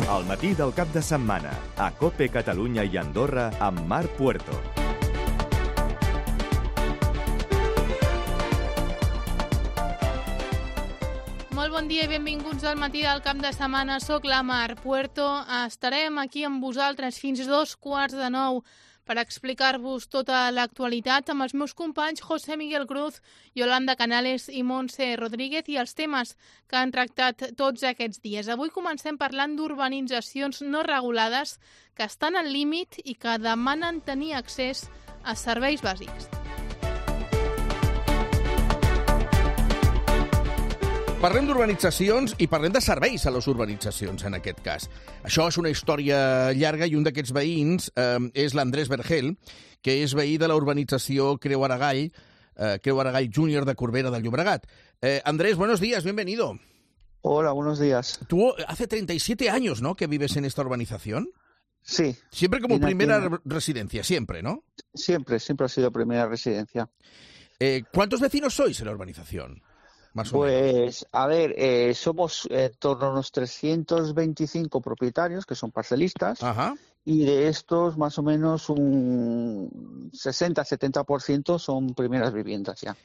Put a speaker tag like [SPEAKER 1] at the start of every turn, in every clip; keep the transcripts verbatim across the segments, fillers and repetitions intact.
[SPEAKER 1] Al matí del cap de setmana, a COPE Catalunya i Andorra amb Marc Puerto.
[SPEAKER 2] Molt bon dia i benvinguts al matí del cap de setmana. Soc la Marc Puerto. Estarem aquí amb vosaltres fins dos quarts de nou per explicar-vos tota l'actualitat amb els meus companys José Miguel Cruz, Yolanda Canales i Montse Rodríguez i els temes que han tractat tots aquests dies. Avui comencem parlant d'urbanitzacions no regulades que estan al límit i que demanen tenir accés a serveis bàsics.
[SPEAKER 3] Parlem d'urbanitzacions i parlem de serveis a les urbanitzacions, en aquest cas. Això és una història llarga i un d'aquests veïns eh, és l'Andrés Vergel, que és veí de la urbanització Creu Aragall, eh, Creu Aragall Júnior de Corbera del Llobregat. Eh, Andrés, buenos días, bienvenido.
[SPEAKER 4] Hola, buenos días.
[SPEAKER 3] Tú hace treinta y siete años, ¿no?, que vives en esta urbanización.
[SPEAKER 4] Sí.
[SPEAKER 3] Siempre como
[SPEAKER 4] Vine
[SPEAKER 3] primera
[SPEAKER 4] aquí.
[SPEAKER 3] residencia, siempre, ¿no?
[SPEAKER 4] Siempre, siempre ha sido primera residencia.
[SPEAKER 3] Eh, ¿Cuántos vecinos sois en la urbanización? Más o menos.
[SPEAKER 4] Pues, a ver, eh, somos en torno a unos trescientos veinticinco propietarios, que son parcelistas,
[SPEAKER 3] Ajá.
[SPEAKER 4] y de estos más o menos un sesenta a setenta por ciento son primeras viviendas ya.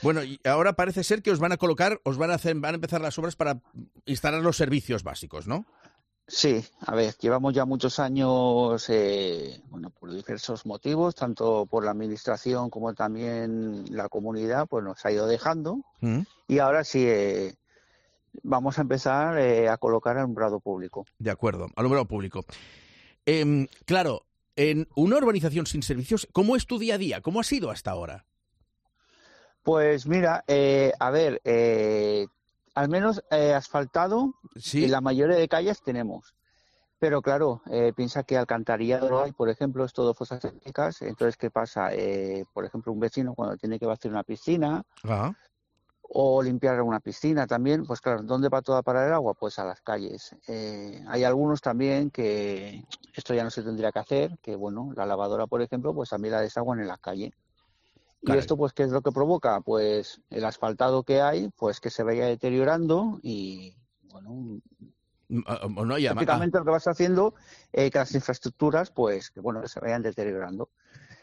[SPEAKER 3] Bueno, y ahora parece ser que os van a colocar, os van a hacer, van a empezar las obras para instalar los servicios básicos, ¿no?
[SPEAKER 4] Sí, a ver, llevamos ya muchos años, eh, bueno, por diversos motivos, tanto por la administración como también la comunidad, pues nos ha ido dejando.
[SPEAKER 3] Mm.
[SPEAKER 4] Y ahora sí, eh, vamos a empezar eh, a colocar alumbrado público.
[SPEAKER 3] De acuerdo, alumbrado público. Eh, claro, en una urbanización sin servicios, ¿cómo es tu día a día? ¿Cómo ha sido hasta ahora?
[SPEAKER 4] Pues mira, eh, a ver, eh, al menos eh, asfaltado,
[SPEAKER 3] Sí.
[SPEAKER 4] en la mayoría de calles tenemos. Pero claro, eh, piensa que alcantarillado no hay, por ejemplo, es todo fosas sépticas. Entonces, ¿qué pasa? Eh, por ejemplo, un vecino cuando tiene que vaciar una piscina
[SPEAKER 3] Ajá.
[SPEAKER 4] o limpiar una piscina también, pues claro, ¿dónde va toda para el agua? Pues a las calles. Eh, hay algunos también que esto ya no se tendría que hacer, que bueno, la lavadora, por ejemplo, pues también la desaguan en la calle.
[SPEAKER 3] Caray.
[SPEAKER 4] Y esto, pues, ¿qué es lo que provoca? Pues el asfaltado que hay, pues que se vaya deteriorando y, bueno,
[SPEAKER 3] No, no, y además-
[SPEAKER 4] prácticamente lo que vas haciendo, eh, que las infraestructuras, pues, que bueno, que se vayan deteriorando.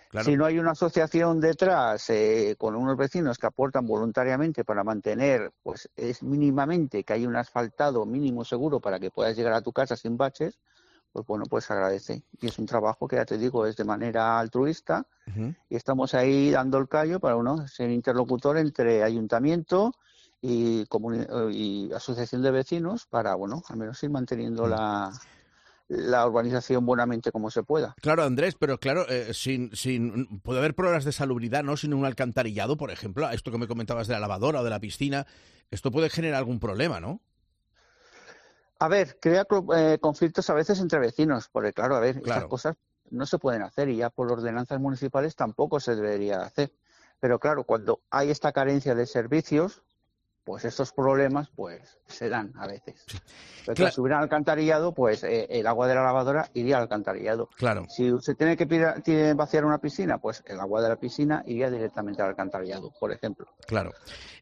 [SPEAKER 3] claro.
[SPEAKER 4] Si no hay una asociación detrás eh, con unos vecinos que aportan voluntariamente para mantener, pues es mínimamente que hay un asfaltado mínimo seguro para que puedas llegar a tu casa sin baches, pues bueno, pues se agradece. Y es un trabajo que, ya te digo, es de manera altruista
[SPEAKER 3] Ujú.
[SPEAKER 4] y estamos ahí dando el callo para uno ser interlocutor entre ayuntamiento y, comuni- y asociación de vecinos para, bueno, al menos ir manteniendo
[SPEAKER 3] Mm.
[SPEAKER 4] la, la urbanización buenamente como se pueda.
[SPEAKER 3] Claro, Andrés, pero claro, eh, sin, sin puede haber problemas de salubridad, ¿no? Sin un alcantarillado, por ejemplo, esto que me comentabas de la lavadora o de la piscina, esto puede generar algún problema, ¿no?
[SPEAKER 4] A ver, crea clo- eh, conflictos a veces entre vecinos, porque claro, a ver,
[SPEAKER 3] Claro.
[SPEAKER 4] estas cosas no se pueden hacer y ya por ordenanzas municipales tampoco se debería hacer. Pero claro, cuando hay esta carencia de servicios, pues estos problemas pues se dan a veces. Pero
[SPEAKER 3] Claro.
[SPEAKER 4] claro, si hubiera alcantarillado, pues eh, el agua de la lavadora iría al alcantarillado.
[SPEAKER 3] Claro.
[SPEAKER 4] Si se tiene que pira- tiene- vaciar una piscina, pues el agua de la piscina iría directamente al alcantarillado, por ejemplo.
[SPEAKER 3] Claro.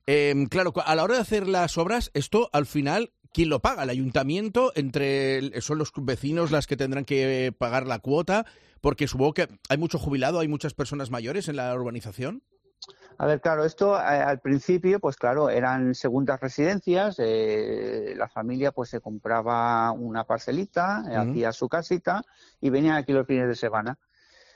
[SPEAKER 3] Eh, claro, cu- a la hora de hacer las obras, esto al final, ¿quién lo paga? ¿El ayuntamiento? Entre el- ¿Son los vecinos las que tendrán que pagar la cuota? Porque supongo que hay mucho jubilado, hay muchas personas mayores en la urbanización.
[SPEAKER 4] A ver, claro, esto eh, al principio, pues claro, eran segundas residencias, eh, la familia pues se compraba una parcelita, eh,
[SPEAKER 3] Ujú.
[SPEAKER 4] hacía su casita y venían aquí los fines de semana.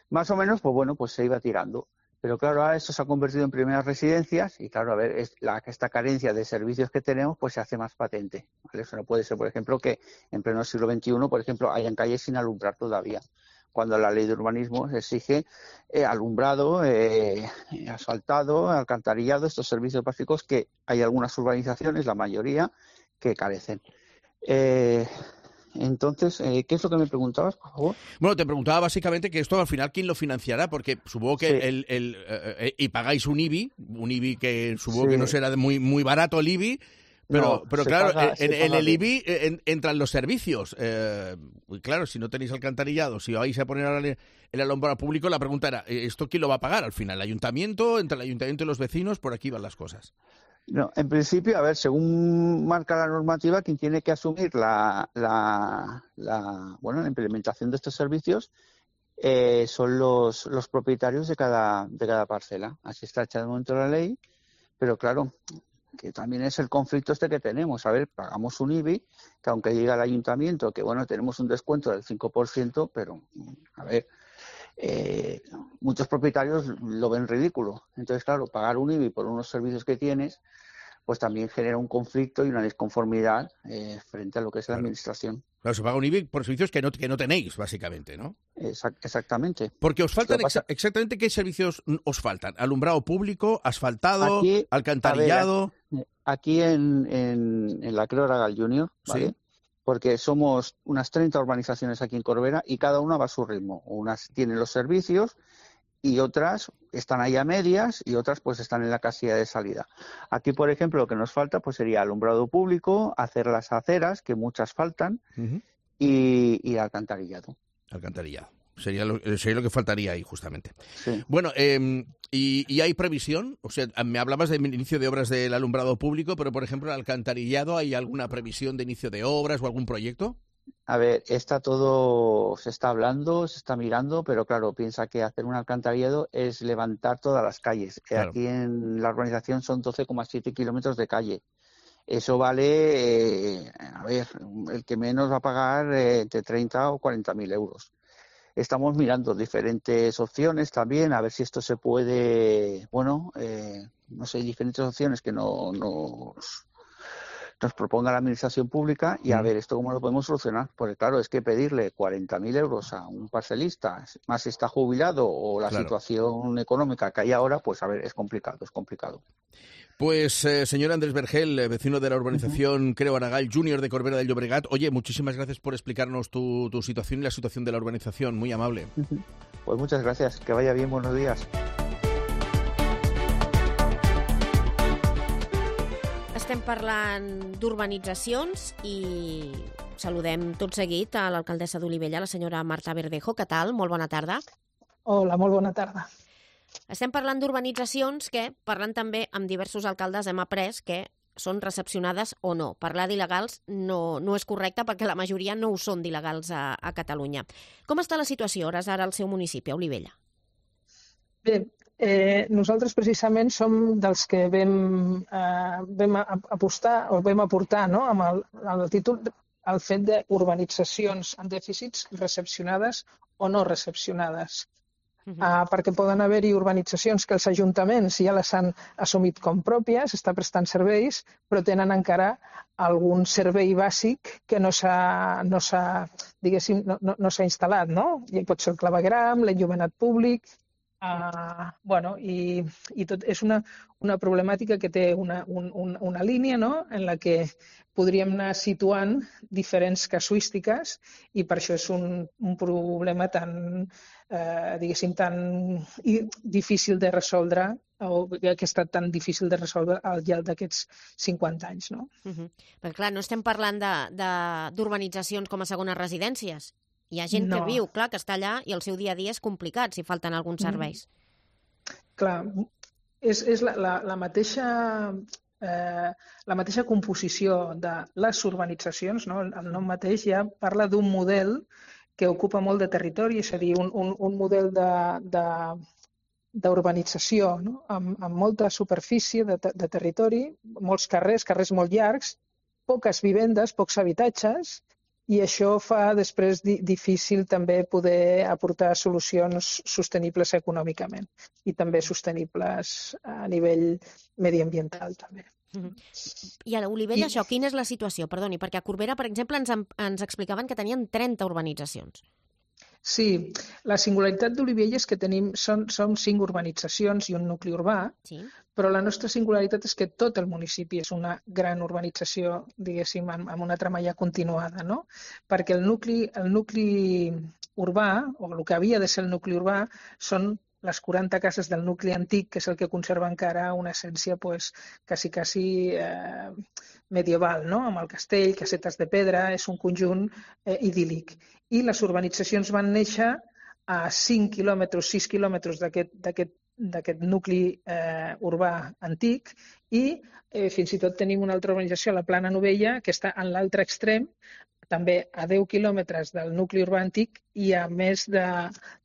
[SPEAKER 4] Más o menos, pues bueno, pues se iba tirando. Pero claro, ahora esto se ha convertido en primeras residencias y claro, a ver, es la, esta carencia de servicios que tenemos pues se hace más patente, ¿vale? Eso no puede ser, por ejemplo, que en pleno siglo veintiuno, por ejemplo, hayan calles sin alumbrar todavía, cuando la ley de urbanismo exige eh, alumbrado, eh, asfaltado, alcantarillado, estos servicios básicos que hay algunas urbanizaciones, la mayoría, que carecen. Eh, entonces, eh, ¿qué es lo que me preguntabas, por favor?
[SPEAKER 3] Bueno, te preguntaba básicamente que esto al final, ¿quién lo financiará? Porque supongo que
[SPEAKER 4] Sí.
[SPEAKER 3] el, el, eh, eh, y pagáis un I B I, un I B I que supongo
[SPEAKER 4] Sí.
[SPEAKER 3] que no será de muy, muy barato el I B I, pero,
[SPEAKER 4] No,
[SPEAKER 3] pero
[SPEAKER 4] se
[SPEAKER 3] claro,
[SPEAKER 4] paga-
[SPEAKER 3] en,
[SPEAKER 4] se
[SPEAKER 3] en
[SPEAKER 4] paga
[SPEAKER 3] el
[SPEAKER 4] bien.
[SPEAKER 3] I B I eh, en- entran los servicios. Eh, y claro, si no tenéis alcantarillado, si vais a poner ahora el, el alumbrado público, la pregunta era, ¿esto quién lo va a pagar al final? ¿El ayuntamiento? ¿Entre el ayuntamiento y los vecinos? Por aquí van las cosas.
[SPEAKER 4] No, en principio, a ver, según marca la normativa, quien tiene que asumir la, la, la, bueno, la implementación de estos servicios eh, son los, los propietarios de cada, de cada parcela. Así está hecha de momento la ley, pero claro, que también es el conflicto este que tenemos. A ver, pagamos un I B I, que aunque llega al ayuntamiento, que bueno, tenemos un descuento del cinco por ciento, pero, a ver, eh, muchos propietarios lo ven ridículo. Entonces, claro, pagar un I B I por unos servicios que tienes, pues también genera un conflicto y una disconformidad eh, frente a lo que es la
[SPEAKER 3] claro.
[SPEAKER 4] administración.
[SPEAKER 3] Claro, se paga un I B I por servicios que no, que no tenéis, básicamente, ¿no?
[SPEAKER 4] Exact- exactamente.
[SPEAKER 3] Porque os faltan
[SPEAKER 4] pasa...
[SPEAKER 3] exa exactamente qué servicios os faltan. Alumbrado público, asfaltado,
[SPEAKER 4] aquí,
[SPEAKER 3] alcantarillado.
[SPEAKER 4] Ver, aquí en, en, en la Creu Aragal Junior, ¿vale? Sí. Porque somos unas treinta urbanizaciones aquí en Corbera y cada una va a su ritmo. Unas tienen los servicios y otras están ahí a medias y otras pues están en la casilla de salida. Aquí, por ejemplo, lo que nos falta pues sería alumbrado público, hacer las aceras, que muchas faltan, uh-huh. y, y alcantarillado.
[SPEAKER 3] Alcantarillado. Sería lo, sería lo que faltaría ahí, justamente.
[SPEAKER 4] Sí.
[SPEAKER 3] Bueno, eh, ¿y, ¿y hay previsión? O sea, me hablabas del inicio de obras del alumbrado público, pero, por ejemplo, el alcantarillado, ¿hay alguna previsión de inicio de obras o algún proyecto?
[SPEAKER 4] A ver, está todo, se está hablando, se está mirando, pero claro, piensa que hacer un alcantarillado es levantar todas las calles. Claro. Aquí en la urbanización son doce coma siete kilómetros de calle. Eso vale, eh, a ver, el que menos va a pagar eh, entre treinta o cuarenta mil euros. Estamos mirando diferentes opciones también, a ver si esto se puede, bueno, eh, no sé, diferentes opciones que no nos, nos proponga la administración pública y a ver esto cómo lo podemos solucionar. Porque claro, es que pedirle cuarenta mil euros a un parcelista, más si está jubilado o la claro. situación económica que hay ahora, pues a ver, es complicado, es complicado.
[SPEAKER 3] Pues, eh, señor Andrés Vergel, vecino de la urbanización uh-huh. Creu Aragal Junior de Corbera del Llobregat. Oye, muchísimas gracias por explicarnos tu, tu situación y la situación de la urbanización. Muy amable.
[SPEAKER 4] Uh-huh. Pues muchas gracias. Que vaya bien. Buenos días.
[SPEAKER 5] Estem parlant d'urbanitzacions i saludem tot seguit a l'alcaldessa d'Olivella, la senyora Marta Verdejo. Què tal? Molt bona tarda.
[SPEAKER 6] Hola, molt bona tarda.
[SPEAKER 5] Estem parlant d'urbanitzacions que, parlant també amb diversos alcaldes, hem après que són recepcionades o no. Parlar d'il·legals no, no és correcte perquè la majoria no ho són d'il·legals a, a Catalunya. Com està la situació hores ara al seu municipi, a Olivella?
[SPEAKER 6] Bé, eh, nosaltres precisament som dels que vam, eh, vam apostar o vam aportar no, amb el, el títol el fet d'urbanitzacions amb dèficits recepcionades o no recepcionades. Uh-huh. uh, perquè poden haver-hi urbanitzacions que els ajuntaments ja les han assumit com pròpies, està prestant serveis, però tenen encara algun servei bàsic que no s'ha, no s'ha, diguéssim, no, no, no s'ha instal·lat, no? I pot ser el clavegram, l'enllumenat públic, uh, bueno, i, i tot és una, una problemàtica que té una, un, un, una línia, no?, en la que podríem anar situant diferents casuístiques i per això és un, un problema tan, eh, diguéssim, tan difícil de resoldre o que ha estat tan difícil de resoldre al llarg d'aquests cinquanta anys. No?
[SPEAKER 5] Uh-huh. Perquè clar, no estem parlant d'urbanitzacions com a segones residències. Hi ha gent no. que viu, clar, que està allà i el seu dia a dia és complicat si falten alguns serveis.
[SPEAKER 6] Mm. Clar, és, és la, la, la mateixa... Eh, la mateixa composició de les urbanitzacions, no? El nom mateix ja parla d'un model que ocupa molt de territori, és a dir, un, un, un model d'urbanització no? amb, amb molta superfície de, de territori, molts carrers, carrers molt llargs, poques vivendes, pocs habitatges, i això fa després di, difícil també poder aportar solucions sostenibles econòmicament i també sostenibles a nivell mediambiental també.
[SPEAKER 5] Uh-huh. I a l'Olivella, I... això, quina és la situació? Perdoni, perquè a Corbera, per exemple, ens, ens explicaven que tenien trenta urbanitzacions.
[SPEAKER 6] Sí, la singularitat d'Olivella és que tenim, són, són cinc urbanitzacions i un nucli urbà, sí. Però la nostra singularitat és que tot el municipi és una gran urbanització, diguéssim, amb, amb una trama continuada, no? Perquè el nucli, el nucli urbà, o el que havia de ser el nucli urbà, són les quaranta cases del nucli antic, que és el que conserva encara una essència pues, quasi, quasi eh, medieval, no? Amb el castell, casetes de pedra, és un conjunt eh, idíl·lic. I les urbanitzacions van néixer a cinc quilòmetres, sis quilòmetres d'aquest d'aquest nucli eh, urbà antic i eh, fins i tot tenim una altra urbanització, la Plana Novella, que està en l'altre extrem, també a deu quilòmetres del nucli urbà antic i a més de,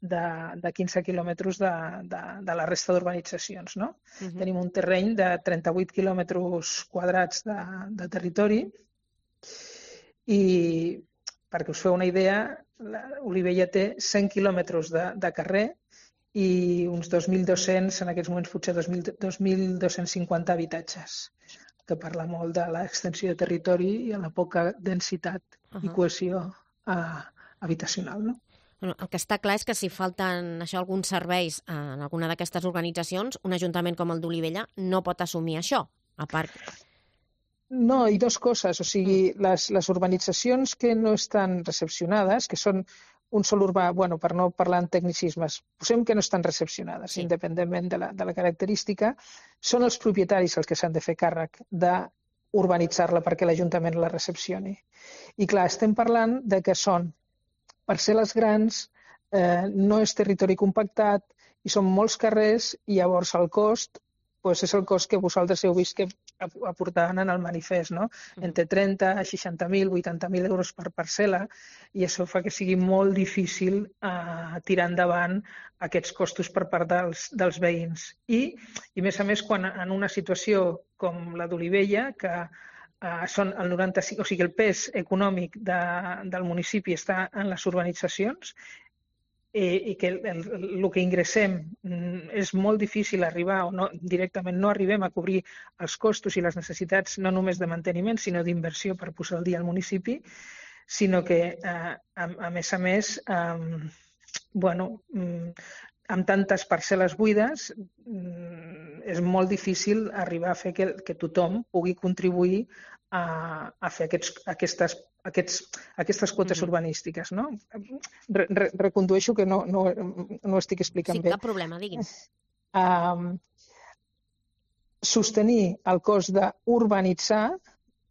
[SPEAKER 6] de, de quinze quilòmetres de, de, de la resta d'urbanitzacions. No? Uh-huh. Tenim un terreny de trenta-vuit quilòmetres quadrats de, de territori i, perquè us feu una idea, Olivella té cent quilòmetres de, de carrer i uns dos mil dos-cents, en aquests moments potser dos mil dos-cents cinquanta habitatges, que parla molt de l'extensió de territori i a la poca densitat uh-huh. i cohesió uh, habitacional. No?
[SPEAKER 5] Bueno, el que està clar és que si falten això, alguns serveis en alguna d'aquestes organitzacions, un ajuntament com el d'Olivella no pot assumir això, a part...
[SPEAKER 6] No, i dues coses. O sigui, les, les urbanitzacions que no estan recepcionades, que són un sol urbà, bueno, per no parlar en tecnicismes, posem que no estan recepcionades, sí. independentment de la, de la característica, són els propietaris els que s'han de fer càrrec d'urbanitzar-la perquè l'Ajuntament la recepcioni. I clar, estem parlant de que són parcel·les grans, eh, no és territori compactat i són molts carrers i llavors el cost pues és el cost que vosaltres heu vist que aportaven en el manifest, no? Entre trenta, seixanta mil, vuitanta mil euros per parcel·la, i això fa que sigui molt difícil eh, tirar endavant aquests costos per part dels, dels veïns. I, i a més a més, quan en una situació com la d'Olivella, que eh, són el noranta-cinc, o sigui, el pes econòmic de, del municipi està en les urbanitzacions, i que el, el, el que ingressem és molt difícil arribar o no, directament no arribem a cobrir els costos i les necessitats no només de manteniment sinó d'inversió per posar al dia al municipi, sinó que eh, a, a més a més eh, bueno, amb tantes parcel·les buides és molt difícil arribar a fer que, que tothom pugui contribuir a, a fer aquests, aquestes, aquests, aquestes quotes mm-hmm. urbanístiques. No? Re, re, recondueixo que no, no, no ho estic explicant
[SPEAKER 5] sí,
[SPEAKER 6] bé.
[SPEAKER 5] Sí, cap problema, digui'm.
[SPEAKER 6] Um, sostenir el cost d'urbanitzar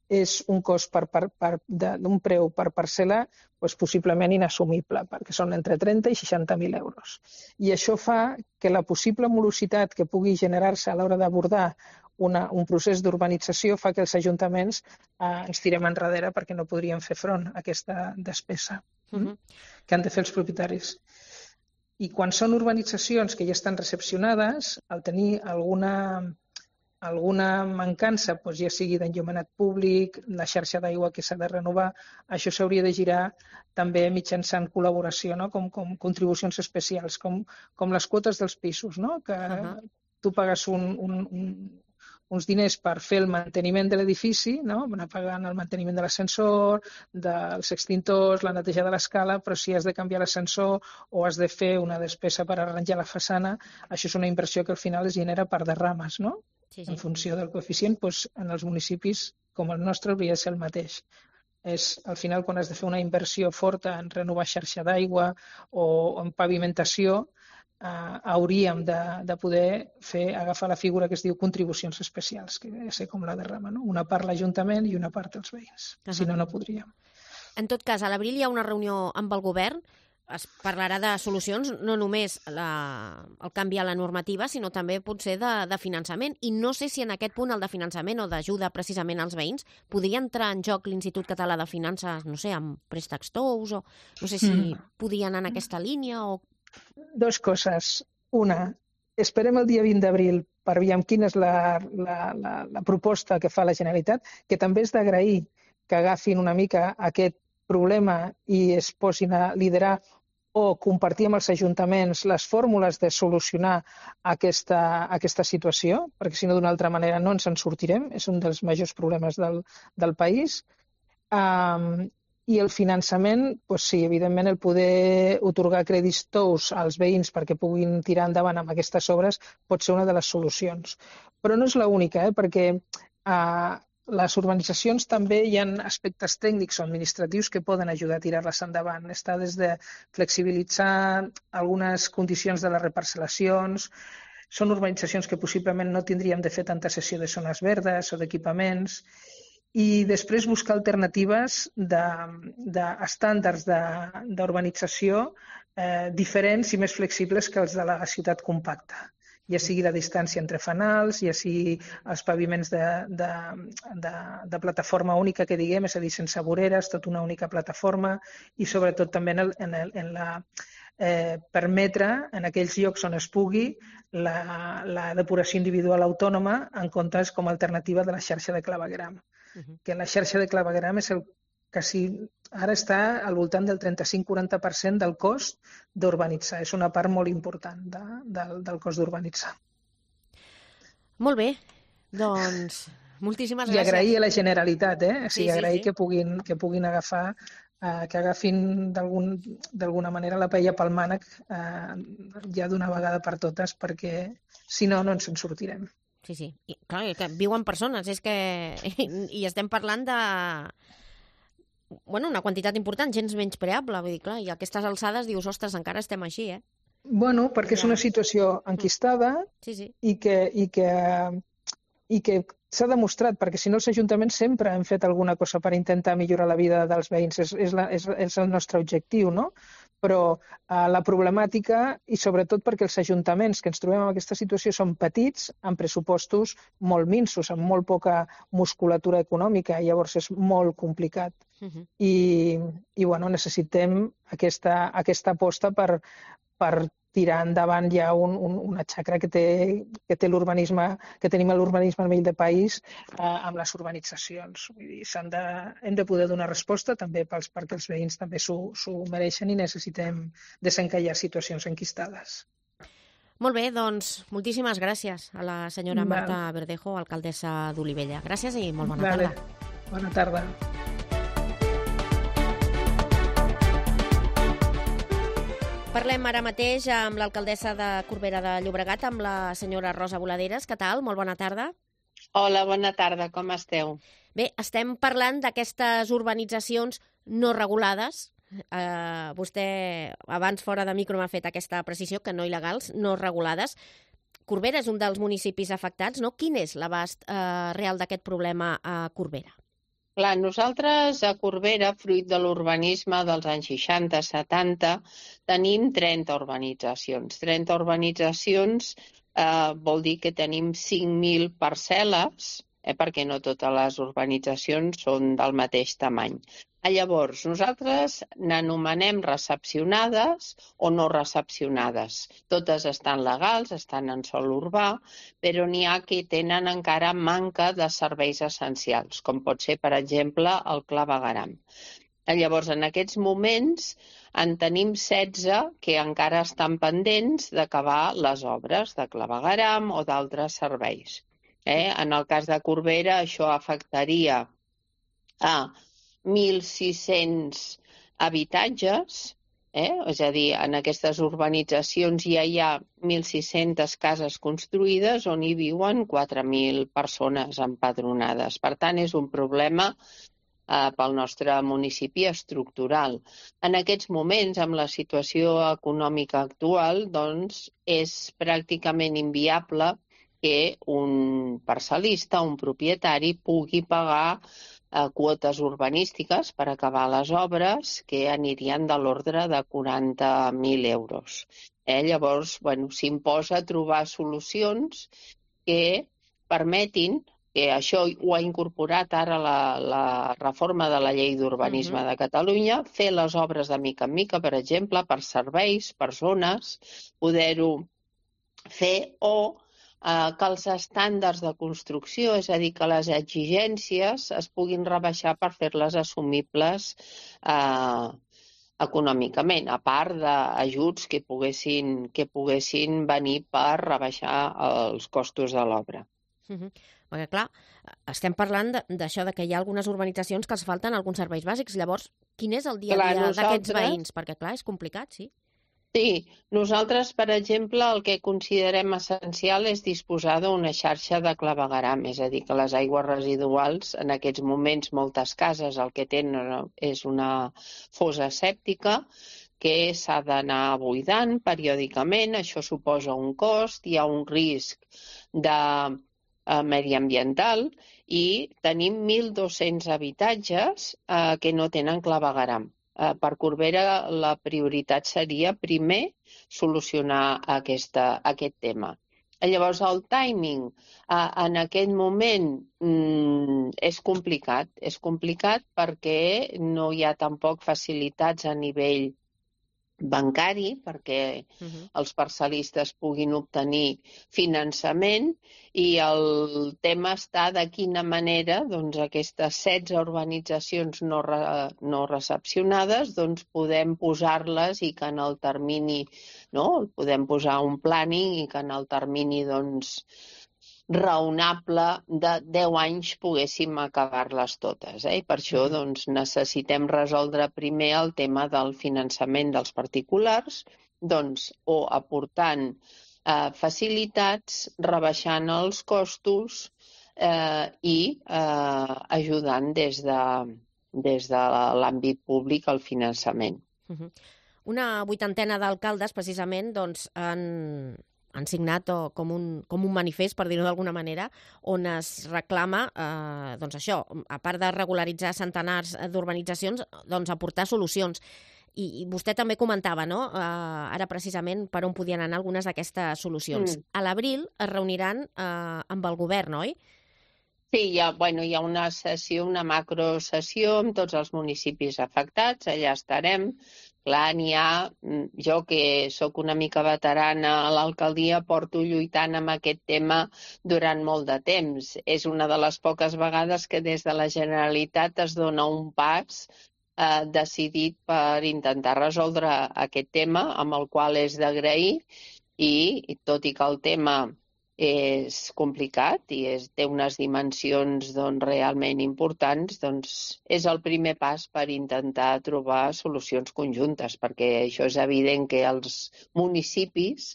[SPEAKER 6] és un cost per, per, per, d'un preu per parcel·la doncs, possiblement inassumible, perquè són entre trenta i seixanta mil euros. I això fa que la possible morositat que pugui generar-se a l'hora d'abordar una, un procés d'urbanització fa que els ajuntaments eh, ens tirem enrere perquè no podríem fer front a aquesta despesa uh-huh. que han de fer els propietaris. I quan són urbanitzacions que ja estan recepcionades, al tenir alguna... alguna mancança, doncs ja sigui d'enllumenat públic, la xarxa d'aigua que s'ha de renovar, això s'hauria de girar també mitjançant col·laboració, no? com, com contribucions especials, com, com les quotes dels pisos, no? que uh-huh. tu pagues un, un, un, uns diners per fer el manteniment de l'edifici, no? anar pagant el manteniment de l'ascensor, dels extintors, la neteja de l'escala, però si has de canviar l'ascensor o has de fer una despesa per arranjar la façana, això és una inversió que al final es genera per derrames, no? Sí, sí. En funció del coeficient, doncs, en els municipis com el nostre hauria de ser el mateix. És, al final, quan has de fer una inversió forta en renovar xarxa d'aigua o en pavimentació, eh, hauríem de, de poder fer, agafar la figura que es diu contribucions especials, que ha de ser com la derrama, no? Una part l'Ajuntament i una part els veïns. Uh-huh. Si no, no podríem.
[SPEAKER 5] En tot cas, a l'abril hi ha una reunió amb el govern. Es parlarà de solucions, no només la, el canvi a la normativa, sinó també potser de, de finançament. I no sé si en aquest punt el de finançament o d'ajuda precisament als veïns podria entrar en joc l'Institut Català de Finances, no sé, amb préstecs tous, o no sé si mm. podia anar en aquesta línia o...
[SPEAKER 6] Dos coses. Una, esperem el dia vint d'abril per veure quina és la, la, la, la proposta que fa la Generalitat, que també és d'agrair que agafin una mica aquest problema i es posin a liderar o compartir amb els ajuntaments les fórmules de solucionar aquesta, aquesta situació, perquè si no d'una altra manera no ens en sortirem, és un dels majors problemes del, del país. Um, I el finançament, doncs sí, evidentment el poder otorgar crèdits tous als veïns perquè puguin tirar endavant amb aquestes obres pot ser una de les solucions. Però no és l'única, eh, perquè uh, les urbanitzacions també hi ha aspectes tècnics o administratius que poden ajudar a tirar-les endavant. Està des de flexibilitzar algunes condicions de les reparcel·lacions. Són urbanitzacions que possiblement no tindríem de fer tanta cessió de zones verdes o d'equipaments. I després buscar alternatives d'estàndards de, d'urbanització eh, diferents i més flexibles que els de la ciutat compacta, ja sigui la distància entre fanals, ja sigui els paviments de, de, de, de plataforma única que diguem, és a dir, sense voreres, tot una única plataforma, i sobretot també en, el, en, el, en la eh, permetre en aquells llocs on es pugui la, la depuració individual autònoma en comptes com a alternativa de la xarxa de clavegram. Uh-huh. Que la xarxa de clavegram és el que si ara està al voltant del trenta-cinc a quaranta per cent del cost d'urbanitzar. És una part molt important de, de, del cost d'urbanitzar.
[SPEAKER 5] Molt bé, doncs moltíssimes gràcies.
[SPEAKER 6] I agrair a la Generalitat, eh? O sigui,
[SPEAKER 5] sí, sí,
[SPEAKER 6] agrair
[SPEAKER 5] sí.
[SPEAKER 6] que puguin, que puguin agafar, eh, que agafin d'alguna manera la paella pel mànec eh, ja d'una vegada per totes, perquè si no, no ens en sortirem.
[SPEAKER 5] Sí, sí. I, clar, que viuen persones, és que... I, i estem parlant de... Bueno, una quantitat important, gens menyspreable, vull dir, clar, i a aquestes alçades dius, ostres, encara estem així, eh?
[SPEAKER 6] Bueno, perquè és una situació enquistada
[SPEAKER 5] sí, sí.
[SPEAKER 6] i que, i que, i que s'ha demostrat, perquè si no els ajuntaments sempre han fet alguna cosa per intentar millorar la vida dels veïns, és, és, la, és, és el nostre objectiu, no? Però eh, la problemàtica, i sobretot perquè els ajuntaments que ens trobem en aquesta situació són petits, amb pressupostos molt minsos, amb molt poca musculatura econòmica, i llavors és molt complicat. Uh-huh. I, i bueno, necessitem aquesta, aquesta aposta per, per tirar endavant ja un, un, una xacra que té, que té l'urbanisme, que tenim l'urbanisme a nivell de país eh, amb les urbanitzacions. Vull dir, s'han de, hem de poder donar resposta també pels, perquè els veïns també s'ho mereixen i necessitem desencallar situacions enquistades.
[SPEAKER 5] Molt bé, doncs moltíssimes gràcies a la senyora Marta Val. Verdejo, alcaldessa d'Olivella. Gràcies i molt bona
[SPEAKER 6] vale.
[SPEAKER 5] tarda.
[SPEAKER 6] Bona tarda.
[SPEAKER 5] Parlem ara mateix amb l'alcaldessa de Corbera de Llobregat, amb la senyora Rosa Boladeres. Què tal? Molt bona tarda.
[SPEAKER 7] Hola, bona tarda. Com esteu?
[SPEAKER 5] Bé, estem parlant d'aquestes urbanitzacions no regulades. Eh, vostè abans fora de micro m'ha fet aquesta precisió, que no il·legals, no regulades. Corbera és un dels municipis afectats, no? Quin és l'abast eh, real d'aquest problema a Corbera?
[SPEAKER 7] Clar, nosaltres a Corbera, fruit de l'urbanisme dels anys seixanta setanta, tenim trenta urbanitzacions. trenta urbanitzacions eh, vol dir que tenim cinc mil parcel·les, eh, perquè no totes les urbanitzacions són del mateix tamany. Llavors, nosaltres n'anomenem recepcionades o no recepcionades. Totes estan legals, estan en sòl urbà, però n'hi ha que tenen encara manca de serveis essencials, com pot ser, per exemple, el clavegueram. Llavors, en aquests moments, en tenim setze que encara estan pendents d'acabar les obres de clavegueram o d'altres serveis. Eh? En el cas de Corbera, això afectaria a mil sis-cents habitatges, eh? És a dir, en aquestes urbanitzacions ja hi ha mil sis-centes cases construïdes on hi viuen quatre mil persones empadronades. Per tant, és un problema eh, pel nostre municipi estructural. En aquests moments, amb la situació econòmica actual, doncs, és pràcticament inviable que un parcel·lista, un propietari, pugui pagar eh, quotes urbanístiques per acabar les obres que anirien de l'ordre de quaranta mil euros. Eh? Llavors, bueno, s'imposa trobar solucions que permetin, que això ho ha incorporat ara la, la reforma de la llei d'urbanisme uh-huh. de Catalunya, fer les obres de mica en mica, per exemple, per serveis, per zones, poder-ho fer o eh, que els estàndards de construcció, és a dir, que les exigències es puguin rebaixar per fer-les assumibles eh, econòmicament, a part d'ajuts que poguessin, que poguessin venir per rebaixar els costos de l'obra.
[SPEAKER 5] Uh-huh. Perquè, clar, estem parlant d'això, de que hi ha algunes urbanitzacions que els falten alguns serveis bàsics. Llavors, quin és el dia a dia d'aquests veïns? Perquè, clar, és complicat, sí.
[SPEAKER 7] Sí, nosaltres, per exemple, el que considerem essencial és disposar d'una xarxa de clavegueram, és a dir, que les aigües residuals, en aquests moments, moltes cases el que tenen és una fossa sèptica que s'ha d'anar buidant periòdicament, això suposa un cost, hi ha un risc de eh, mediambiental i tenim mil dos-cents habitatges eh, que no tenen clavegueram. Per Corbera la prioritat seria primer solucionar aquesta, aquest tema. Llavors, el timing eh, en aquest moment mm, és complicat. És complicat perquè no hi ha tampoc facilitats a nivell bancari perquè uh-huh. els parcel·listes puguin obtenir finançament i el tema està de quina manera doncs, aquestes setze urbanitzacions no, re, no recepcionades doncs, podem posar-les i que en el termini, no? Podem posar un planning i que en el termini doncs, raonable de deu anys poguéssim acabar-les totes. Eh? I per això doncs, necessitem resoldre primer el tema del finançament dels particulars doncs, o aportant eh, facilitats, rebaixant els costos eh, i eh, ajudant des de, des de l'àmbit públic al finançament.
[SPEAKER 5] Uh-huh. Una vuitantena d'alcaldes precisament doncs, han... han signat com un, com un manifest, per dir-ho d'alguna manera, on es reclama, eh, doncs això, a part de regularitzar centenars d'urbanitzacions, doncs aportar solucions. I, i vostè també comentava, no?, eh, ara precisament per on podien anar algunes d'aquestes solucions. Mm. A l'abril es reuniran eh, amb el govern, oi?
[SPEAKER 7] Sí, hi ha, bueno, hi ha una sessió, una macrosessió amb tots els municipis afectats, allà estarem. Clar, n'hi ha, jo que sóc una mica veterana a l'alcaldia, porto lluitant amb aquest tema durant molt de temps. És una de les poques vegades que des de la Generalitat es dona un pas eh, decidit per intentar resoldre aquest tema, amb el qual és d'agrair, i tot i que el tema és complicat i és, té unes dimensions doncs, realment importants, doncs és el primer pas per intentar trobar solucions conjuntes, perquè això és evident que els municipis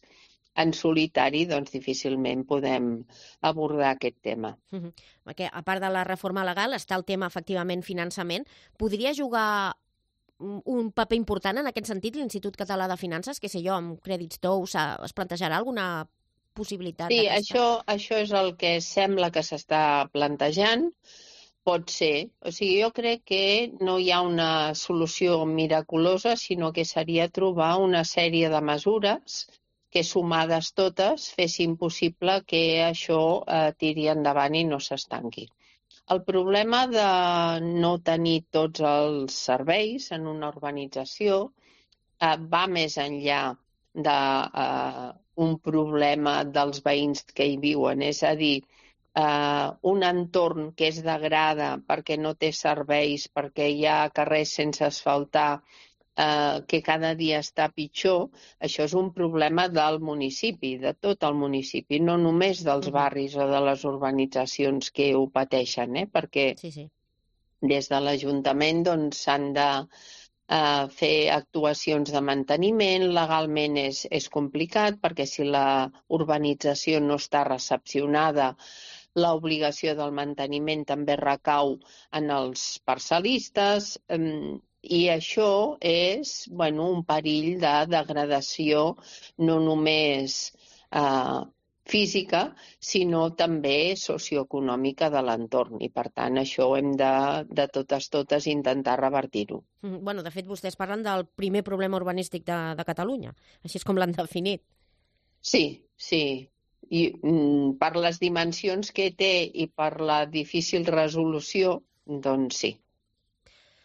[SPEAKER 7] en solitari doncs, difícilment podem abordar aquest tema.
[SPEAKER 5] Uh-huh. Perquè, a part de la reforma legal, està el tema, efectivament, finançament. Podria jugar un paper important en aquest sentit l'Institut Català de Finances? Que sé jo, amb crèdits tous, es plantejarà alguna possibilitat
[SPEAKER 7] sí,
[SPEAKER 5] d'aquesta?
[SPEAKER 7] això, això és el que sembla que s'està plantejant. Pot ser. O sigui, jo crec que no hi ha una solució miraculosa, sinó que seria trobar una sèrie de mesures que, sumades totes, fessin possible que això eh, tiri endavant i no s'estanqui. El problema de no tenir tots els serveis en una urbanització eh, va més enllà de eh, un problema dels veïns que hi viuen, és a dir, eh, un entorn que es degrada perquè no té serveis, perquè hi ha carrers sense asfaltar, eh, que cada dia està pitjor, això és un problema del municipi, de tot el municipi, no només dels barris o de les urbanitzacions que ho pateixen, eh? Perquè
[SPEAKER 5] sí, sí.
[SPEAKER 7] des de l'Ajuntament doncs, s'han de Uh, fer actuacions de manteniment, legalment és, és complicat perquè si la urbanització no està recepcionada, l'obligació del manteniment també recau en els parcel·listes um, i això és bueno, un perill de degradació no només uh, física, sinó també socioeconòmica de l'entorn. I, per tant, això hem de, de totes totes intentar revertir-ho.
[SPEAKER 5] Mm, bueno, de fet, vostès parlen del primer problema urbanístic de, de Catalunya. Així és com l'han definit.
[SPEAKER 7] Sí, sí. I mm, per les dimensions que té i per la difícil resolució, doncs sí.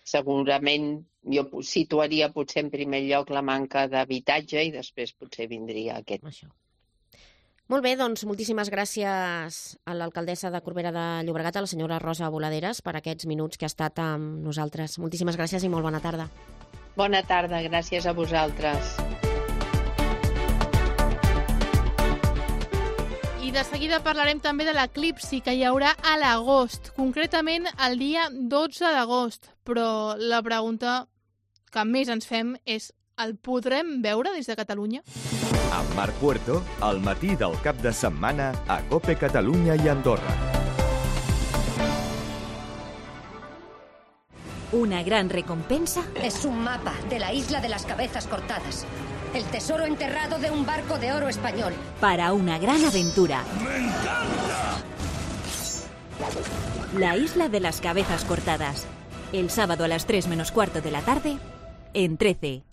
[SPEAKER 7] Segurament jo situaria potser en primer lloc la manca d'habitatge i després potser vindria aquest.
[SPEAKER 5] Això. Molt bé, doncs moltíssimes gràcies a l'alcaldessa de Corbera de Llobregat, a la senyora Rosa Boladeres, per aquests minuts que ha estat amb nosaltres. Moltíssimes gràcies i molt bona tarda.
[SPEAKER 7] Bona tarda, gràcies a vosaltres.
[SPEAKER 2] I de seguida parlarem també de l'eclipsi que hi haurà a l'agost, concretament el dia dotze d'agost. Però la pregunta que més ens fem és: el podrem veure des de Catalunya?
[SPEAKER 1] Amb Marc Puerto, al matí del cap de setmana a COPE Catalunya i Andorra.
[SPEAKER 8] Una gran recompensa
[SPEAKER 9] es un mapa de la isla de las cabezas cortadas. El tesoro enterrado de un barco de oro español.
[SPEAKER 8] Para una gran aventura.
[SPEAKER 10] ¡Me encanta!
[SPEAKER 8] La isla de las cabezas cortadas. El sábado a las tres menos cuarto de la tarde, en trece.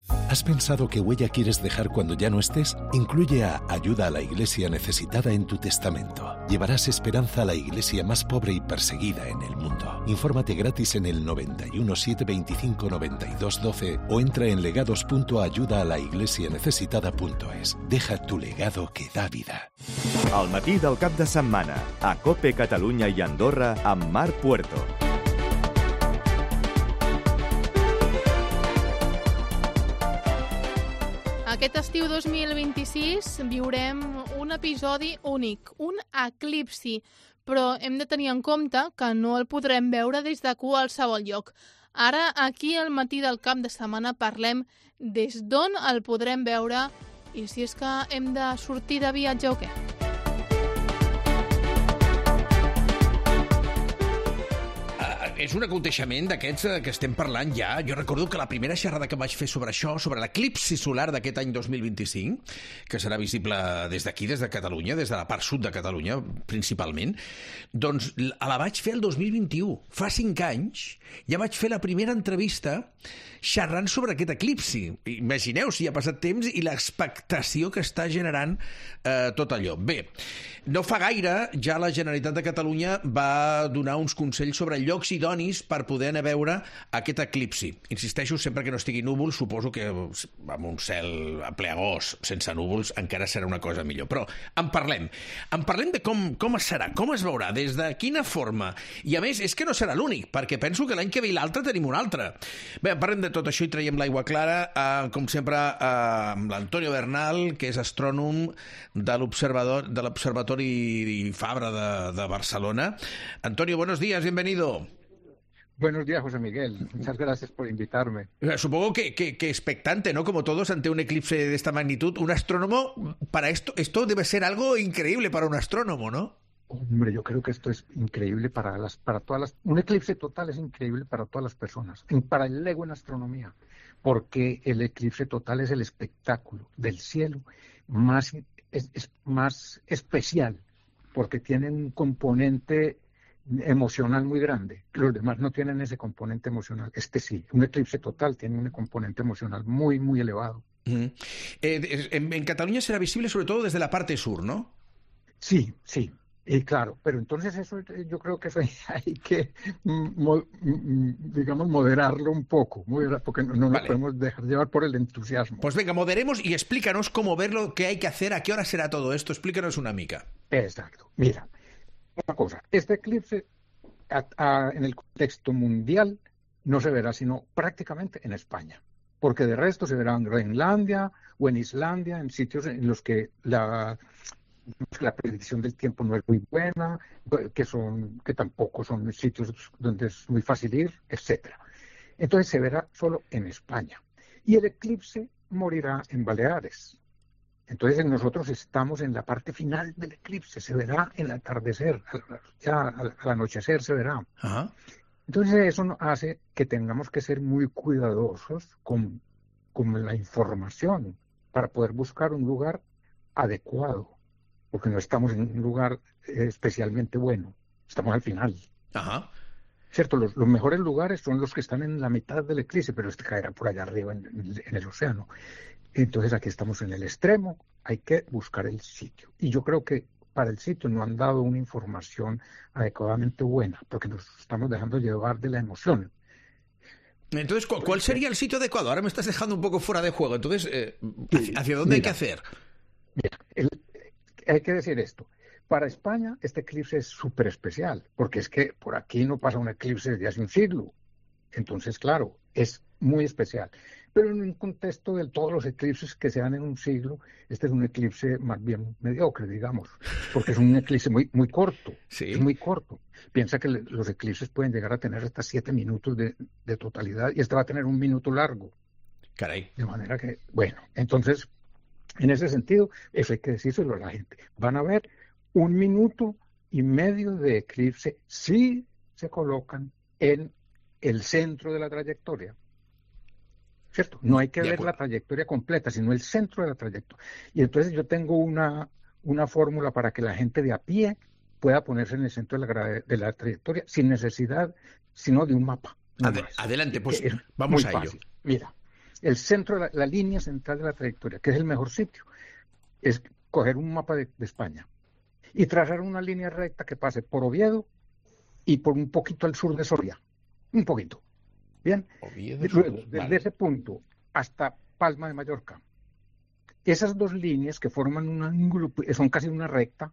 [SPEAKER 10] ¿Has pensado qué huella quieres dejar cuando ya no estés? Incluye a Ayuda a la Iglesia Necesitada en tu testamento. Llevarás esperanza a la iglesia más pobre y perseguida en el mundo. Infórmate gratis en el noventa y uno, setecientos veinticinco, noventa y dos, doce o entra en legados punto ayuda a la iglesia necesitada punto es. Deja tu legado que da vida.
[SPEAKER 1] Al matí del cap de setmana, a COPE Catalunya i Andorra amb Marc Puerto.
[SPEAKER 2] Aquest estiu dos mil vint-i-sis viurem un episodi únic, un eclipsi, però hem de tenir en compte que no el podrem veure des de qualsevol lloc. Ara, aquí al matí del cap de setmana, parlem des d'on el podrem veure i si és que hem de sortir de viatge o què.
[SPEAKER 3] És un aconteixement d'aquests que estem parlant ja. Jo recordo que la primera xerrada que vaig fer sobre això, sobre l'eclipsi solar d'aquest any dos mil vint-i-cinc, que serà visible des d'aquí, des de Catalunya, des de la part sud de Catalunya, principalment, doncs la vaig fer el dos mil vint-i-u. Fa cinc anys ja vaig fer la primera entrevista xerrant sobre aquest eclipsi. Imagineu si ha passat temps i l'expectació que està generant eh, tot allò. Bé, no fa gaire ja la Generalitat de Catalunya va donar uns consells sobre llocs idonis per poder anar a veure aquest eclipsi. Insisteixo, sempre que no estigui núvol, suposo que amb un cel a ple agost, sense núvols, encara serà una cosa millor. Però en parlem. En parlem de com, com es serà, com es veurà, des de quina forma. I a més, és que no serà l'únic, perquè penso que l'any que ve i l'altre tenim un altre. Bé, parlem de tot això i traiem l'aigua clara, eh, com sempre, eh, amb l'Antonio Bernal, que és astrònom de l'Observador, de l'Observatori Fabra de, de Barcelona. Antonio, buenos días, bienvenido.
[SPEAKER 11] Buenos días, José Miguel. Muchas gracias por invitarme.
[SPEAKER 3] Supongo que, que, que expectante, ¿no? Como todos ante un eclipse de esta magnitud. Un astrónomo, para esto, esto debe ser algo increíble para un astrónomo, ¿no?
[SPEAKER 11] Hombre, yo creo que esto es increíble para las, para todas las... Un eclipse total es increíble para todas las personas, para el lego en astronomía, porque el eclipse total es el espectáculo del cielo más, es, es más especial, porque tiene un componente emocional muy grande. Los demás no tienen ese componente emocional. Este sí, un eclipse total tiene un componente emocional muy, muy elevado.
[SPEAKER 3] Mm. Eh, en, en Cataluña será visible sobre todo desde la parte sur, ¿no?
[SPEAKER 11] Sí, sí. Y claro, pero entonces eso yo creo que eso hay que, mo, digamos, moderarlo un poco, moderar, porque no, no vale. Nos podemos dejar llevar por el entusiasmo.
[SPEAKER 3] Pues venga, moderemos y explícanos cómo verlo, qué hay que hacer, a qué hora será todo esto. Explícanos una mica.
[SPEAKER 11] Exacto. Mira, una cosa, este eclipse a, a, en el contexto mundial no se verá sino prácticamente en España, porque de resto se verá en Groenlandia o en Islandia, en sitios en los que la... la predicción del tiempo no es muy buena, que son que tampoco son sitios donde es muy fácil ir, etcétera. Entonces se verá solo en España. Y el eclipse morirá en Baleares. Entonces nosotros estamos en la parte final del eclipse, se verá en el atardecer, ya al, al anochecer se verá.
[SPEAKER 3] Ajá.
[SPEAKER 11] Entonces eso hace que tengamos que ser muy cuidadosos con, con la información para poder buscar un lugar adecuado, porque no estamos en un lugar especialmente bueno, estamos al final.
[SPEAKER 3] Ajá.
[SPEAKER 11] Cierto, los, los mejores lugares son los que están en la mitad del eclipse, pero este caerá por allá arriba en, en el océano. Entonces aquí estamos en el extremo, hay que buscar el sitio. Y yo creo que para el sitio no han dado una información adecuadamente buena, porque nos estamos dejando llevar de la emoción.
[SPEAKER 3] Entonces, ¿cuál, cuál sería el sitio adecuado? Ahora me estás dejando un poco fuera de juego. Entonces, eh, ¿hacia, hacia dónde mira, hay que hacer?
[SPEAKER 11] Mira, el, hay que decir esto. Para España, este eclipse es súper especial, porque es que por aquí no pasa un eclipse desde hace un siglo. Entonces, claro, es muy especial. Pero en un contexto de todos los eclipses que se dan en un siglo, este es un eclipse más bien mediocre, digamos, porque es un eclipse muy, muy corto.
[SPEAKER 3] Sí.
[SPEAKER 11] Es muy corto. Piensa que le, los eclipses pueden llegar a tener hasta siete minutos de, de totalidad, y este va a tener un minuto largo.
[SPEAKER 3] Caray.
[SPEAKER 11] De manera que, bueno, entonces... En ese sentido, eso hay que decírselo a la gente. Van a ver un minuto y medio de eclipse si se colocan en el centro de la trayectoria. ¿Cierto? No hay que ver la trayectoria completa, sino el centro de la trayectoria. Y entonces yo tengo una, una fórmula para que la gente de a pie pueda ponerse en el centro de la, de la trayectoria sin necesidad, sino de un mapa.
[SPEAKER 3] Ad- adelante, pues vamos a ello.
[SPEAKER 11] Fácil. Mira. el centro, la, la línea central de la trayectoria, que es el mejor sitio, es coger un mapa de, de España y trazar una línea recta que pase por Oviedo y por un poquito al sur de Soria. Un poquito. Bien.
[SPEAKER 3] Oviedo,
[SPEAKER 11] Luego, desde
[SPEAKER 3] vale.
[SPEAKER 11] ese punto hasta Palma de Mallorca. Esas dos líneas que forman un ángulo, son casi una recta,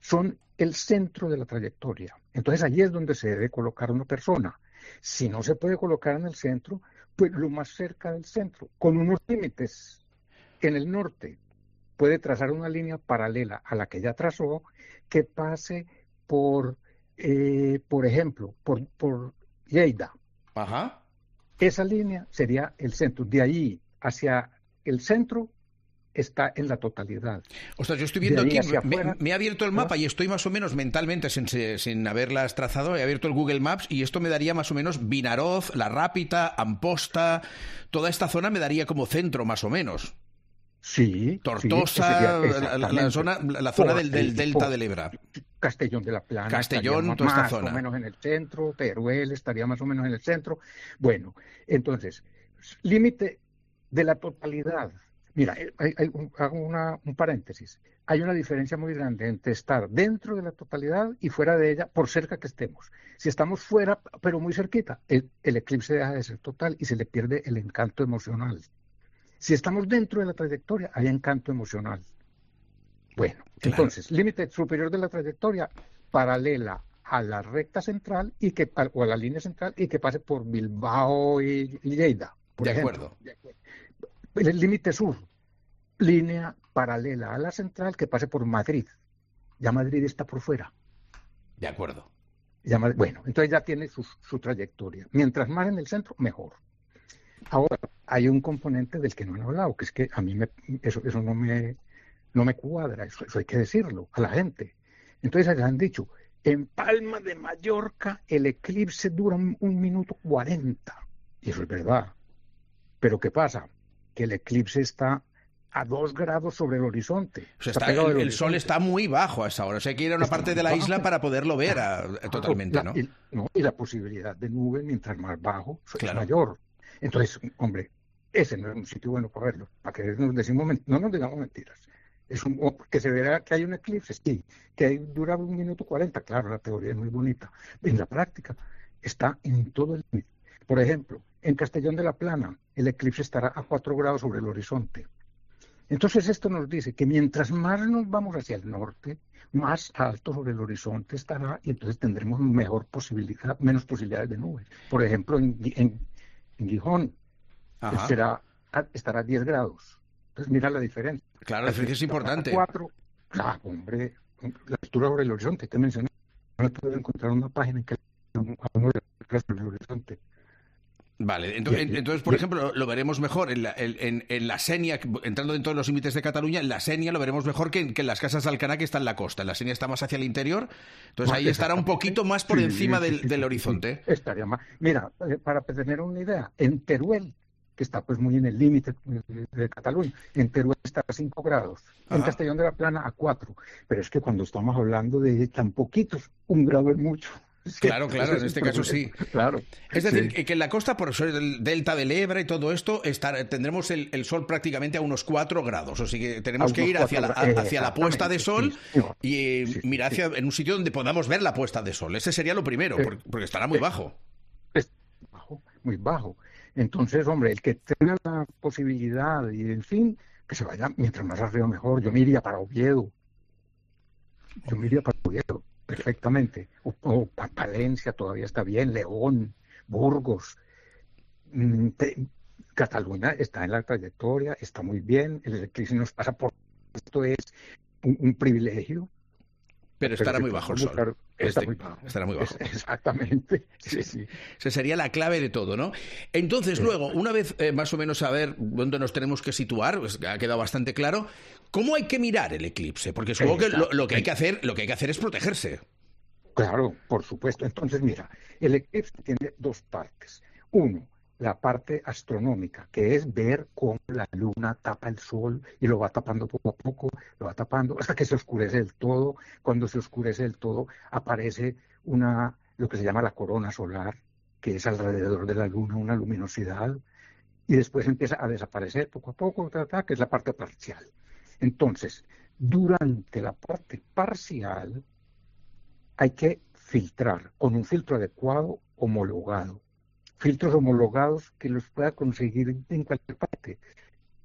[SPEAKER 11] son el centro de la trayectoria. Entonces allí es donde se debe colocar una persona. Si no se puede colocar en el centro, pues lo más cerca del centro, con unos límites. En el norte puede trazar una línea paralela a la que ya trazó, que pase por, eh, por ejemplo, por, por Lleida.
[SPEAKER 3] Ajá.
[SPEAKER 11] Esa línea sería el centro. De ahí hacia el centro está en la totalidad.
[SPEAKER 3] Ostras, yo estoy viendo
[SPEAKER 11] De
[SPEAKER 3] aquí,
[SPEAKER 11] ahí hacia
[SPEAKER 3] me,
[SPEAKER 11] afuera,
[SPEAKER 3] me ha abierto el mapa y estoy más o menos mentalmente, sin, sin haberlas trazado, he abierto el Google Maps y esto me daría más o menos Vinaroz, La Rápita, Amposta, toda esta zona me daría como centro más o menos.
[SPEAKER 11] Sí.
[SPEAKER 3] Tortosa,
[SPEAKER 11] sí,
[SPEAKER 3] la, la, la zona, la zona del, del delta del Ebra.
[SPEAKER 11] Castellón de la Plana.
[SPEAKER 3] Castellón, toda
[SPEAKER 11] más
[SPEAKER 3] esta zona.
[SPEAKER 11] Más o menos en el centro, Teruel estaría más o menos en el centro. Bueno, entonces, límite de la totalidad. Mira, hay, hay, hago una, un paréntesis. Hay una diferencia muy grande entre estar dentro de la totalidad y fuera de ella, por cerca que estemos. Si estamos fuera, pero muy cerquita, el, el eclipse deja de ser total y se le pierde el encanto emocional. Si estamos dentro de la trayectoria, hay encanto emocional. Bueno, claro. Entonces, límite superior de la trayectoria, paralela a la recta central y que, o a la línea central y que pase por Bilbao y Lleida. Por
[SPEAKER 3] de,
[SPEAKER 11] ejemplo.
[SPEAKER 3] acuerdo.
[SPEAKER 11] de acuerdo. El límite sur, línea paralela a la central que pase por Madrid. Ya Madrid está por fuera.
[SPEAKER 3] De acuerdo.
[SPEAKER 11] Ya, bueno, entonces ya tiene su, su trayectoria. Mientras más en el centro, mejor. Ahora, hay un componente del que no han hablado, que es que a mí me, eso, eso no me, no me cuadra, eso, eso hay que decirlo a la gente. Entonces les han dicho, en Palma de Mallorca el eclipse dura un, un minuto cuarenta. Y eso es verdad. Pero ¿qué pasa? Que el eclipse está a dos grados sobre el horizonte.
[SPEAKER 3] O sea, está, el, el horizonte. Sol está muy bajo a esa hora. O sea, hay que ir a una
[SPEAKER 11] está
[SPEAKER 3] parte de la
[SPEAKER 11] bajo.
[SPEAKER 3] isla para poderlo ver a, a, totalmente,
[SPEAKER 11] la,
[SPEAKER 3] ¿no?
[SPEAKER 11] Y, ¿no? Y la posibilidad de nube, mientras más bajo,
[SPEAKER 3] claro.
[SPEAKER 11] es mayor. Entonces, hombre, ese no es un sitio bueno para verlo. Para que nos decimos, no nos digamos mentiras. Es un, que se verá que hay un eclipse, sí. Que hay, dura un minuto cuarenta, claro, la teoría es muy bonita. En la práctica está en todo el límite. Por ejemplo, en Castellón de la Plana, el eclipse estará a cuatro grados sobre el horizonte. Entonces esto nos dice que mientras más nos vamos hacia el norte, más alto sobre el horizonte estará y entonces tendremos mejor posibilidad, menos posibilidades de nubes. Por ejemplo, en, en, en Gijón será, estará a diez grados. Entonces mira la diferencia.
[SPEAKER 3] Claro, la diferencia es importante.
[SPEAKER 11] cuatro, claro, hombre, la altura sobre el horizonte, te mencioné. No puedo encontrar una página en que a uno de sobre el horizonte.
[SPEAKER 3] Vale, entonces, entonces por ejemplo, lo veremos mejor en la, en, en la Sénia, entrando dentro de los límites de Cataluña, en la Sénia lo veremos mejor que en, que en las casas de Alcaná, que está en la costa. En la Sénia está más hacia el interior, entonces ahí estará un poquito más por
[SPEAKER 11] sí,
[SPEAKER 3] encima
[SPEAKER 11] sí,
[SPEAKER 3] del,
[SPEAKER 11] sí,
[SPEAKER 3] del
[SPEAKER 11] sí,
[SPEAKER 3] horizonte.
[SPEAKER 11] Sí, estaría más. Mira, para tener una idea, en Teruel, que está pues muy en el límite de, de Cataluña, en Teruel está a cinco grados, Ajá. en Castellón de la Plana a cuatro, pero es que cuando estamos hablando de tan poquitos, un grado es mucho.
[SPEAKER 3] Claro, claro, en este caso sí.
[SPEAKER 11] Claro.
[SPEAKER 3] Es decir,
[SPEAKER 11] sí.
[SPEAKER 3] que en la costa, por ser el delta del Ebra y todo esto, estar, tendremos el, el sol prácticamente a unos cuatro grados. O sea que tenemos que ir hacia la, hacia la puesta de sol sí, sí. y sí, mirar hacia sí. en un sitio donde podamos ver la puesta de sol. Ese sería lo primero, porque, porque estará muy bajo.
[SPEAKER 11] Es bajo, muy bajo. Entonces, hombre, el que tenga la posibilidad y, en fin, que se vaya mientras más arriba mejor. Yo me iría para Oviedo. Yo me iría para Oviedo. Perfectamente. O, o Palencia todavía está bien, León, Burgos, te, Cataluña está en la trayectoria, está muy bien, el eclipse nos pasa por esto, es un, un privilegio.
[SPEAKER 3] Pero estará muy bajo el sol.
[SPEAKER 11] Claro, está
[SPEAKER 3] este,
[SPEAKER 11] muy bajo.
[SPEAKER 3] Estará muy bajo.
[SPEAKER 11] Es, exactamente. Sí, sí.
[SPEAKER 3] Esa sería la clave de todo, ¿no? Entonces, sí. luego, una vez eh, más o menos saber dónde nos tenemos que situar, pues ha quedado bastante claro, ¿cómo hay que mirar el eclipse? Porque supongo que lo, lo que hay que hacer, lo que hay que hacer es protegerse.
[SPEAKER 11] Claro, por supuesto. Entonces, mira, el eclipse tiene dos partes. Uno, la parte astronómica, que es ver cómo la luna tapa el sol y lo va tapando poco a poco, lo va tapando hasta que se oscurece del todo. Cuando se oscurece del todo, aparece una, lo que se llama la corona solar, que es alrededor de la luna una luminosidad y después empieza a desaparecer poco a poco, ta, ta, que es la parte parcial. Entonces, durante la parte parcial hay que filtrar con un filtro adecuado, homologado. Filtros homologados que los pueda conseguir en cualquier parte.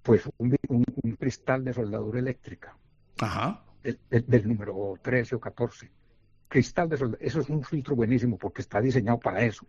[SPEAKER 11] Pues un, un, un cristal de soldadura eléctrica.
[SPEAKER 3] Ajá.
[SPEAKER 11] Del, del, del número trece o catorce. Cristal de soldadura. Eso es un filtro buenísimo porque está diseñado para eso.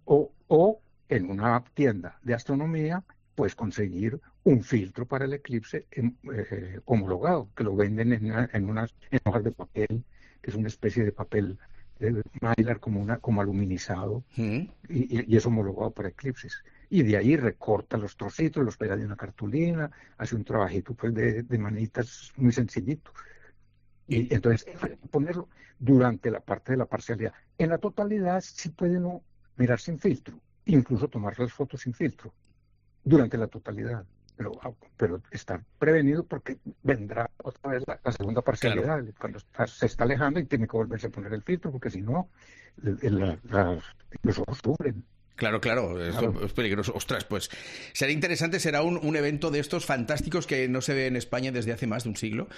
[SPEAKER 11] O, o en una tienda de astronomía, pues conseguir un filtro para el eclipse eh, homologado, que lo venden en, una, en unas en hojas de papel, que es una especie de papel de mylar como, una, como aluminizado, mm. y, y es homologado para eclipses. Y de ahí recorta los trocitos, los pega de una cartulina, hace un trabajito pues de, de manitas muy sencillito. Y entonces ponerlo durante la parte de la parcialidad. En la totalidad sí puede uno mirar sin filtro, incluso tomar las fotos sin filtro, durante la totalidad. Pero, pero estar prevenido porque vendrá otra vez la, la segunda parcialidad, claro. Cuando está, se está alejando y tiene que volverse a poner el filtro, porque si no, la, la, los ojos sufren.
[SPEAKER 3] Claro, claro, esto claro. Es peligroso. Ostras, pues será interesante, será un, un evento de estos fantásticos que no se ve en España desde hace más de un siglo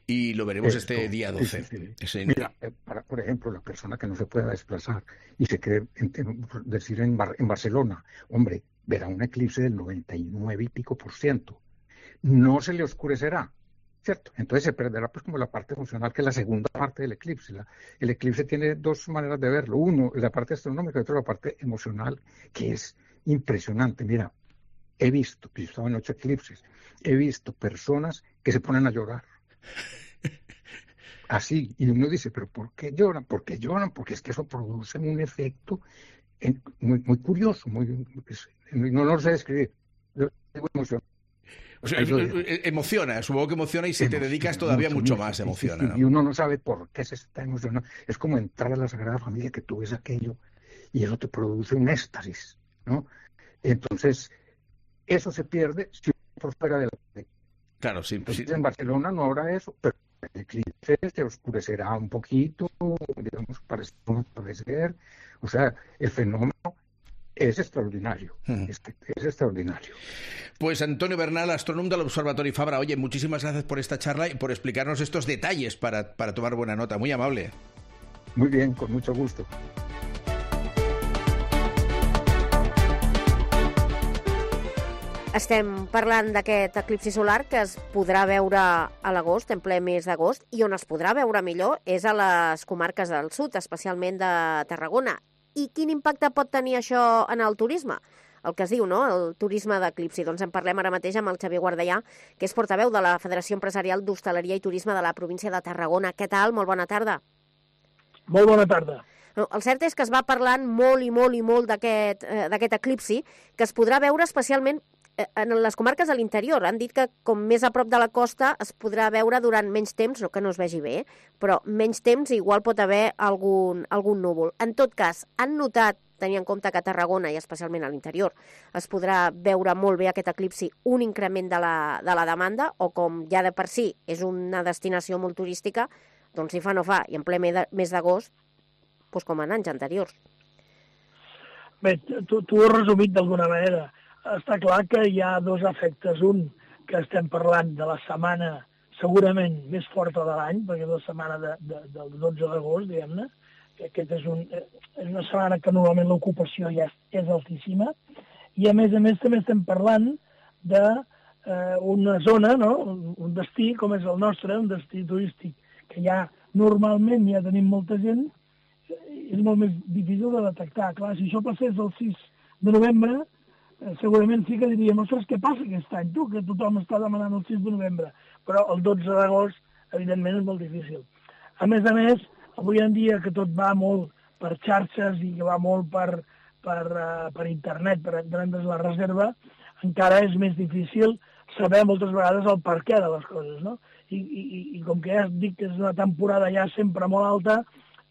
[SPEAKER 3] y lo veremos Esto, este día doce. Sí, sí, sí. Ese...
[SPEAKER 11] Mira, para, por ejemplo, la persona que no se pueda desplazar y se quiere en, en, decir en, Bar, en Barcelona, hombre, verá un eclipse del noventa y nueve y pico por ciento. No se le oscurecerá, ¿cierto? Entonces se perderá pues como la parte emocional, que es la segunda parte del eclipse. La, el eclipse tiene dos maneras de verlo. Uno, la parte astronómica, y otra, la parte emocional, que es impresionante. Mira, he visto, yo estaba en ocho eclipses, he visto personas que se ponen a llorar. Así, y uno dice, ¿pero por qué lloran? ¿Por qué lloran? Porque es que eso produce un efecto en, muy, muy curioso, muy, es, no lo sé describir. Yo tengo emoción.
[SPEAKER 3] O sea, emociona, supongo que emociona y si emociona, te dedicas todavía mucho, mucho más emociona.
[SPEAKER 11] Sí, sí,
[SPEAKER 3] ¿no?
[SPEAKER 11] Y uno no sabe por qué se está emocionando. Es como entrar a la Sagrada Familia, que tú ves aquello y eso te produce un éxtasis, ¿no? Entonces, eso se pierde si uno por fuera de la...
[SPEAKER 3] Claro, sí.
[SPEAKER 11] Entonces,
[SPEAKER 3] sí.
[SPEAKER 11] En Barcelona no habrá eso, pero el eclipse se oscurecerá un poquito, digamos, para parecer. O sea, el fenómeno es extraordinario, uh-huh. es, es extraordinario.
[SPEAKER 3] Pues Antonio Bernal, astrónomo del Observatorio Fabra, oye, muchísimas gracias por esta charla y por explicarnos estos detalles para, para tomar buena nota, muy amable.
[SPEAKER 11] Muy bien, con mucho gusto.
[SPEAKER 5] Estem parlant d'aquest eclipsi solar que es podrà veure a l'agost, en ple mes d'agost, i on es podrà veure millor és a les comarques del sud, especialment de Tarragona. I quin impacte pot tenir això en el turisme? El que es diu, no?, el turisme d'eclipsi. Doncs en parlem ara mateix amb el Xavier Guardellà, que és portaveu de la Federació Empresarial d'Hostaleria i Turisme de la província de Tarragona. Què tal? Molt bona tarda.
[SPEAKER 12] Molt bona tarda.
[SPEAKER 5] El cert és que es va parlant molt i molt i molt d'aquest eh, d'aquest eclipsi, que es podrà veure especialment en les comarques de l'interior. Han dit que com més a prop de la costa es podrà veure durant menys temps, no que no es vegi bé, però menys temps igual pot haver algun, algun núvol. En tot cas, han notat, tenint en compte que a Tarragona i especialment a l'interior es podrà veure molt bé aquest eclipsi, un increment de la, de la demanda, o com ja de per si és una destinació molt turística, doncs si fa no fa, i en ple mes d'agost, doncs com en anys anteriors.
[SPEAKER 12] Bé, tu, tu ho has resumit d'alguna manera. Està clar que hi ha dos efectes. Un, que estem parlant de la setmana segurament més forta de l'any, perquè és la setmana de, de, del dotze d'agost, diguem-ne, que aquest és, un, és una setmana que normalment l'ocupació ja és, és altíssima, i a més a més també estem parlant d'una eh, zona, no? Un destí com és el nostre, un destí turístic, que ja normalment ja tenim molta gent, és molt més difícil de detectar. Clar, si això passés el sis de novembre, segurament sí que diríem, ostres, què passa aquest any, tu, que tothom està demanant el sis de novembre, però el dotze d'agost, evidentment, és molt difícil. A més a més, avui en dia que tot va molt per xarxes i que va molt per, per, uh, per internet, per entendre's la reserva, encara és més difícil saber moltes vegades el perquè de les coses, no? I, i, i com que ja dic que és una temporada ja sempre molt alta,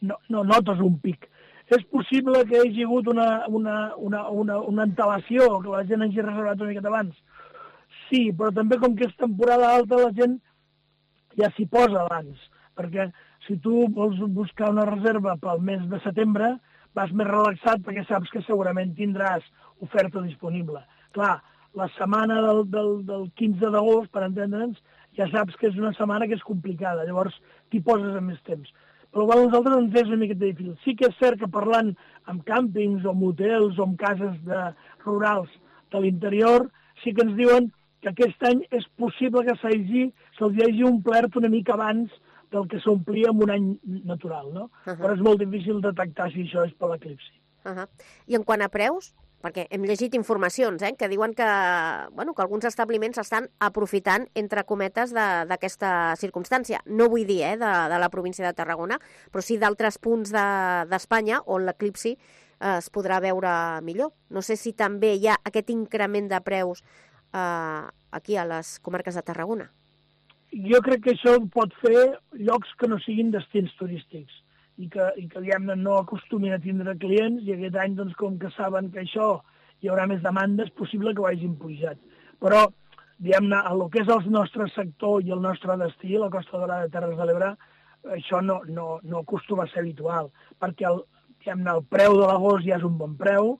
[SPEAKER 12] no, no notes un pic. És possible que hi hagi hagut una, una, una, una, una antelació, que la gent hagi reservat una miqueta abans. Sí, però també com que és temporada alta la gent ja s'hi posa abans, perquè si tu vols buscar una reserva pel mes de setembre vas més relaxat perquè saps que segurament tindràs oferta disponible. Clar, la setmana del, del, del quinze d'agost, per entendre'ns, ja saps que és una setmana que és complicada, llavors t'hi poses en més temps. Però igual a nosaltres ens és una miqueta difícil. Sí que és cert que parlant amb càmpings o motels o amb cases de, rurals de l'interior, sí que ens diuen que aquest any és possible que s'hagi, se'ls hagi omplert una mica abans del que s'omplia en un any natural, no? Uh -huh. Però és molt difícil detectar si això és per l'eclipsi.
[SPEAKER 5] Uh -huh. I en quant a preus, perquè hem llegit informacions eh, que diuen que, bueno, que alguns establiments estan aprofitant, entre cometes, d'aquesta de, circumstància. No vull dir eh, de, de la província de Tarragona, però sí d'altres punts d'Espanya de, on l'eclipsi eh, es podrà veure millor. No sé si també hi ha aquest increment de preus eh, aquí a les comarques de Tarragona.
[SPEAKER 12] Jo crec que això pot fer llocs que no siguin destins turístics i que, i que diguem-ne, no acostumin a tindre clients, i aquest any, doncs, com que saben que això hi haurà més demanda, és possible que ho hagin pujat. Però, diguem-ne, a lo que és el nostre sector i el nostre destí, la Costa Daurada de Terres de l'Ebre, això no, no, no acostuma a ser habitual, perquè el, diguem-ne, el preu de l'agost ja és un bon preu,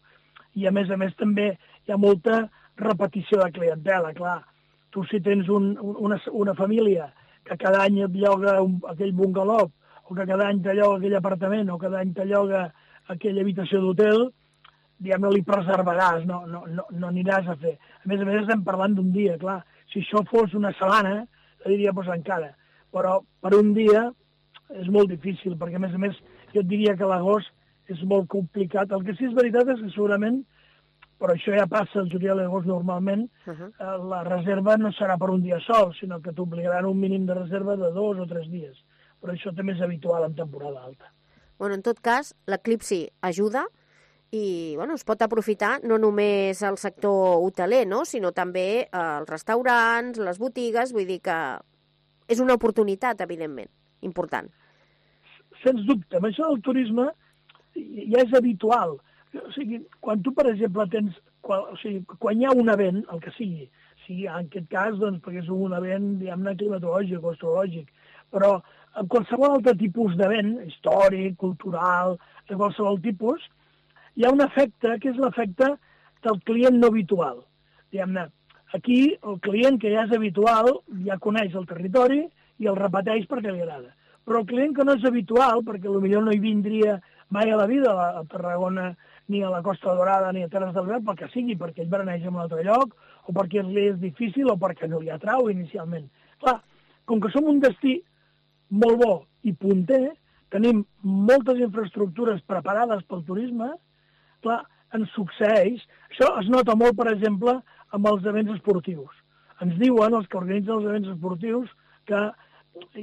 [SPEAKER 12] i a més a més també hi ha molta repetició de clientela, clar. Tu si tens un, una, una família que cada any et lloga un, aquell bungalou, o que cada any te lloga aquell apartament, o cada any te lloga aquella habitació d'hotel, diguem-ne, li preservaràs, no, no, no, no aniràs a fer. A més a més, estem parlant d'un dia, clar. Si això fos una setmana, diria, doncs encara. Però per un dia és molt difícil, perquè a més a més jo et diria que l'agost és molt complicat. El que sí és veritat és que segurament, però això ja passa el juliol i l'agost normalment, uh -huh. la reserva no serà per un dia sol, sinó que t'obligaran un mínim de reserva de dos o tres dies. Però això també és habitual en temporada alta.
[SPEAKER 5] Bueno, en tot cas, l'eclipsi ajuda i bueno, es pot aprofitar no només el sector hoteler, no? Sinó també eh, els restaurants, les botigues, vull dir que és una oportunitat, evidentment, important.
[SPEAKER 12] Sens dubte, amb això del turisme ja és habitual. O sigui, quan tu, per exemple, tens... Quan, o sigui, quan hi ha un event, el que sigui, sigui en aquest cas, doncs, perquè és un event, diguem-ne, climatològic o astrològic, però en qualsevol altre tipus d'event, històric, cultural, de qualsevol tipus, hi ha un efecte, que és l'efecte del client no habitual. Diguem-ne, aquí el client que ja és habitual ja coneix el territori i el repeteix perquè li agrada. Però el client que no és habitual, perquè potser no hi vindria mai a la vida a Tarragona, ni a la Costa Daurada, ni a Terres de l'Ebre, pel que sigui, perquè ell bereneix en un altre lloc, o perquè li és difícil, o perquè no li atrau inicialment. Clar, com que som un destí molt bo i punter, tenim moltes infraestructures preparades pel turisme, clar, ens succeeix. Això es nota molt, per exemple, amb els events esportius. Ens diuen, els que organitzen els events esportius, que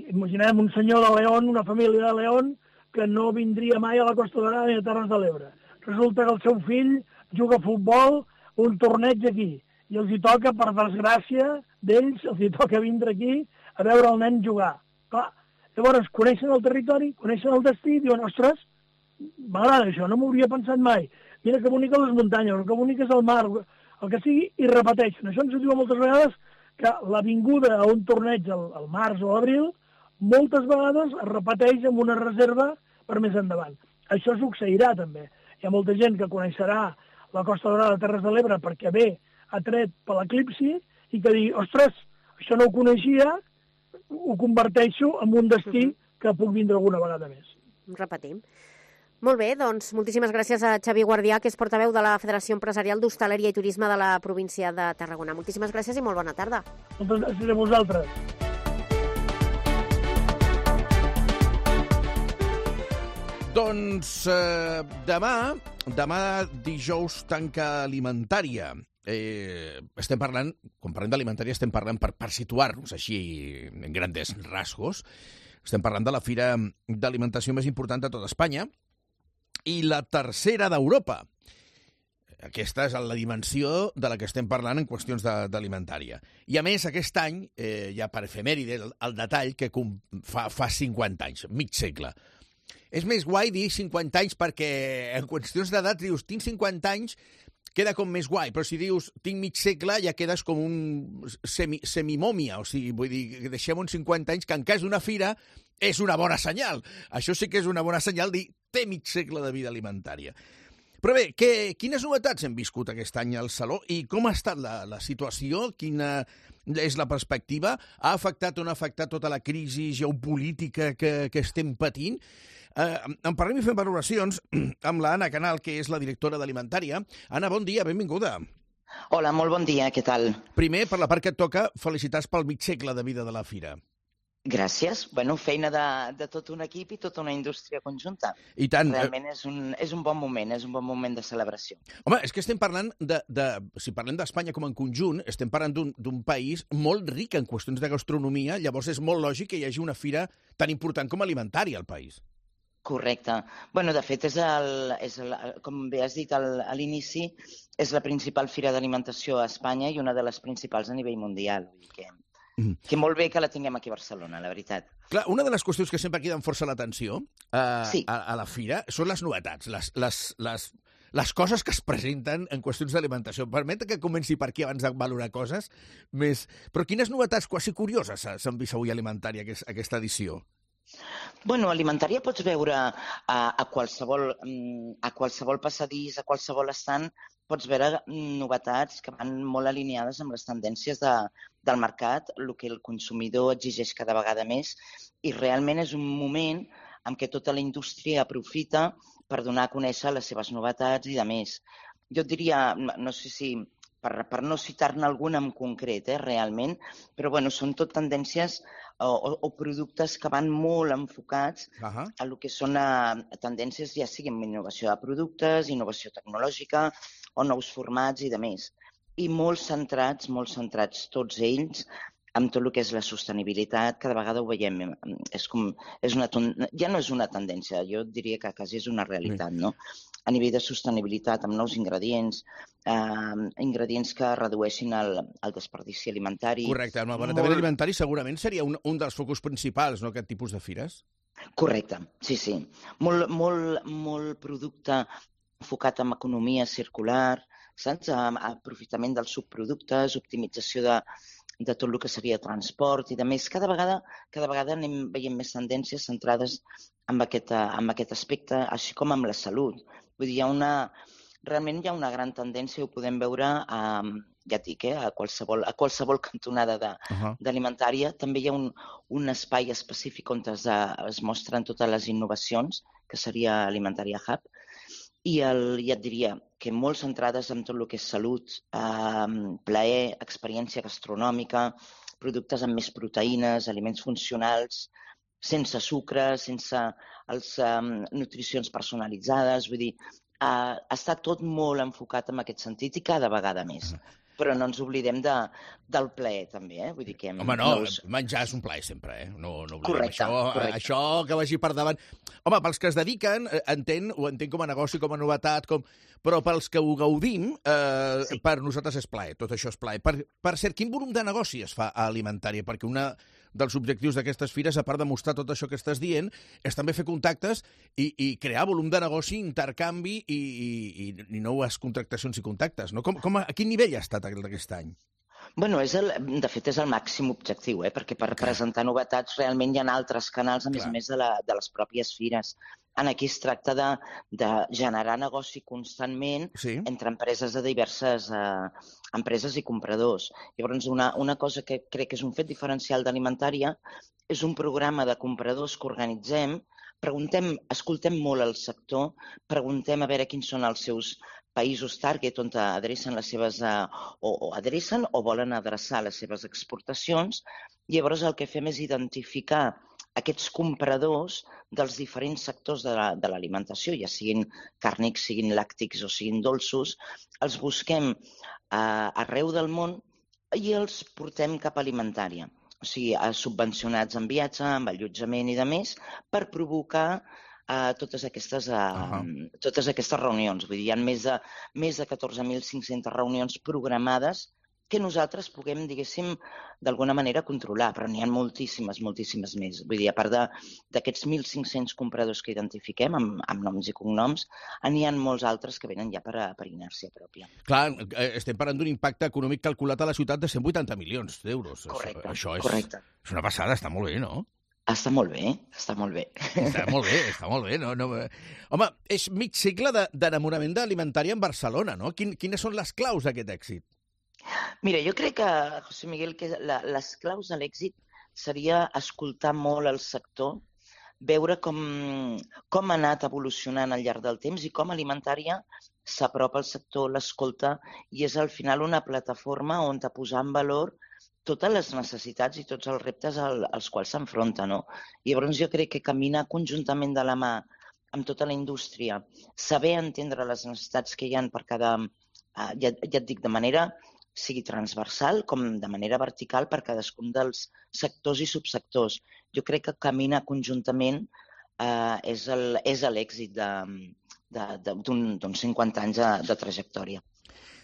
[SPEAKER 12] imaginem un senyor de León, una família de León, que no vindria mai a la Costa Daurada ni a Terres de l'Ebre. Resulta que el seu fill juga a futbol, un torneig aquí, i els hi toca, per desgràcia d'ells, els hi toca vindre aquí a veure el nen jugar. Clar, llavors coneixen el territori, coneixen el destí, i diuen, ostres, m'agrada això, no m'ho hauria pensat mai. Mira que boniques les muntanyes, que bonic és el mar, el que sigui, i repeteixen. Això ens ho diuen moltes vegades, que la vinguda a un torneig al, al març o a l'abril, moltes vegades es repeteix amb una reserva per més endavant. Això succeirà també. Hi ha molta gent que coneixerà la Costa Daurada de Terres de l'Ebre perquè ve atret per l'eclipsi i que digui, ostres, això no ho coneixia, ho converteixo en un destí que puc vindre alguna vegada més.
[SPEAKER 5] Repetim. Molt bé, doncs moltíssimes gràcies a Xavier Guardià, que és portaveu de la Federació Empresarial d'Hostaleria i Turisme de la província de Tarragona. Moltíssimes gràcies i molt bona tarda.
[SPEAKER 12] Moltes gràcies a vosaltres.
[SPEAKER 3] Doncs eh, demà, demà dijous tanca alimentària. Eh, estem parlant, quan parlem d'alimentària estem parlant, per, per situar-nos així en grandes rasgos, estem parlant de la fira d'alimentació més important de tota Espanya i la tercera d'Europa. Aquesta és la dimensió de la que estem parlant en qüestions d'alimentària. I a més, aquest any, eh, ja per efemèride, el, el detall que fa, fa cinquanta anys, mig segle. És més guai dir cinquanta anys perquè en qüestions d'edat dius, tinc cinquanta anys, queda com més guai, però si dius tinc mig segle ja quedes com un semi, semimòmia, o sigui, vull dir, deixem uns cinquanta anys, que en cas d'una fira és una bona senyal. Això sí que és una bona senyal, dir té mig segle de vida alimentària. Però bé, que, quines novetats hem viscut aquest any al Saló i com ha estat la, la situació? Quina és la perspectiva? Ha afectat o no ha afectat tota la crisi geopolítica que, que estem patint? Eh, en parlem i fem valoracions amb la Anna Canal, que és la directora d'Alimentària. Anna, bon dia, benvinguda.
[SPEAKER 13] Hola, molt bon dia, què tal?
[SPEAKER 3] Primer, per la part que et toca, felicitats pel mig segle de vida de la Fira.
[SPEAKER 13] Gràcies. Bueno, feina de, de tot un equip i tota una indústria conjunta.
[SPEAKER 3] I tant.
[SPEAKER 13] Realment és un, és un bon moment, és un bon moment de celebració.
[SPEAKER 3] Home, és que estem parlant de... de si parlem d'Espanya com en conjunt, estem parlant d'un país molt ric en qüestions de gastronomia, llavors és molt lògic que hi hagi una fira tan important com alimentària al país.
[SPEAKER 13] Correcte. Bueno, de fet, és el, és el, com bé has dit al, a l'inici, és la principal fira d'alimentació a Espanya i una de les principals a nivell mundial. Vull dir que, mm. que molt bé que la tinguem aquí a Barcelona, la veritat.
[SPEAKER 3] Clar, una de les qüestions que sempre criden força l'atenció eh,
[SPEAKER 13] sí.
[SPEAKER 3] a, a la fira són les novetats, les, les, les, les coses que es presenten en qüestions d'alimentació. Permet que comenci per aquí abans de valorar coses més... Però quines novetats quasi curioses s'han vist avui a Alimentària aquesta edició?
[SPEAKER 13] Bueno, a Alimentària pots veure a, a, qualsevol, a qualsevol passadís, a qualsevol estant, pots veure novetats que van molt alineades amb les tendències de, del mercat, el que el consumidor exigeix cada vegada més, i realment és un moment en què tota la indústria aprofita per donar a conèixer les seves novetats i de més. Jo et diria, no sé si... Per, per no citar-ne alguna en concret, eh, realment, però bueno, són tot tendències o, o, o productes que van molt enfocats uh-huh. a lo que són a, a tendències, ja sigui en innovació de productes, innovació tecnològica o nous formats i de més. I molt centrats, molt centrats tots ells amb tot el que és la sostenibilitat, cada vegada ho veiem. És com, és una, ja no és una tendència, jo diria que quasi és una realitat, no? A nivell de sostenibilitat, amb nous ingredients, eh, ingredients que redueixin el, el desperdici alimentari.
[SPEAKER 3] Correcte, el malbaratament molt... alimentari segurament seria un, un dels focus principals, no?, aquest tipus de fires?
[SPEAKER 13] Correcte, sí, sí. Molt, molt, molt producte enfocat en economia circular, saps? Aprofitament dels subproductes, optimització de, de tot el que seria transport i de més. Cada vegada, cada vegada anem veient més tendències centrades en aquest, en aquest aspecte, així com amb la salut. Vull dir, hi ha una, realment hi ha una gran tendència, ho podem veure a, ja et dic, eh, a, qualsevol, a qualsevol cantonada d'alimentària. Uh-huh. També hi ha un, un espai específic on es, es mostren totes les innovacions, que seria Alimentària Hub, i el, ja et diria que molt centrades en tot el que és salut, eh, plaer, experiència gastronòmica, productes amb més proteïnes, aliments funcionals, sense sucre, sense els, um, nutricions personalitzades, vull dir, uh, està tot molt enfocat en aquest sentit i cada vegada més. Uh-huh. Però no ens oblidem de, del plaer, també, eh? Vull dir que...
[SPEAKER 3] Home, no, no us... menjar és un plaer sempre, eh? No, no oblidem
[SPEAKER 13] correcte,
[SPEAKER 3] això,
[SPEAKER 13] correcte.
[SPEAKER 3] Això que vagi per davant. Home, pels que es dediquen, entenc, ho entenc com a negoci, com a novetat, com... però pels que ho gaudim, eh, sí. per nosaltres és plaer, tot això és plaer. Per, per cert, quin volum de negoci es fa a Alimentària? Perquè una dels objectius d'aquestes fires, a part de mostrar tot això que estàs dient, és també fer contactes i, i crear volum de negoci, intercanvi i, i, i noves contractacions i contactes, no? Com, com a, a quin nivell ha estat aquest any?
[SPEAKER 13] Bueno, és el, de fet és el màxim objectiu, eh? Perquè per Clar. presentar novetats realment hi ha altres canals, a més a més de, la, de les pròpies fires. En aquí es tracta de, de generar negoci constantment sí. entre empreses de diverses eh, empreses i compradors. Llavors, una, una cosa que crec que és un fet diferencial d'Alimentària és un programa de compradors que organitzem, preguntem, escoltem molt el sector, preguntem a veure quins són els seus països target on adrecen les seves, uh, o, o adrecen o volen adreçar les seves exportacions. Llavors el que fem és identificar aquests compradors dels diferents sectors de l'alimentació, ja siguin càrnics, siguin làctics o siguin dolços, els busquem uh, arreu del món i els portem cap a Alimentària. O sigui, subvencionats en viatge, amb allotjament i de més, per provocar Uh, totes, aquestes, uh, uh-huh. totes aquestes reunions. Vull dir, hi ha més de, més de catorze mil cinc-centes reunions programades que nosaltres puguem, diguéssim, d'alguna manera controlar, però n'hi ha moltíssimes, moltíssimes més. Vull dir, a part d'aquests mil cinc-cents compradors que identifiquem, amb, amb noms i cognoms, n'hi ha molts altres que venen ja per, per inèrcia pròpia.
[SPEAKER 3] Clar, estem parlant d'un impacte econòmic calculat a la ciutat de cent vuitanta milions d'euros.
[SPEAKER 13] Correcte,
[SPEAKER 3] això és,
[SPEAKER 13] correcte.
[SPEAKER 3] És una passada, està molt bé, no?
[SPEAKER 13] Està molt bé, està molt bé.
[SPEAKER 3] Està molt bé, està molt bé. No, no... Home, és mig segle d'enamorament d'alimentària en Barcelona, no? Quin, quines són les claus d'aquest èxit?
[SPEAKER 13] Mira, jo crec que, José Miguel, que la, les claus de l'èxit seria escoltar molt el sector, veure com, com ha anat evolucionant al llarg del temps i com Alimentària s'apropa al sector, l'escolta, i és al final una plataforma on te posar en valor totes les necessitats i tots els reptes al, als quals s'enfronta, no? I llavors jo crec que caminar conjuntament de la mà amb tota la indústria, saber entendre les necessitats que hi ha per cada, eh, ja, ja et dic, de manera sigui transversal com de manera vertical per cadascun dels sectors i subsectors. Jo crec que caminar conjuntament eh, és el, és l'èxit d'uns cinquanta anys de, de trajectòria.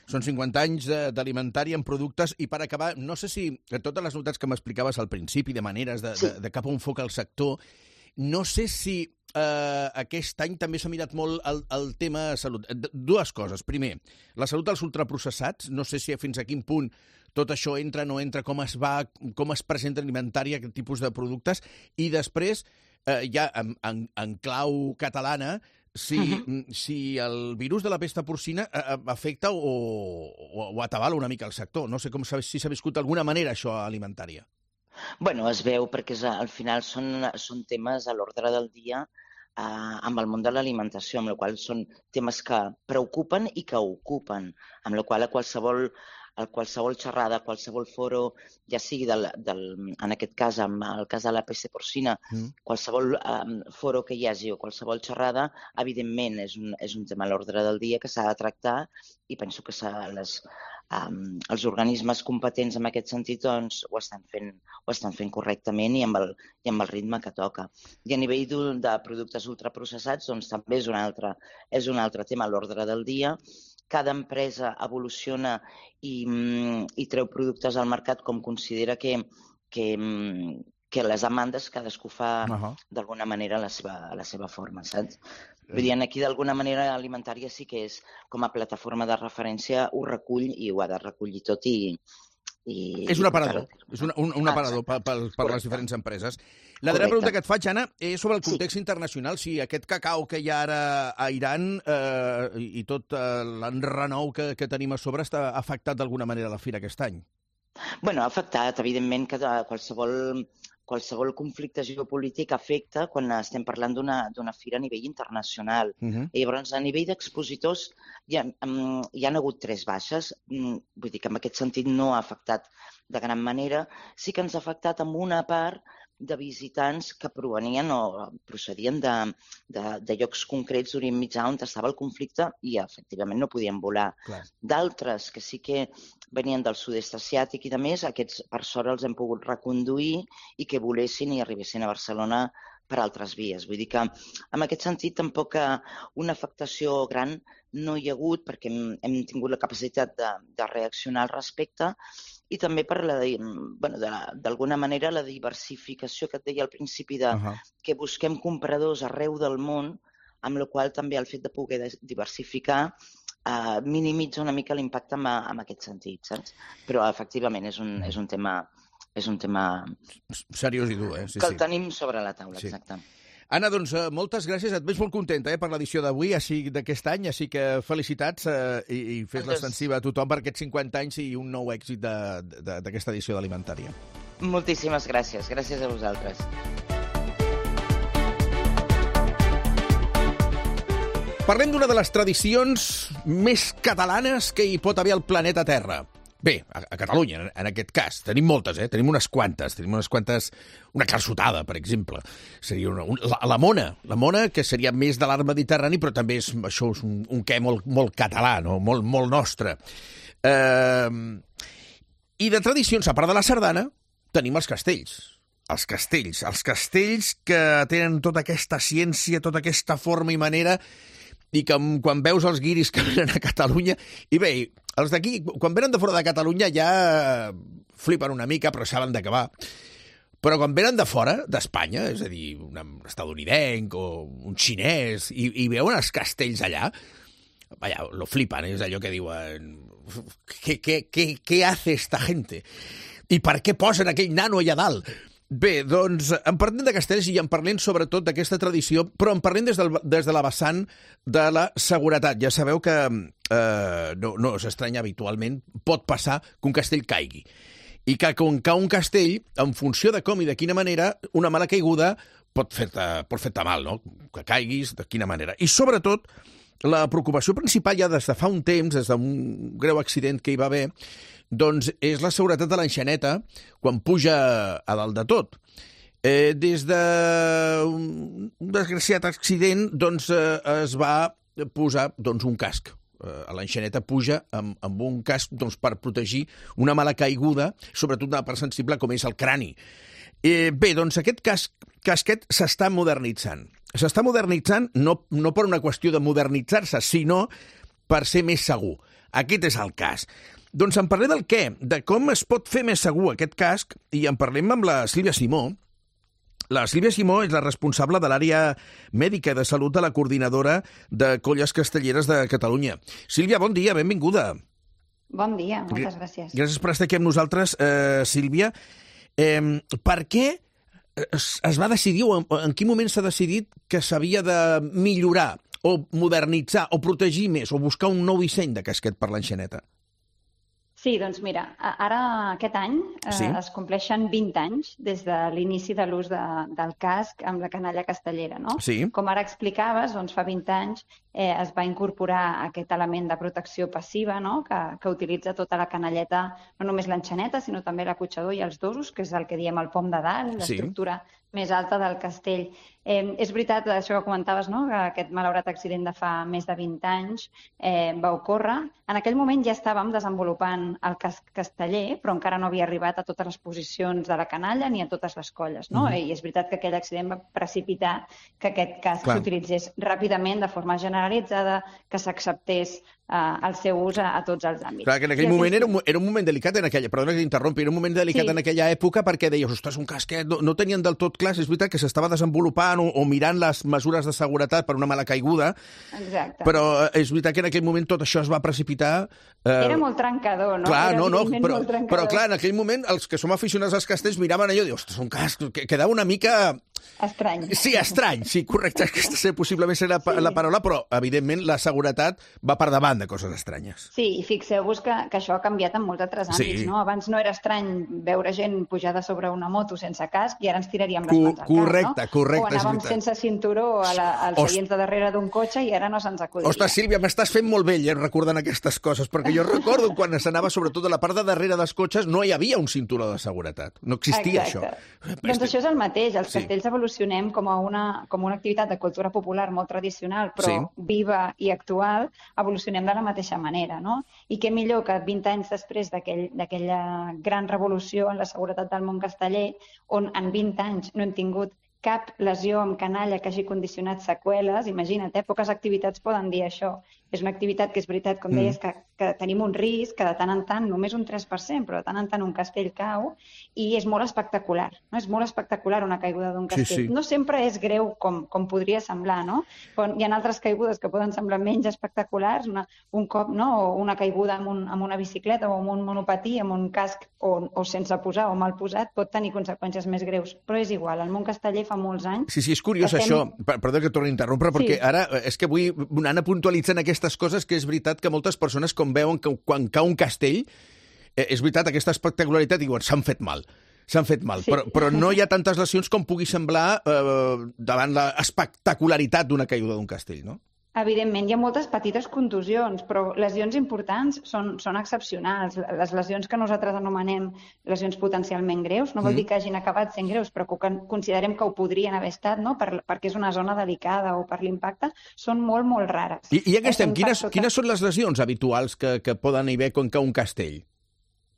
[SPEAKER 3] Són cinquanta anys d'Alimentària en productes i per acabar, no sé si totes les notats que m'explicaves al principi de maneres de, sí. de, de cap on foca el sector, no sé si eh, aquest any també s'ha mirat molt el, el tema salut. Dues coses. Primer, la salut dels ultraprocessats, no sé si fins a quin punt tot això entra, no entra, com es va, com es presenta Alimentària, aquest tipus de productes, i després, eh, ja en, en, en clau catalana, si, uh-huh. si el virus de la pesta porcina afecta o, o, o atabala una mica el sector. No sé com si s'ha viscut d'alguna manera això a Alimentària.
[SPEAKER 13] Bueno, es veu perquè és, al final són, són temes a l'ordre del dia eh, amb el món de l'alimentació, amb la qual són temes que preocupen i que ocupen, amb la qual a qualsevol a qualsevol xerrada, qualsevol foro, ja sigui del, del, en aquest cas, amb el cas de la pesta porcina, mm. qualsevol um, foro que hi hagi o qualsevol xerrada, evidentment és un, és un tema a l'ordre del dia que s'ha de tractar i penso que les, um, els organismes competents en aquest sentit doncs, ho, estan fent, ho estan fent correctament i amb, el, i amb el ritme que toca. I a nivell de, de productes ultraprocessats doncs, també és un altre, és un altre tema a l'ordre del dia. Cada empresa evoluciona i, i treu productes al mercat com considera que, que, que les demandes cadascú fa uh-huh. d'alguna manera a la seva, a la seva forma, saps? Vull dir, aquí d'alguna manera Alimentària sí que és com a plataforma de referència, ho recull i ho ha de recollir tot i... I,
[SPEAKER 3] és un aparador, és un, un, un aparador per, per, per les diferents empreses. La darrera pregunta que et faig, Anna, és sobre el context sí. internacional. Si aquest cacau que hi ha ara a Iran eh, i tot eh, l'enrenou que, que tenim a sobre està afectat d'alguna manera a la fira aquest any?
[SPEAKER 13] Bueno, ha afectat, evidentment, que qualsevol, qualsevol conflicte geopolític afecta quan estem parlant d'una fira a nivell internacional. Uh-huh. I llavors, a nivell d'expositors, hi, ha, hi ha hagut tres baixes. Vull dir que en aquest sentit no ha afectat de gran manera. Sí que ens ha afectat en una part de visitants que provenien o procedien de, de, de llocs concrets d'Orient Mitjà on estava el conflicte i, efectivament, no podien volar. D'altres que sí que venien del sud-est asiàtic i de més, aquests, per sort, els hem pogut reconduir i que volessin i arribessin a Barcelona per altres vies. Vull dir que, en aquest sentit, tampoc una afectació gran no hi ha hagut perquè hem, hem tingut la capacitat de, de reaccionar al respecte i també per la, bueno, d'alguna manera la diversificació que et deia al principi de uh-huh. que busquem compradors arreu del món, amb la qual també el fet de poder diversificar eh, minimitza una mica l'impacte en, en aquest sentit, saps? Però efectivament és un, és un tema és un tema
[SPEAKER 3] seriós i dur, eh? Sí,
[SPEAKER 13] que el
[SPEAKER 3] sí.
[SPEAKER 13] tenim sobre la taula, sí. Exacte.
[SPEAKER 3] Anna, doncs, moltes gràcies. Et veig molt contenta eh, per l'edició d'avui, així d'aquest any, així que felicitats eh, i, i fes l'extensiva a tothom per aquests cinquanta anys i un nou èxit d'aquesta edició d'Alimentària.
[SPEAKER 13] Moltíssimes gràcies. Gràcies a vosaltres.
[SPEAKER 3] Parlem d'una de les tradicions més catalanes que hi pot haver al planeta Terra. Bé, a, a Catalunya, en aquest cas. Tenim moltes, eh? Tenim unes quantes. Tenim unes quantes... Una calçotada, per exemple. Seria una, un, la, la mona. La mona, que seria més de l'art mediterrani, però també és, això és un, un què molt, molt català, no? molt, molt nostre. Eh, I de tradicions, a part de la sardana, tenim els castells. Els castells. Els castells que tenen tota aquesta ciència, tota aquesta forma i manera, i que quan veus els guiris que venen a Catalunya... I bé, els d'aquí, quan venen de fora de Catalunya ja flipen una mica, però saben de què va. Però quan venen de fora, d'Espanya, és a dir, un estadounidenc o un xinès, i, i veuen els castells allà, vaya, lo flipan, és allò que diuen... ¿Qué, qué, qué, qué hace esta gente? I per què posen aquell nano allà dalt? Bé, doncs en parlem de castells i en parlem sobretot d'aquesta tradició, però en parlem des, del, des de la vessant de la seguretat. Ja sabeu que eh, no, no s'estranya habitualment, pot passar que un castell caigui. I que quan cau un castell, en funció de com i de quina manera, una mala caiguda pot fer-te pot fer-te mal, no? Que caiguis, de quina manera. I sobretot, la preocupació principal ja des de fa un temps, des d'un greu accident que hi va haver, doncs és la seguretat de l'enxaneta quan puja a dalt de tot. Eh, des d'un desgraciat accident doncs, eh, es va posar doncs, un casc. Eh, a l'enxaneta puja amb, amb un casc doncs, per protegir una mala caiguda, sobretot una part sensible com és el crani. Eh, bé, doncs aquest casc, casquet s'està modernitzant. S'està modernitzant no, no per una qüestió de modernitzar-se, sinó per ser més segur. Aquest és el cas. Doncs en parlem del què, de com es pot fer més segur aquest casc, i en parlem amb la Sílvia Simó. La Sílvia Simó és la responsable de l'àrea mèdica de salut de la coordinadora de Colles Castelleres de Catalunya. Sílvia, bon dia, benvinguda.
[SPEAKER 14] Bon dia, moltes gràcies.
[SPEAKER 3] Gràcies per estar aquí amb nosaltres, eh, Sílvia. Eh, per què es, es va decidir, o en, en quin moment s'ha decidit que s'havia de millorar, o modernitzar, o protegir més, o buscar un nou disseny de casquet per l'enxaneta?
[SPEAKER 14] Sí, doncs mira, ara aquest any eh, sí? es compleixen vint anys des de l'inici de l'ús de, del casc amb la canalla castellera, no?
[SPEAKER 3] Sí.
[SPEAKER 14] Com ara explicaves, doncs fa vint anys eh, es va incorporar aquest element de protecció passiva, no? que, que utilitza tota la canalleta, no només l'enxaneta, sinó també l'acotxador i els dosos, que és el que diem el pom de dalt, l'estructura sí. més alta del castell. Eh, és veritat, això que comentaves, no? que aquest malaurat accident de fa més de vint anys eh, va ocórrer. En aquell moment ja estàvem desenvolupant el casc casteller, però encara no havia arribat a totes les posicions de la canalla ni a totes les colles. No? Uh-huh. I és veritat que aquell accident va precipitar que aquest casc s'utilitzés ràpidament, de forma generalitzada, que s'acceptés uh, el seu ús a, a tots els àmbits.
[SPEAKER 3] Clar, que en aquell I moment era un, era un moment delicat en aquella, perdona que t'interrompi, era un moment delicat sí. en aquella època perquè deies, ostres, un casquet, no, no tenien del tot clar, és veritat que s'estava desenvolupant o, o mirant les mesures de seguretat per una mala caiguda.
[SPEAKER 14] Exacte.
[SPEAKER 3] Però és veritat que en aquell moment tot això es va precipitar. Eh...
[SPEAKER 14] Era molt trencador, no?
[SPEAKER 3] Clar,
[SPEAKER 14] era
[SPEAKER 3] no, no, però, però clar, en aquell moment els que som aficionats als castells miraven allò i diuen, ostres, un casc, que quedava una mica...
[SPEAKER 14] Estrany.
[SPEAKER 3] Sí, estrany, sí, correcte, aquesta ser possiblement ser la, sí. la paraula, però evidentment la seguretat va per davant de coses estranyes.
[SPEAKER 14] Sí, i fixeu-vos que, que això ha canviat en molts altres àmbits, sí. no? Abans no era estrany veure gent pujada sobre una moto sense casc i ara ens tiraríem les mans al cap,
[SPEAKER 3] correcte,
[SPEAKER 14] no?
[SPEAKER 3] Correcte,
[SPEAKER 14] o anàvem sense cinturó a la, als Ost... seients de darrere d'un cotxe i ara no se'ns acudiria.
[SPEAKER 3] Ostres, Sílvia, m'estàs fent molt vell eh, recordant aquestes coses, perquè jo recordo quan s'anava sobretot a la part de darrere dels cotxes no hi havia un cinturó de seguretat, no existia
[SPEAKER 14] Exacte.
[SPEAKER 3] això.
[SPEAKER 14] Doncs això és el mateix, els
[SPEAKER 3] sí.
[SPEAKER 14] castells evolucionem com a una, com una activitat de cultura popular molt tradicional, però sí. viva i actual, evolucionem de la mateixa manera, no? I què millor que vint anys després d'aquella aquell, gran revolució en la seguretat del món casteller, on en vint anys no hem tingut cap lesió amb canalla que hagi condicionat seqüeles, imagina't, eh? Poques activitats poden dir això. És una activitat que és veritat, com deies, que, que tenim un risc, que de tant en tant, només un tres per cent, però de tant en tant un castell cau, i és molt espectacular, no? És molt espectacular una caiguda d'un castell. Sí, sí. No sempre és greu com, com podria semblar, no? Però hi ha altres caigudes que poden semblar menys espectaculars, una, un cop, no? O una caiguda amb, un, amb una bicicleta o amb un monopatí, amb un casc o, o sense posar o mal posat, pot tenir conseqüències més greus. Però és igual, el món casteller fa molts anys...
[SPEAKER 3] Sí, sí, és curiós estem... això, perdó que torni a interrompre, perquè sí. ara és que vull anar puntualitzant aquesta aquestes coses que és veritat que moltes persones com veuen que quan cau un castell, eh, és veritat, aquesta espectacularitat, diuen, s'han fet mal, s'han fet mal, sí. però, però no hi ha tantes lesions com pugui semblar eh, davant l'espectacularitat d'una caiguda d'un castell, no?
[SPEAKER 14] Evidentment, hi ha moltes petites contusions, però lesions importants són, són excepcionals. Les lesions que nosaltres anomenem lesions potencialment greus, no vol mm. dir que hagin acabat sent greus, però que considerem que ho podrien haver estat, no? per, perquè és una zona delicada o per l'impacte, són molt, molt rares.
[SPEAKER 3] I, i ja que estem, quines, tota... quines són les lesions habituals que, que poden haver quan cau un castell?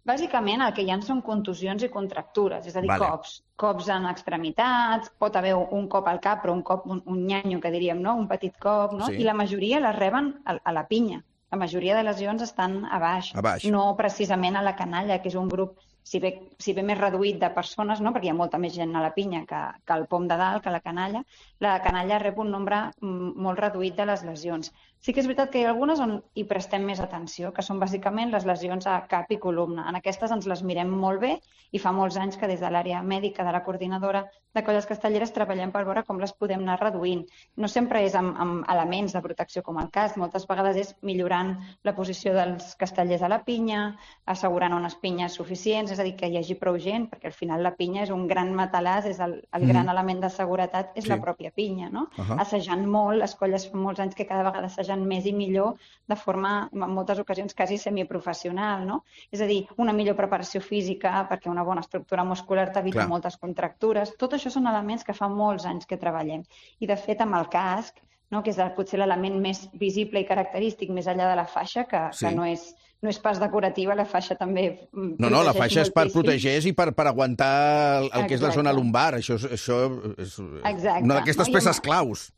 [SPEAKER 14] Bàsicament el que hi ha són contusions i contractures, és a dir, vale. cops. Cops en extremitats, pot haver un cop al cap, però un cop, un, un nyanyo, que diríem, no? Un petit cop, no? Sí. I la majoria les reben a, a la pinya. la majoria de lesions estan a baix,
[SPEAKER 3] a baix.
[SPEAKER 14] No precisament a la canalla, que és un grup si bé, si bé més reduït de persones, no? Perquè hi ha molta més gent a la pinya que, que al pom de dalt, que a la canalla, la canalla rep un nombre molt reduït de les lesions. Sí que és veritat que hi ha algunes on hi prestem més atenció, que són bàsicament les lesions a cap i columna. En aquestes ens les mirem molt bé i fa molts anys que des de l'àrea mèdica de la coordinadora de Colles Castelleres treballem per veure com les podem anar reduint. No sempre és amb, amb elements de protecció com el casc, moltes vegades és millorant la posició dels castellers a la pinya, assegurant unes pinyes suficients, és a dir, que hi hagi prou gent, perquè al final la pinya és un gran matalàs, és el, el gran mm. element de seguretat, és sí. la pròpia pinya, no? Uh -huh. Assajant molt, les colles fa molts anys que cada vegada assagen més i millor, de forma, en moltes ocasions, quasi semiprofessional, no? És a dir, una millor preparació física, perquè una bona estructura muscular t'evita moltes contractures. Tot això són elements que fa molts anys que treballem. I, de fet, amb el casc, no? Que és potser l'element més visible i característic, més enllà de la faixa, que, sí. que no és... no és pas decorativa, la faixa també
[SPEAKER 3] No, no, la faixa és per protegir i per, per aguantar el, el que és la zona lumbar. Això, això és
[SPEAKER 14] Exacte.
[SPEAKER 3] una d'aquestes
[SPEAKER 14] no,
[SPEAKER 3] peces claus.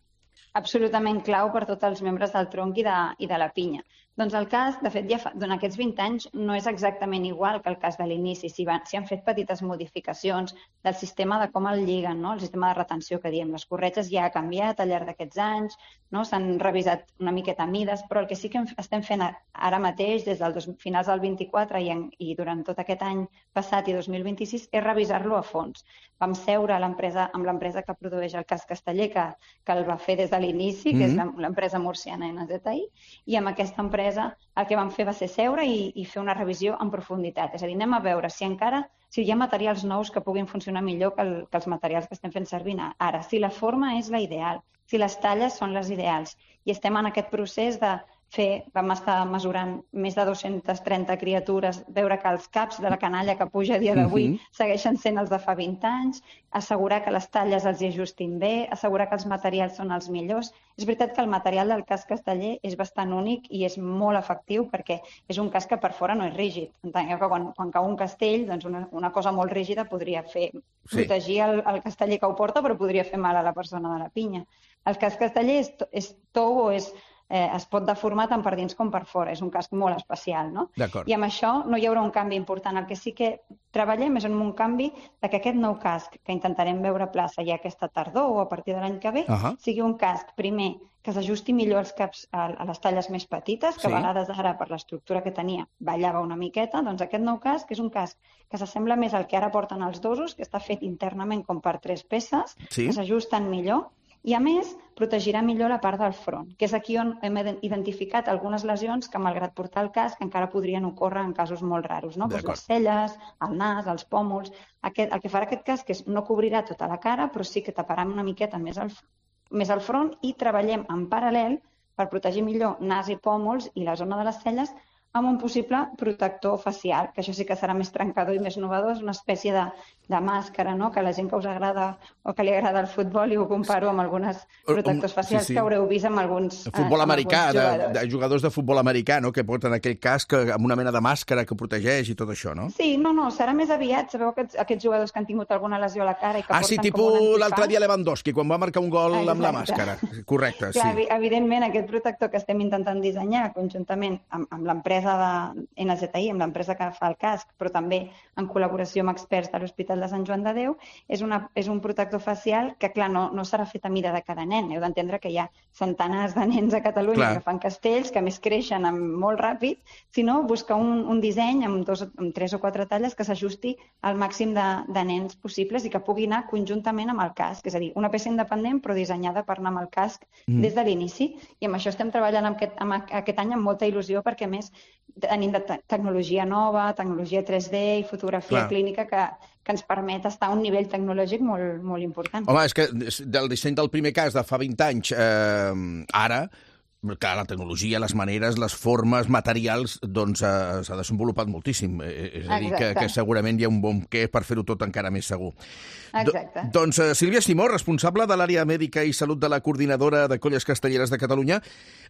[SPEAKER 14] Absolutament clau per tots els membres del tronc i de, i de la pinya. Doncs el casc, de fet, ja fa, durant aquests vint anys no és exactament igual que el casc de l'inici. S'hi si han fet petites modificacions del sistema de com el lliguen, no? El sistema de retenció que diem. Les corretges ja ha canviat al llarg d'aquests anys, no? S'han revisat una miqueta mides, però el que sí que estem fent ara mateix, des dels finals del vint-i-quatre i, en, i durant tot aquest any passat i dos mil vint-i-sis, és revisar-lo a fons. Vam seure l'empresa amb l'empresa que produeix el casc casteller, que, que el va fer des de l'inici, que mm-hmm. és l'empresa murciana N Z I, i amb aquesta empresa el que vam fer va ser seure i, i fer una revisió en profunditat. És a dir, anem a veure si encara si hi ha materials nous que puguin funcionar millor que, el, que els materials que estem fent servir ara, si la forma és la ideal, si les talles són les ideals. I estem en aquest procés de fer, vam estar mesurant més de dues-centes trenta criatures, veure que els caps de la canalla que puja a dia d'avui uh-huh. segueixen sent els de fa vint anys, assegurar que les talles els hi ajustin bé, assegurar que els materials són els millors. És veritat que el material del casc casteller és bastant únic i és molt efectiu perquè és un casc que per fora no és rígid. Entengueu que quan, quan cau un castell, doncs una, una cosa molt rígida podria fer sí. protegir el, el casteller que ho porta, però podria fer mal a la persona de la pinya. El casc casteller és, és tou o és Eh, es pot deformar tant per dins com per fora. És un casc molt especial, no? I amb això no hi haurà un canvi important. El que sí que treballem és en un canvi de que aquest nou casc que intentarem veure a plaça ja aquesta tardor o a partir de l'any que ve, uh-huh. sigui un casc, primer, que s'ajusti millor els caps a, a les talles més petites, que sí. a vegades ara, per l'estructura que tenia, ballava una miqueta. Doncs aquest nou casc és un casc que s'assembla més al que ara porten els dosos, que està fet internament com per tres peces, sí. que s'ajusten millor, i, a més, protegirà millor la part del front, que és aquí on hem identificat algunes lesions que, malgrat portar el casc, encara podrien ocórrer en casos molt raros, no? Pues les celles, el nas, els pòmuls. Aquest, el que farà aquest casc és no cobrirà tota la cara, però sí que taparà una miqueta més el, més el front i treballem en paral·lel per protegir millor nas i pòmuls i la zona de les celles amb un possible protector facial, que això sí que serà més trencador i més innovador, és una espècie de, de màscara, no? Que a la gent que us agrada o que li agrada el futbol, i ho comparo amb algunes protectors facials sí, sí. que haureu vist amb alguns
[SPEAKER 3] el futbol eh, americà, de, de jugadors de futbol americà, no? Que porten aquell casc amb una mena de màscara que protegeix i tot això, no?
[SPEAKER 14] Sí, no, no, serà més aviat. Sabeu aquests, aquests jugadors que han tingut alguna lesió a la cara i que
[SPEAKER 3] ah,
[SPEAKER 14] porten
[SPEAKER 3] sí, tipus l'altre dia Lewandowski, quan va marcar un gol Exacte. amb la màscara. Correcte, sí.
[SPEAKER 14] Clar, evidentment, aquest protector que estem intentant dissenyar conjuntament amb, amb l'empresa de N Z I, amb l'empresa que fa el casc, però també en col·laboració amb experts de l'Hospital de Sant Joan de Déu, és, una, és un protector facial que, clar, no, no serà fet a mida de cada nen. Heu d'entendre que hi ha centenars de nens a Catalunya clar. que fan castells, que més creixen molt ràpid, sinó buscar un, un disseny amb, dos, amb tres o quatre talles que s'ajusti al màxim de, de nens possibles i que pugui anar conjuntament amb el casc. És a dir, una peça independent però dissenyada per anar amb el casc mm. des de l'inici. I amb això estem treballant amb aquest, amb aquest any amb molta il·lusió perquè, a més, tenim de te tecnologia nova, tecnologia tres D i fotografia Clar. clínica que, que ens permet estar a un nivell tecnològic molt, molt important.
[SPEAKER 3] Home, és que del disseny del primer cas de fa vint anys, eh, ara, clar, la tecnologia, les maneres, les formes, materials, doncs eh, s'ha desenvolupat moltíssim. És a dir, que, que segurament hi ha un bon què per fer-ho tot encara més segur.
[SPEAKER 14] Exacte.
[SPEAKER 3] Do, doncs, eh, Sílvia Simó, responsable de l'àrea mèdica i salut de la Coordinadora de Colles Castelleres de Catalunya.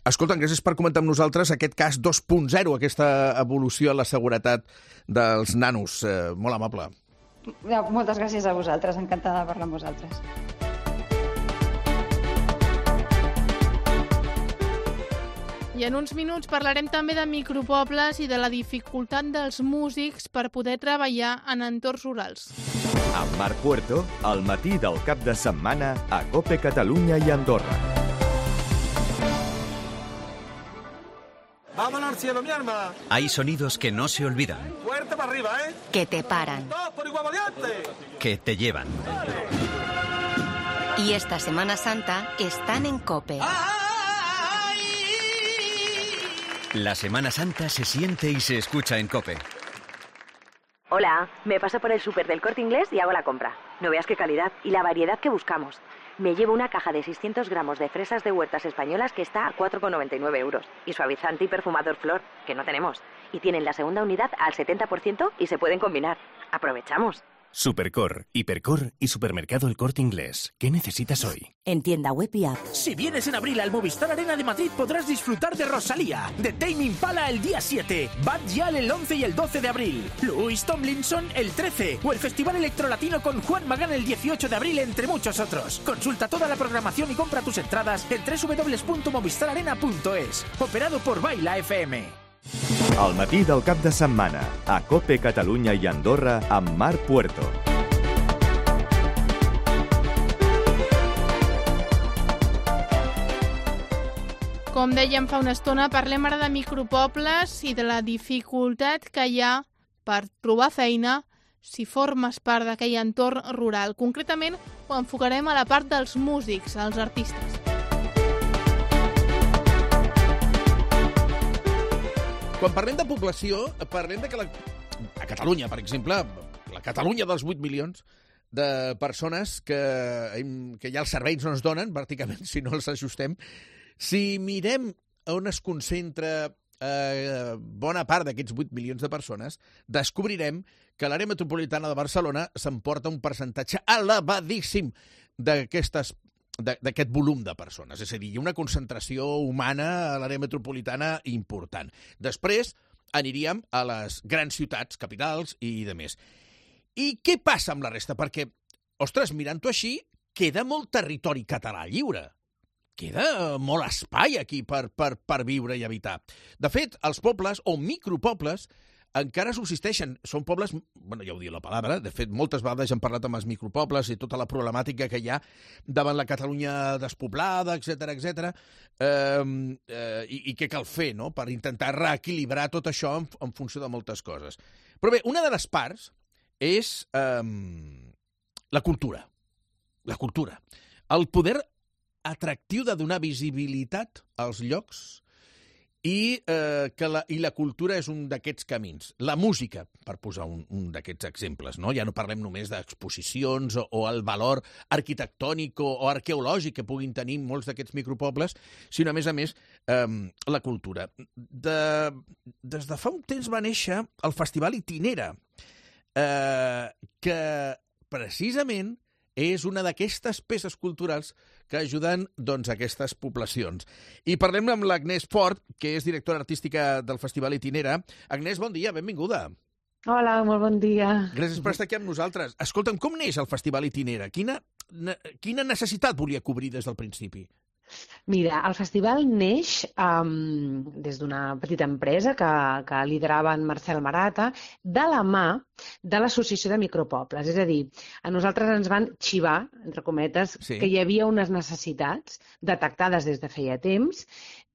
[SPEAKER 3] Escolta, gràcies per comentar amb nosaltres aquest cas dos punt zero, aquesta evolució en la seguretat dels nanos. Eh, molt amable.
[SPEAKER 14] Moltes gràcies a vosaltres, encantada de parlar amb vosaltres.
[SPEAKER 2] I en uns minuts parlarem també de micropobles i de la dificultat dels músics per poder treballar en entorns rurals.
[SPEAKER 1] Amb Marc Puerto, al matí del cap de setmana a COPE Catalunya i Andorra.
[SPEAKER 15] ¡Vámonos al cielo, mi arma!
[SPEAKER 16] Hay sonidos que no se olvidan.
[SPEAKER 15] ¡Fuerte para arriba, eh!
[SPEAKER 17] Que te paran.
[SPEAKER 15] ¡Dos por igual variante!
[SPEAKER 16] Que te llevan.
[SPEAKER 17] Y esta Semana Santa están en COPE.
[SPEAKER 16] La Semana Santa se siente y se escucha en COPE.
[SPEAKER 18] Hola, me paso por el súper del Corte Inglés y hago la compra. No veas qué calidad y la variedad que buscamos. Me llevo una caja de seiscientos gramos de fresas de huertas españolas que está a cuatro con noventa y nueve euros. Y suavizante y perfumador Flor, que no tenemos. Y tienen la segunda unidad al setenta por ciento y se pueden combinar. Aprovechamos.
[SPEAKER 19] Supercor, Hipercor y Supermercado El Corte Inglés. ¿Qué necesitas hoy?
[SPEAKER 8] En tienda web y app.
[SPEAKER 20] Si vienes en abril al Movistar Arena de Madrid podrás disfrutar de Rosalía, de Tame Impala el día siete, Bad Gyal el once y el doce de abril, Louis Tomlinson el trece o el Festival Electrolatino con Juan Magán el dieciocho de abril, entre muchos otros. Consulta toda la programación y compra tus entradas en doble u doble u doble u punto movistar arena punto es. Operado por Baila F M.
[SPEAKER 1] Al matí del cap de setmana a COPE Catalunya i Andorra amb Marc Puerto.
[SPEAKER 2] Com dèiem fa una estona, parlem ara de micropobles i de la dificultat que hi ha per trobar feina si formes part d'aquell entorn rural. Concretament, ho enfocarem a la part dels músics, als artistes.
[SPEAKER 3] Quan parlem de població, parlem de que la... a Catalunya, per exemple, la Catalunya dels vuit milions de persones que, que ja els serveis no ens donen, pràcticament, si no els ajustem. Si mirem on es concentra eh, bona part d'aquests vuit milions de persones, descobrirem que l'àrea metropolitana de Barcelona s'emporta un percentatge elevadíssim d'aquestes d'aquest volum de persones. És a dir, hi ha una concentració humana a l'àrea metropolitana important. Després aniríem a les grans ciutats, capitals i de més. I què passa amb la resta? Perquè, ostres, mirant-ho així, queda molt territori català lliure. Queda molt espai aquí per, per, per viure i habitar. De fet, els pobles o micropobles encara subsisteixen. Són pobles, bueno, ja ho diu la paraula, de fet, moltes vegades hem parlat amb els micropobles i tota la problemàtica que hi ha davant la Catalunya despoblada, etcètera, etcètera, eh, eh, i, i què cal fer, no?, per intentar reequilibrar tot això en, en funció de moltes coses. Però bé, una de les parts és eh, la cultura. La cultura. El poder atractiu de donar visibilitat als llocs i, eh, que la, i la cultura és un d'aquests camins. La música, per posar un, un d'aquests exemples, no? Ja no parlem només d'exposicions o, o el valor arquitectònic o, o arqueològic que puguin tenir molts d'aquests micropobles, sinó, a més a més, eh, la cultura. De, des de fa un temps va néixer el Festival Itinera, eh, que precisament és una d'aquestes peces culturals que ajuden, doncs, a aquestes poblacions. I parlem amb l'Agnès Fort, que és directora artística del Festival Itinera. Agnès, bon dia, benvinguda.
[SPEAKER 21] Hola, molt bon dia.
[SPEAKER 3] Gràcies per estar aquí amb nosaltres. Escolta'm, com neix el Festival Itinera? Quina, quina necessitat volia cobrir des del principi?
[SPEAKER 21] Mira, el festival neix um, des d'una petita empresa que, que liderava en Marcel Marata de la mà de l'Associació de Micropobles. És a dir, a nosaltres ens van xivar, entre cometes, sí, que hi havia unes necessitats detectades des de feia temps,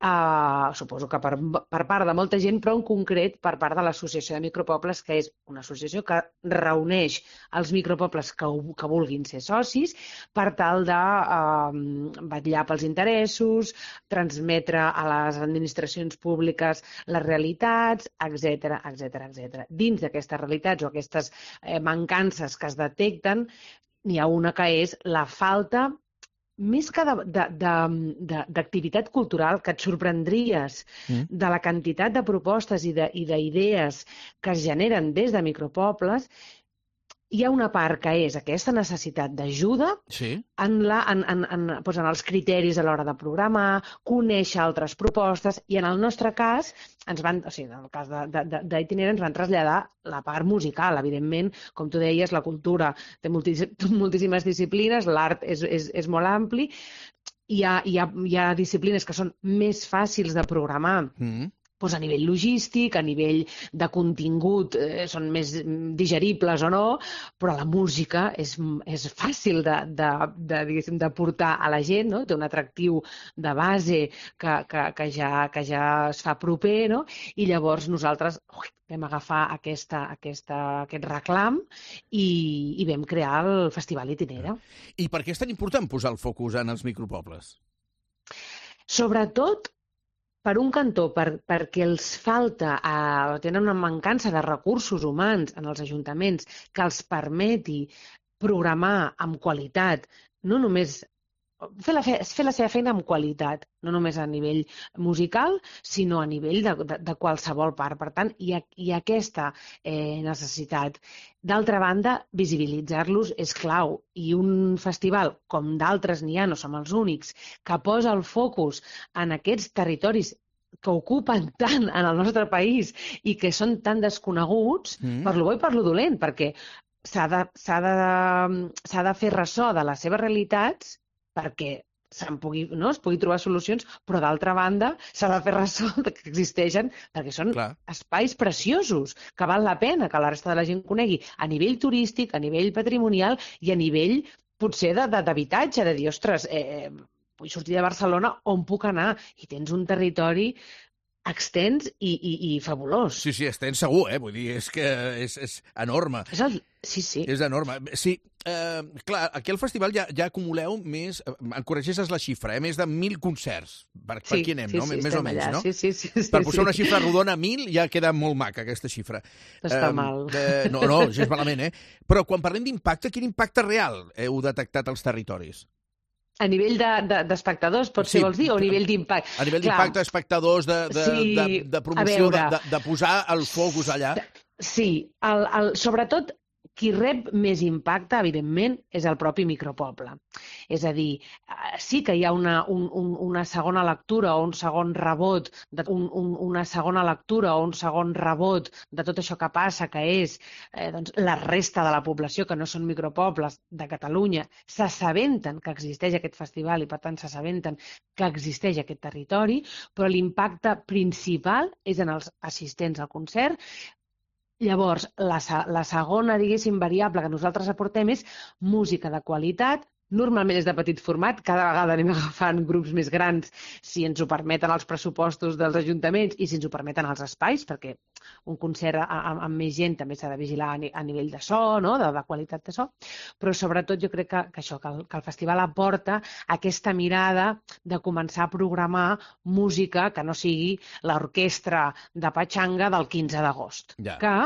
[SPEAKER 21] uh, suposo que per, per part de molta gent, però en concret per part de l'Associació de Micropobles, que és una associació que reuneix els micropobles que, que vulguin ser socis per tal de uh, vetllar pels interessos, transmetre a les administracions públiques les realitats, etcètera, etcètera, etcètera. Dins d'aquestes realitats o aquestes eh, mancances que es detecten, n'hi ha una que és la falta, més que d'activitat cultural, que et sorprendries mm. de la quantitat de propostes i d'idees que es generen des de micropobles. Hi ha una part que és aquesta necessitat d'ajuda
[SPEAKER 3] sí.
[SPEAKER 21] en, la, en, en, en, doncs en els criteris a l'hora de programar, conèixer altres propostes, i en el nostre cas, ens van, o sigui, en el cas d'Itinera, ens van traslladar la part musical. Evidentment, com tu deies, la cultura té moltíssimes disciplines, l'art és, és, és molt ampli, hi ha, hi ha, hi ha disciplines que són més fàcils de programar, mm. doncs a nivell logístic, a nivell de contingut, eh, són més digeribles o no, però la música és, és fàcil de, de, de, diguéssim, de portar a la gent, no? Té un atractiu de base que, que, que, ja, que ja es fa proper, no? I llavors nosaltres ui, vam agafar aquesta, aquesta, aquest reclam i, i vam crear el Festival Itinera.
[SPEAKER 3] I per què és tan important posar el focus en els micropobles?
[SPEAKER 21] Sobretot per un cantó, per, perquè els falta, eh, tenen una mancança de recursos humans en els ajuntaments que els permeti programar amb qualitat, no només fer la, fe, fer la seva feina amb qualitat, no només a nivell musical, sinó a nivell de, de, de qualsevol part. Per tant, hi ha, hi ha aquesta eh, necessitat. D'altra banda, visibilitzar-los és clau, i un festival, com d'altres n'hi ha, no som els únics, que posa el focus en aquests territoris que ocupen tant en el nostre país i que són tan desconeguts, mm. per lo bo i per lo dolent, perquè s'ha de, s'ha de, s'ha de fer ressò de les seves realitats perquè se'n pugui, no? Es pugui trobar solucions, però d'altra banda s'ha de fer ressò que existeixen, perquè són Clar. espais preciosos, que val la pena que la resta de la gent conegui a nivell turístic, a nivell patrimonial i a nivell potser d'habitatge, de, de dir, ostres, eh, vull sortir de Barcelona, on puc anar? I tens un territori extens i, i, i fabulós.
[SPEAKER 3] Sí, sí, extens segur, eh? Vull dir, és que és, és enorme.
[SPEAKER 21] És el... Sí, sí.
[SPEAKER 3] És enorme. Sí, eh, clar, aquí al festival ja, ja acumuleu més, em corregeixes la xifra, eh? Més de mil concerts. Per, sí, per aquí anem,
[SPEAKER 21] sí,
[SPEAKER 3] no?
[SPEAKER 21] Sí,
[SPEAKER 3] més o menys,
[SPEAKER 21] allà.
[SPEAKER 3] no?
[SPEAKER 21] Sí, sí, sí, sí,
[SPEAKER 3] per posar
[SPEAKER 21] sí.
[SPEAKER 3] una xifra rodona, mil, ja queda molt maca, aquesta xifra.
[SPEAKER 21] Està
[SPEAKER 3] eh,
[SPEAKER 21] mal.
[SPEAKER 3] Eh, no, no, gens malament, eh? Però quan parlem d'impacte, quin impacte real heu detectat als territoris?
[SPEAKER 21] A nivell d'espectadors, de, de, pots sí, ser, vols dir, o a nivell d'impacte?
[SPEAKER 3] A nivell d'impacte, espectadors, de, de, sí, de, de promoció, veure, de, de posar el focus allà.
[SPEAKER 21] Sí, el, el, sobretot qui rep més impacte, evidentment, és el propi micropoble. És a dir, sí que hi ha una, un, un, una segona lectura o un segon rebot, de, un, un, una segona lectura o un segon rebot de tot això que passa, que és eh, doncs, la resta de la població, que no són micropobles de Catalunya, s'assabenten que existeix aquest festival i, per tant, s'assabenten que existeix aquest territori, però l'impacte principal és en els assistents al concert. Llavors, la, la segona, diguéssim, variable que nosaltres aportem és música de qualitat. Normalment és de petit format, cada vegada anem agafant grups més grans si ens ho permeten els pressupostos dels ajuntaments i si ens ho permeten els espais, perquè un concert amb, amb més gent també s'ha de vigilar a, a nivell de so, no? de, de qualitat de so, però sobretot jo crec que, que això, que el, que el festival aporta aquesta mirada de començar a programar música que no sigui l'orquestra de Patxanga del quinze d'agost, ja. que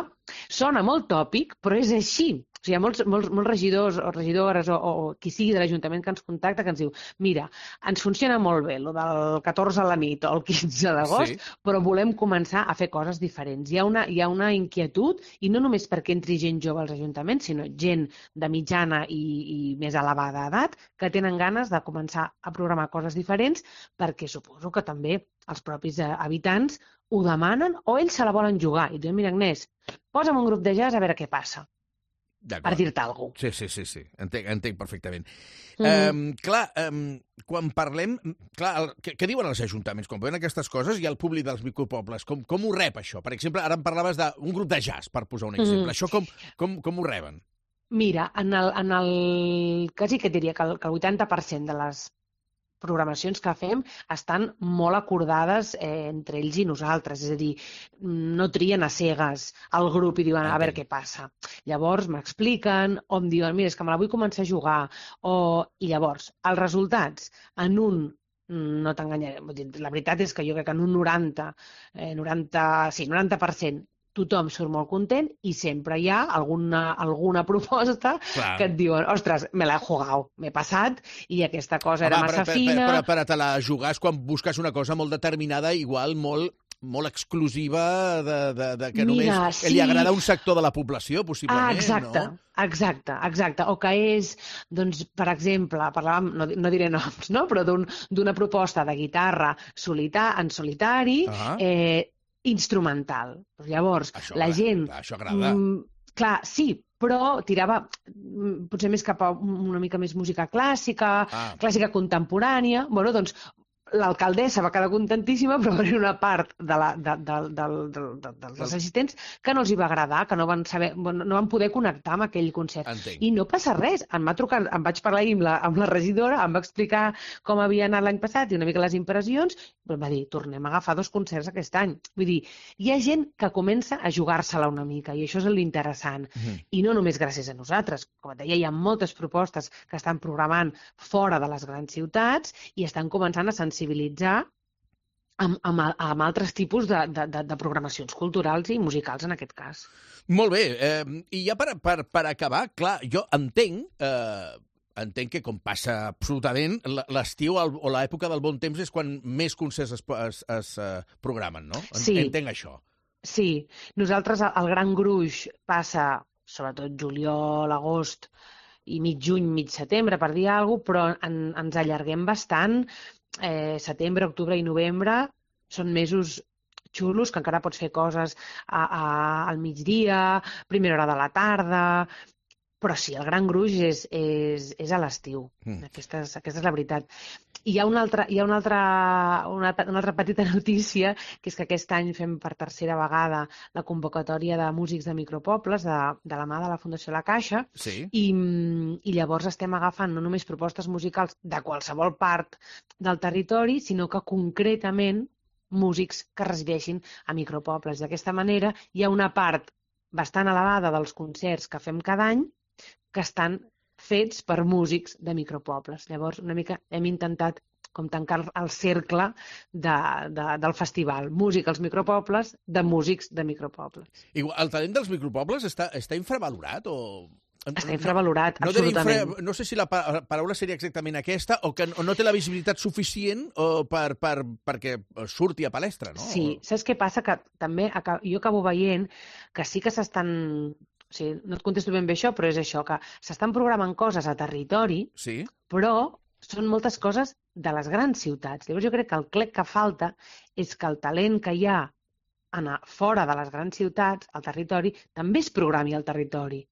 [SPEAKER 21] sona molt tòpic, però és així. O sigui, hi ha molts, molts, molts regidors o regidores o, o qui sigui de l'Ajuntament que ens contacta que ens diu mira, ens funciona molt bé el del catorze a la nit o el quinze d'agost, sí. però volem començar a fer coses diferents. Hi ha, una, hi ha una inquietud, i no només perquè entri gent jove als ajuntaments, sinó gent de mitjana i, i més elevada edat que tenen ganes de començar a programar coses diferents perquè suposo que també els propis habitants ho demanen o ells se la volen jugar. I diuen, mira, Agnès, posa'm un grup de jazz a veure què passa. Per dir-te alguna cosa.
[SPEAKER 3] Sí, sí, sí, sí. Entenc, entenc perfectament. Mm-hmm. Um, clar, um, quan parlem... Clar, el, què, què diuen els ajuntaments? Quan veuen aquestes coses i el públic dels micropobles, com, com ho rep això? Per exemple, ara em parlaves d'un grup de jazz, per posar un exemple. Mm-hmm. Això com, com, com ho reben?
[SPEAKER 21] Mira, en el, en el... quasi que diria que el, que el vuitanta per cent de les programacions que fem estan molt acordades eh, entre ells i nosaltres, és a dir, no trien a cegues al grup i diuen a veure què passa. Llavors m'expliquen o em diuen, mira, és que me la vull començar a jugar, o... i llavors els resultats en un no t'enganyaré, la veritat és que jo crec que en un noranta, eh, noranta, sí, noranta per cent tothom surt molt content i sempre hi ha alguna, alguna proposta Clar. que et diuen, ostres, me l'he jugat, m'he passat i aquesta cosa Home, era massa
[SPEAKER 3] per,
[SPEAKER 21] fina...
[SPEAKER 3] Per, per, per, per te la jugar és quan busques una cosa molt determinada, igual molt molt exclusiva, de, de, de que
[SPEAKER 21] Mira,
[SPEAKER 3] només
[SPEAKER 21] sí.
[SPEAKER 3] li agrada un sector de la població, possiblement,
[SPEAKER 21] ah, exacte,
[SPEAKER 3] no?
[SPEAKER 21] Exacte, exacte. O que és, doncs, per exemple, parlàvem, no, no diré noms, no? però d'una un, proposta de guitarra solita, en solitari, uh-huh. eh, instrumental. Llavors,
[SPEAKER 3] això
[SPEAKER 21] la gent...
[SPEAKER 3] Clar, això agrada.
[SPEAKER 21] Mm, clar, sí, però tirava, potser més cap a una mica més música clàssica, ah. clàssica contemporània. Bueno, doncs l'alcaldessa va quedar contentíssima, però va haver una part de la, de, de, de, de, de, dels assistents que no els hi va agradar, que no van, saber, no van poder connectar amb aquell concert.
[SPEAKER 3] Entenc.
[SPEAKER 21] I no passa res. Em va trucar, em vaig parlar amb la, amb la regidora, em va explicar com havia anat l'any passat i una mica les impressions, però em va dir, tornem a agafar dos concerts aquest any. Vull dir, hi ha gent que comença a jugar-se-la una mica, i això és l'interessant. Mm-hmm. I no només gràcies a nosaltres. Com et deia, hi ha moltes propostes que estan programant fora de les grans ciutats i estan començant a sensibilitzar sensibilitzar amb, amb, amb altres tipus de, de, de programacions culturals i musicals, en aquest cas.
[SPEAKER 3] Molt bé. Eh, I ja per, per, per acabar, clar, jo entenc, eh, entenc que com passa absolutament, l'estiu o l'època del bon temps és quan més concerts es, es, es uh, programen, no?
[SPEAKER 21] Sí.
[SPEAKER 3] Entenc això.
[SPEAKER 21] Sí. Nosaltres, el Gran Gruix passa, sobretot juliol, agost i mig juny, mig setembre, per dir alguna cosa, però en, ens allarguem bastant. Eh, setembre, octubre i novembre són mesos xulos, que encara pots fer coses a, a, al migdia, primera hora de la tarda, però sí, el Gran Gruix és, és, és a l'estiu. Mm. Aquesta, és, aquesta és la veritat. Hi ha, una altra, hi ha una, altra, una, una altra petita notícia, que és que aquest any fem per tercera vegada la convocatòria de músics de micropobles de, de la mà de la Fundació La Caixa,
[SPEAKER 3] sí.
[SPEAKER 21] i, i llavors estem agafant no només propostes musicals de qualsevol part del territori, sinó que concretament músics que resideixin a micropobles. D'aquesta manera hi ha una part bastant elevada dels concerts que fem cada any que estan fets per músics de micropobles. Llavors, una mica hem intentat com tancar el cercle de, de, del festival. Música als micropobles, de músics de micropobles.
[SPEAKER 3] Igual, el talent dels micropobles està, està infravalorat o...?
[SPEAKER 21] Està infravalorat,
[SPEAKER 3] no,
[SPEAKER 21] absolutament.
[SPEAKER 3] Infra... No sé si la paraula seria exactament aquesta o que no té la visibilitat suficient o per, per, perquè surti a palestra, no?
[SPEAKER 21] Sí, saps què passa? Que també jo acabo veient que sí que s'estan... O sigui, no et contesto ben bé això, però és això, que s'estan programant coses a territori,
[SPEAKER 3] sí.
[SPEAKER 21] però són moltes coses de les grans ciutats. Llavors jo crec que el clec que falta és que el talent que hi ha anar fora de les grans ciutats, al territori, també es programi al territori.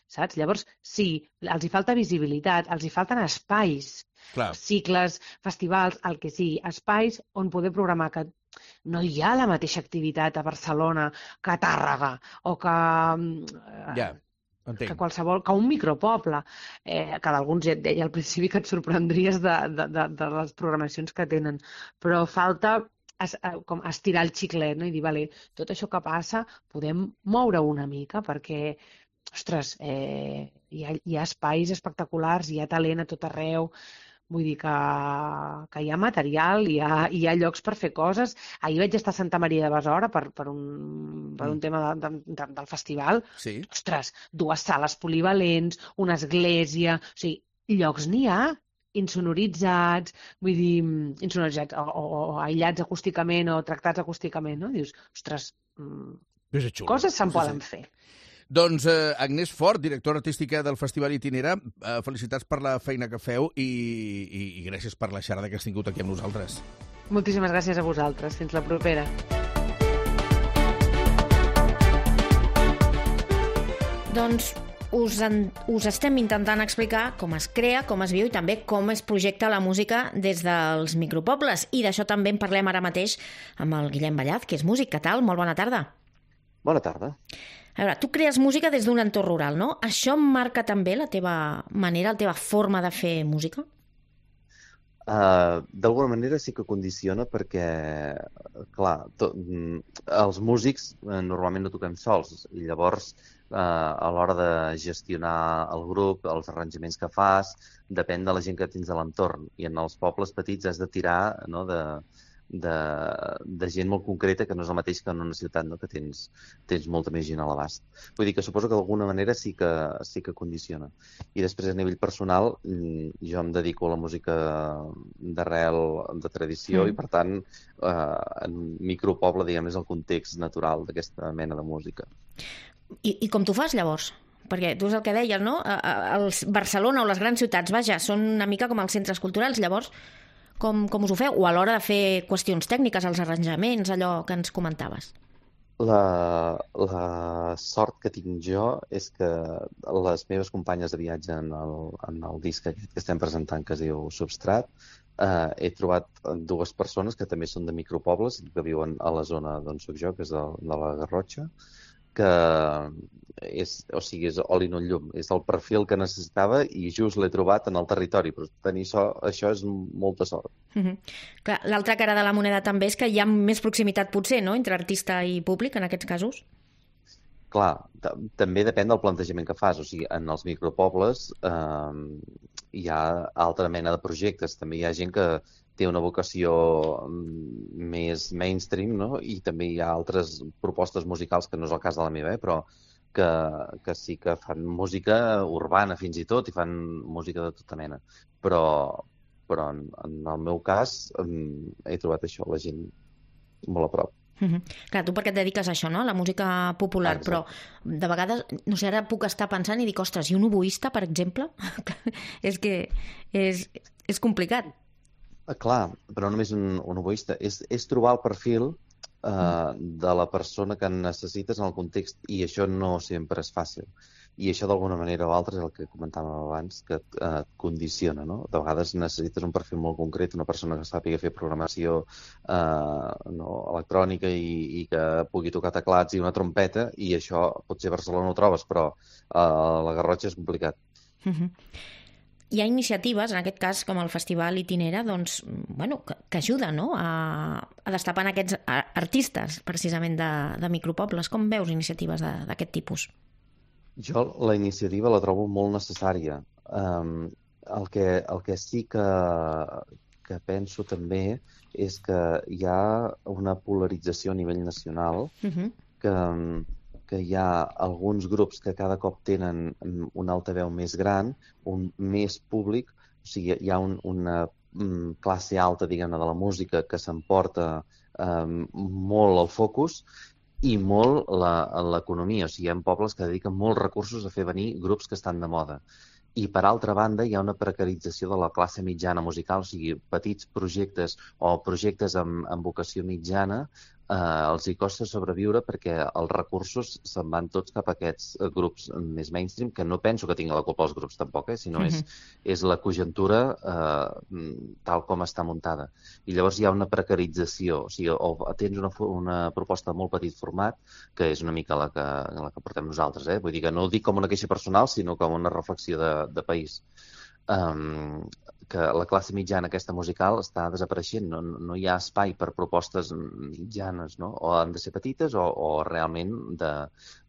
[SPEAKER 21] Saps? Llavors, sí, els hi falta visibilitat, els hi falten espais,
[SPEAKER 3] Clar.
[SPEAKER 21] cicles, festivals, el que sigui, espais on poder programar, que no hi ha la mateixa activitat a Barcelona que a Tàrrega o que,
[SPEAKER 3] ja,
[SPEAKER 21] que qualsevol, que un micropoble, eh, que d'alguns ja et deia al principi que et sorprendries de, de, de, de les programacions que tenen, però falta es, com estirar el xiclet, no? I dir, vale, tot això que passa podem moure una mica perquè ostres, eh, hi, ha, hi ha espais espectaculars, hi ha talent a tot arreu, vull dir que, que hi ha material, hi ha, hi ha llocs per fer coses. Ahir vaig estar a Santa Maria de Besora per, per, un, per un tema de, de, de, del festival.
[SPEAKER 3] Sí.
[SPEAKER 21] Ostres, dues sales polivalents, una església... O sigui, llocs n'hi ha, insonoritzats, vull dir, insonoritzats o, o, o aïllats acústicament o tractats acústicament, no? Dius, ostres,
[SPEAKER 3] xulo.
[SPEAKER 21] Coses se'n
[SPEAKER 3] sí,
[SPEAKER 21] poden
[SPEAKER 3] sí.
[SPEAKER 21] fer.
[SPEAKER 3] Doncs eh, Agnès Fort, directora artística del Festival Itinera, eh, felicitats per la feina que feu i, i, i gràcies per la xerrada que has tingut aquí amb nosaltres.
[SPEAKER 21] Moltíssimes gràcies a vosaltres. Fins la propera.
[SPEAKER 5] Doncs us, en, us estem intentant explicar com es crea, com es viu i també com es projecta la música des dels micropobles. I d'això també en parlem ara mateix amb el Guillem Ballaz, que és músic. Què tal? Molt bona tarda.
[SPEAKER 4] Bona tarda.
[SPEAKER 5] A veure, tu crees música des d'un entorn rural, no? Això marca també la teva manera, la teva forma de fer música?
[SPEAKER 4] Uh, D'alguna manera sí que condiciona perquè, clar, to, els músics uh, normalment no toquem sols i llavors uh, a l'hora de gestionar el grup, els arranjaments que fas, depèn de la gent que tens a l'entorn. I en els pobles petits has de tirar, no, de, de, de gent molt concreta que no és el mateix que en una ciutat, no, que tens, tens molta més gent a l'abast. Vull dir que suposo que d'alguna manera sí que, sí que condiciona. I després a nivell personal jo em dedico a la música d'arrel, de tradició, mm. i per tant eh, en micropoble, diguem, és el context natural d'aquesta mena de música.
[SPEAKER 5] I, i com tu fas llavors? Perquè tu és el que deies, no? Els Barcelona o les grans ciutats, vaja, són una mica com els centres culturals, llavors Com, com us ho feu? O a l'hora de fer qüestions tècniques, els arranjaments, allò que ens comentaves?
[SPEAKER 4] La, la sort que tinc jo és que les meves companyes de viatge en el, en el disc aquest que estem presentant, que es diu Substrat, eh, he trobat dues persones que també són de micropobles i que viuen a la zona d'on soc jo, que és de, de la Garrotxa, que és, o sigui, és oli no llum, és el perfil que necessitava i just l'he trobat en el territori, però tenir so, això és molta sort.
[SPEAKER 5] Mm-hmm. Clar, l'altra cara de la moneda també és que hi ha més proximitat potser, no?, entre artista i públic en aquests casos.
[SPEAKER 4] Clar, també depèn del plantejament que fas, o sigui, en els micropobles eh, hi ha altra mena de projectes, també hi ha gent que té una vocació més mainstream, no? I també hi ha altres propostes musicals, que no és el cas de la meva, eh? Però que, que sí que fan música urbana fins i tot i fan música de tota mena. Però, però en, en el meu cas he trobat això, la gent molt a prop.
[SPEAKER 5] Mm-hmm. Clar, tu perquè et dediques a això, no?, a la música popular, ah, però de vegades, no sé, ara puc estar pensant i dic, ostres, i un oboista, per exemple? És que és, és complicat.
[SPEAKER 4] Clar, però no només un, un oboista, és, és trobar el perfil eh, de la persona que necessites en el context, i això no sempre és fàcil. I això d'alguna manera o altra és el que comentàvem abans, que et, eh, et condiciona, no? De vegades necessites un perfil molt concret, una persona que sàpiga fer programació eh, no, electrònica i, i que pugui tocar teclats i una trompeta, i això potser a Barcelona ho trobes, però eh, a la Garrotxa és complicat.
[SPEAKER 5] Mm-hmm. Hi ha iniciatives, en aquest cas, com el Festival Itinera, doncs, bueno, que, que ajuden, no?, a, a destapar aquests artistes, precisament, de, de micropobles. Com veus iniciatives d'aquest tipus?
[SPEAKER 4] Jo la iniciativa la trobo molt necessària. Um, el, que, el que sí que, que penso també és que hi ha una polarització a nivell nacional, uh-huh. que... que hi ha alguns grups que cada cop tenen un altaveu més gran, un més públic, o sigui, hi ha un, una um, classe alta, diguem-ne, de la música que s'emporta um, molt al focus i molt l'economia. O sigui, hi ha pobles que dediquen molts recursos a fer venir grups que estan de moda. I, per altra banda, hi ha una precarització de la classe mitjana musical, o sigui, petits projectes o projectes amb, amb vocació mitjana, eh, els hi costa sobreviure perquè els recursos se'n van tots cap a aquests grups més mainstream, que no penso que tingui la culpa els grups tampoc, eh, sinó uh-huh. és, és la conjuntura eh, tal com està muntada. I llavors hi ha una precarització, o sigui, o tens una, una proposta de molt petit format, que és una mica la que, la que portem nosaltres, eh? Vull dir que no ho dic com una queixa personal, sinó com una reflexió de, de país. Um, que la classe mitjana aquesta musical està desapareixent, no, no hi ha espai per propostes mitjanes, no? O han de ser petites o, o realment de,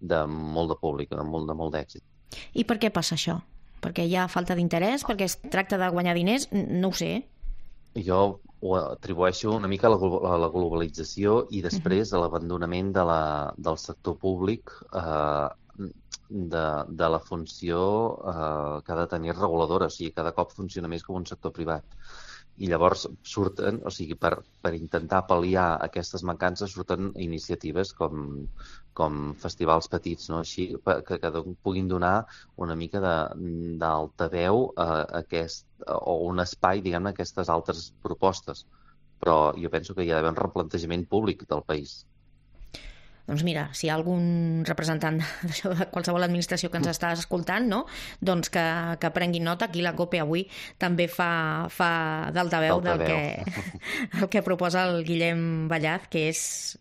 [SPEAKER 4] de molt de públic, de molt, de molt d'èxit.
[SPEAKER 5] I per què passa això? Perquè hi ha falta d'interès? Perquè es tracta de guanyar diners? No ho sé.
[SPEAKER 4] Jo ho atribueixo una mica a la, a la globalització i després uh-huh. a l'abandonament de la, del sector públic eh, de, de la funció eh, que ha de tenir reguladora, o sigui, cada cop funciona més com un sector privat. I llavors surten, o sigui, per, per intentar pal·liar aquestes mancances, surten iniciatives com, com festivals petits, no? Així que, que puguin donar una mica d'altaveu a aquest, o un espai, diguem-ne, a aquestes altres propostes. Però jo penso que hi ha d'haver un replantejament públic del país.
[SPEAKER 5] Doncs mira, si hi ha algun representant d'això, de qualsevol administració que ens està escoltant, no? Doncs que, que prengui nota. Aquí la COPE avui també fa, fa d'altaveu del que, el que proposa el Guillem Ballaz, que és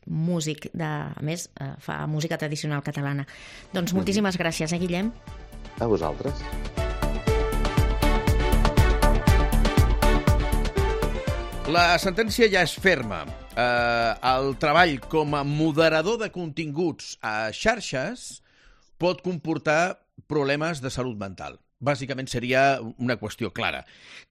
[SPEAKER 5] músic, de, a més, fa música tradicional catalana. Doncs moltíssimes gràcies, eh, Guillem?
[SPEAKER 4] A vosaltres.
[SPEAKER 3] La sentència ja és ferma. Eh, el treball com a moderador de continguts a xarxes pot comportar problemes de salut mental. Bàsicament seria una qüestió clara.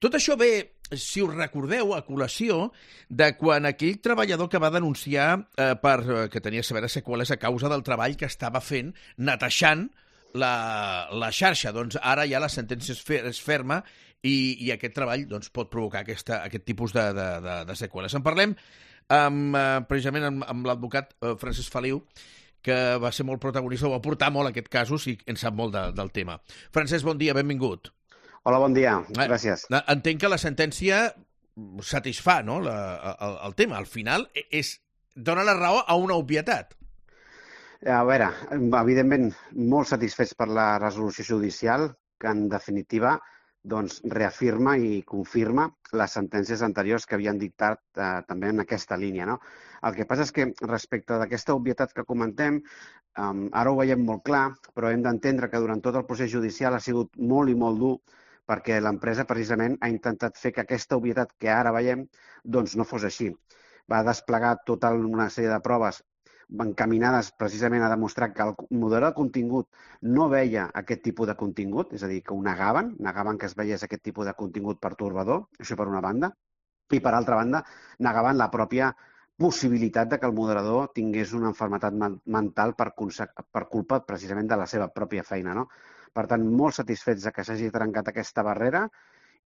[SPEAKER 3] Tot això ve, si us recordeu, a col·lació de quan aquell treballador que va denunciar eh, per, que tenia severes seqüeles a causa del treball que estava fent netejant la, la xarxa. Doncs ara ja la sentència és, fer, és ferma i, i aquest treball doncs, pot provocar aquesta, aquest tipus de, de, de, de seqüeles. En parlem amb, eh, precisament amb, amb l'advocat eh, Francesc Feliu, que va ser molt protagonista, o va portar molt aquest casos i en sap molt de, del tema. Francesc, bon dia, benvingut.
[SPEAKER 6] Hola, bon dia, gràcies.
[SPEAKER 3] Eh, entenc que la sentència satisfà, no?, la, el, el tema. Al final és, dona la raó a una obvietat.
[SPEAKER 6] A veure, evidentment, molt satisfets per la resolució judicial, que en definitiva doncs, reafirma i confirma les sentències anteriors que havien dictat eh, també en aquesta línia. No? El que passa és que respecte d'aquesta obvietat que comentem, eh, ara ho veiem molt clar, però hem d'entendre que durant tot el procés judicial ha sigut molt i molt dur perquè l'empresa precisament ha intentat fer que aquesta obvietat que ara veiem doncs no fos així. Va desplegar tota una sèrie de proves encaminades precisament a demostrar que el moderador de contingut no veia aquest tipus de contingut, és a dir, que ho negaven, negaven que es veiés aquest tipus de contingut pertorbador, això per una banda, i per altra banda negaven la pròpia possibilitat de que el moderador tingués una malaltia mental per, per culpa precisament de la seva pròpia feina. No? Per tant, molt satisfets de que s'hagi trencat aquesta barrera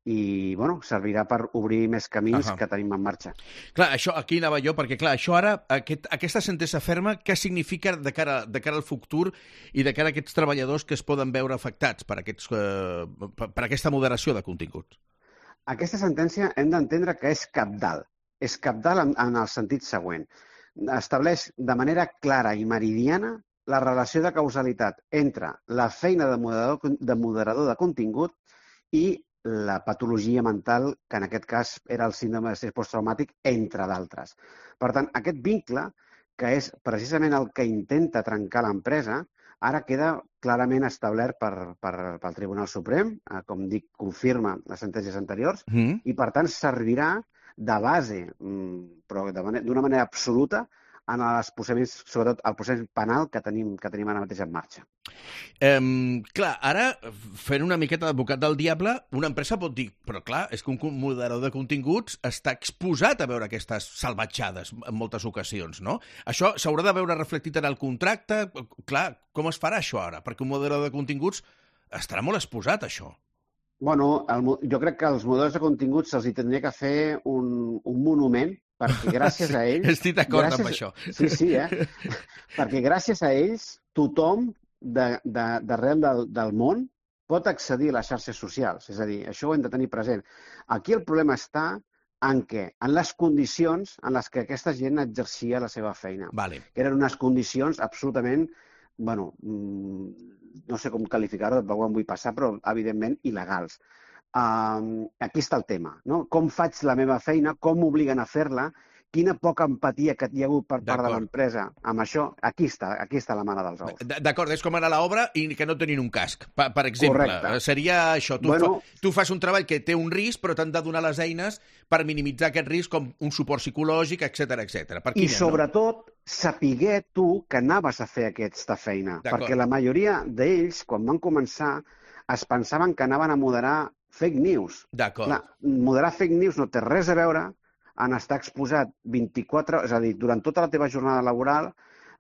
[SPEAKER 6] i bueno, servirà per obrir més camins uh-huh. que tenim en marxa.
[SPEAKER 3] Clar, això aquí anava jo, perquè clar, això ara, aquest, aquesta sentència ferma, què significa de cara, de cara al futur i de cara a aquests treballadors que es poden veure afectats per, aquests, eh, per, per aquesta moderació de contingut?
[SPEAKER 6] Aquesta sentència hem d'entendre que és cabdal. És cabdal en, en el sentit següent. Estableix de manera clara i meridiana la relació de causalitat entre la feina de moderador de, moderador de contingut i la patologia mental, que en aquest cas era el síndrome d'estrès posttraumàtic, entre d'altres. Per tant, aquest vincle, que és precisament el que intenta trencar l'empresa, ara queda clarament establert per, per, pel Tribunal Suprem, eh, com dic, confirma les sentències anteriors, mm. i per tant servirà de base, però d'una manera absoluta, en els procediments, sobretot el procés penal que tenim, que tenim ara mateix en marxa.
[SPEAKER 3] Um, clar, ara, fent una miqueta d'advocat del diable, una empresa pot dir, però clar, és que un moderador de continguts està exposat a veure aquestes salvatjades en moltes ocasions, no? Això s'haurà de veure reflectit en el contracte. Clar, com es farà això ara? Perquè un moderador de continguts estarà molt exposat a això.
[SPEAKER 6] Bueno, el, jo crec que als moderadors de continguts se'ls tindria que fer un, un monument perquè gràcies a ells...
[SPEAKER 3] Estic d'acord
[SPEAKER 6] gràcies,
[SPEAKER 3] amb això.
[SPEAKER 6] Sí, sí, eh? Perquè gràcies a ells tothom de, de, d'arrel del, del món pot accedir a les xarxes socials. És a dir, això ho hem de tenir present. Aquí el problema està en què? En les condicions en les que aquesta gent exercia la seva feina.
[SPEAKER 3] Vale.
[SPEAKER 6] Que eren unes condicions absolutament, bueno, no sé com qualificar-ho, tampoc em vull passar, però evidentment il·legals. Uh, aquí està el tema, no? Com faig la meva feina, com m'obliguen a fer-la, quina poca empatia que hi ha hagut per part de l'empresa amb això, aquí està, aquí està la mare dels ous.
[SPEAKER 3] D'acord, és com anar a l'obra i que no tenien un casc, per, per exemple.
[SPEAKER 6] Correcte.
[SPEAKER 3] Seria això, tu, bueno, fa, tu fas un treball que té un risc, però t'han de donar les eines per minimitzar aquest risc, com un suport psicològic, etcètera, etcètera.
[SPEAKER 6] I sobretot, no? Sapiguer tu que anaves a fer aquesta feina, perquè la majoria d'ells, quan van començar, es pensaven que anaven a moderar fake news.
[SPEAKER 3] D'acord.
[SPEAKER 6] Moderar fake news no té res a veure en estar exposat vint-i-quatre hores, és a dir, durant tota la teva jornada laboral,